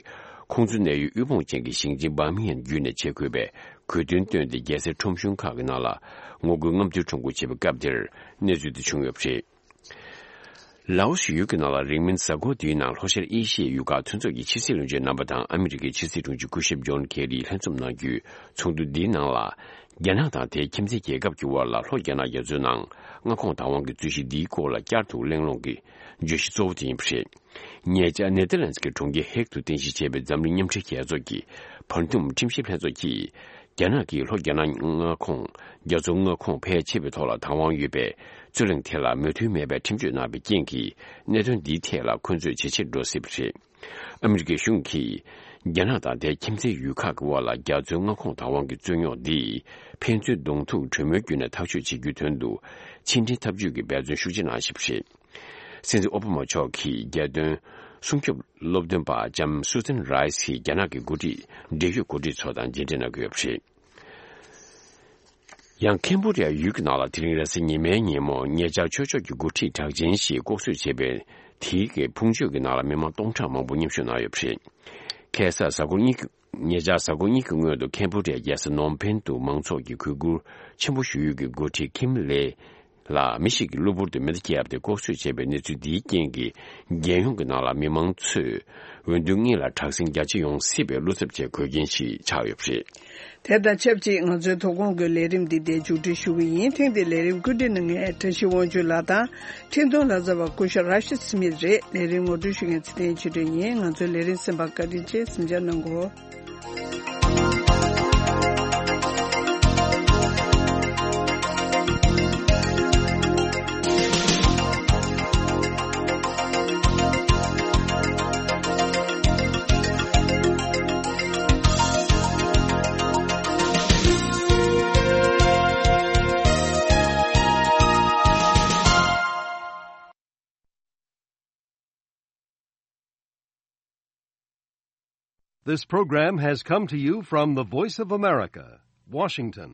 ཁོང་ཚོའི་གནས་ཡུལ་དབུལ་ཕོངས་ཅན་གྱི་ཞིང་ཆེན་བྷར་མིང་ཧམ་བརྒྱུད་ནས་བྱེད་དགོས་པའི་དགོས་འདུན་བཏོན་ཏེ། རྒྱལ་སའི་ཁྲོམ་གཞུང་ཁག་གི་ནང་ལ་ངོ་རྒོལ་རྔམ་སྟོན་ཁྲོམ་སྐོར་བྱེད་པའི་སྐབས་དེར་གནས་ཚུལ་དེ་བྱུང་ཡོད་པ་རེད། ལའོ་སི་ཡུལ་གྱི་ནང་ལ་རིང་མིན་གཟའ་འཁོར་འདིའི་ནང་ལྷོ་ཤར་ཨེ་ཤི་ཡའི་ཡུལ་ཁག་མཐུན་ཚོགས་ཀྱི་ཕྱི་སྲིད་བློན་ཆེན་རྣམ་པ་དང་ཨ་མི་རི་ཀའི་ཕྱི་སྲིད་དྲུང་ཆེ་སྐུ་ཞབས་ཇོན་ཁེ་རིས་ལྷན་འཛོམས་གནང་རྒྱུའི་ཚོགས་འདུ་འདིའི་ནང་ལ། རྒྱ་ནག་དང་དེའི་ཁྱིམ་མཚེས་རྒྱལ་ཁབ་ཀྱི་དབར་ལ་ལྷོ་རྒྱ་ནག་རྒྱ་མཚོའི་ནང་མངའ་ཁོངས་བདག་དབང་གི་རྩོད་གཞི་འདིའི་སྐོར་ལ་བསྐྱར་དུ་གླེང་སློང་གི་བརྗོད་གཞི་གཙོ་བོ་དེ་ཡིན་པ་རེད། ཉེ་ཆར་ནེ་ཐར་ལན་སི་གི་གྲོང་ཁྱེར་ཧེག་ཏུ་རྟེན་གཞི་བྱས་པའི་འཛམ་གླིང་མཉམ་འབྲེལ་རྒྱལ་ཚོགས་ཀྱི་བར་འདུམ་ཁྲིམས་ཞིབ་ལྷན་ཚོགས་ཀྱིས། རྒྱ་ནག་གིས་ལྷོ་རྒྱ་ནག་མངའ་ཁོངས་རྒྱ་མཚོ་མངའ་ཁོངས་ཕལ་ཆེ་བའི་ཐོག་ལ་བདག་དབང་ཡོད་པའི་རྩོད་གླེང་དེ་ལ་མོས་མཐུན་མེད་པའི་ཁྲིམས་གཅོད་གནང་བའི་རྐྱེན་གྱིས། གནད་དོན་འདིའི་ཐད་ལ་འཁོན་རྩོད་ཇེ་ཆེར་འགྲོ་སྲིད་པ་རེད། ཨ་མི་རི་ཀའི་གཞུང་གིས་རྒྱ་ནག་དང་དེའི་ཁྱིམ་མཚེས་ཡུལ་ཁག་གི་དབར་ལ་རྒྱ་མཚོའི་མངའ་ཁོངས་བདག་དབང་གི་རྩོད་རྙོག་འདི་ཕན་ཚུན་གདོང་ཐུག་གྲོས་མོལ་བརྒྱུད་ནས་ཐག་གཅོད་བྱེད་རྒྱུའི་དོན་དུ་ཕྱི་འབྲེལ་འཐབ་ཇུས་ཀྱི་འབད་བརྩོན་ཤུགས་ཆེ་གནང་བཞིན་པ་རེད། སྲིད་འཛིན་ཨོ་བྷ་མ་མཆོག་གིས་རྒྱལ་དོན་སྲུང་སྐྱོབ་སློབ་སྟོན་པ་ལྕམ་སུ་ཛན་རའི་སི་ཡིས་རྒྱ་ནག་གི་འགོ་ཁྲིད་འབྲེལ་ཡོད་འགོ་ཁྲིད་ཚོ་དང་མཇལ་འཕྲད་གནང་གི་ཡོད་པ་རེད། ཡང་ཁེམ་བྷོ་ཌི་ཡ་ཡུལ་གྱི་ནང་ལ་དེ་རིང་རེས་གཟའ་ཉི་མའི་ཉིན་མོ་ཉེ་ཆར་ཆོས་ཕྱོགས་ཀྱི་འགོ་ཁྲིད་གྲགས་ཅན་ཞིག་ལྐོག་གསོད་བྱས་པའི་དེའི་གི་ཕུང་མཆོད་ཀྱི་ནང་ལ་མི་མང་སྟོང་ཕྲག་མང་པོ་མཉམ་ཞུགས་གནང་ཡོད་པ་རེད། ཁ་སང་གཟའ་འཁོར་གཉིས་ཀྱི་ཉེ་ཆར་གཟའ་འཁོར་གཉིས་ཀྱི་སྔོན་དུ་ཁེམ་བྷོ་ཌི་ཡའི་རྒྱལ་ས་ནོམ་ཕེན་དུ་མང་ཚོགས་ཀྱི་གུས་བཀུར་ཆེན་པོ་ཞུ་ཡུལ་གྱི་འགོ་ཁྲིད་ཁིམ་ལེ་ལ་མི་ཞིག་གིས་གློ་བུར་དུ་མེ་མདའ་བརྒྱབ་སྟེ་ལྐོག་གསོད་བྱས་པའི་གནས་ཚུལ་འདིའི་རྐྱེན་གྱིས། རྒྱལ་ཡོངས་ཀྱི་ནང་ལ་མི་མང་ཚོས་འོས་བསྡུ་སྔོན་ལ་དྲག་ཟིང་རྒྱ་ཆེ་ཡོང་སྲིད་པའི་བློ་འཚབ་བྱེད་དགོས་རྐྱེན་ཞིག་ཆགས་ཡོད་པ་རེད། དེ་དང་ཆབས་ཅིག་ང་ཚོའི་དོ་དགོང་གི་ལས་རིམ་འདི་འདིར་མཇུག་སྒྲིལ་ཞུ་གི་ཡིན། ཐེངས་འདིའི་ལས་རིམ་བཀོད་སྒྲིག་གནང་མཁན་བཀྲ་ཤིས་དབང་ཕྱུག་ལགས་དང་། འཕྲིན་གཏོང་ལག་རྩལ་བ་སྐུ་ཞབས་ར་ཤི་སི་མིད་རེད། ལས་རིམ་ངོ་སྤྲོད་ཞུ་མཁན་ཚེ་བརྟན་ཆོས་སྒྲོན་ཡིན། ང་ཚོའི་ལས་རིམ་གསན་པར་བཀའ་དྲིན་ཆེ། གཟིམ་འཇག་གནང་གོ། This program has come to you from the Voice of America, Washington.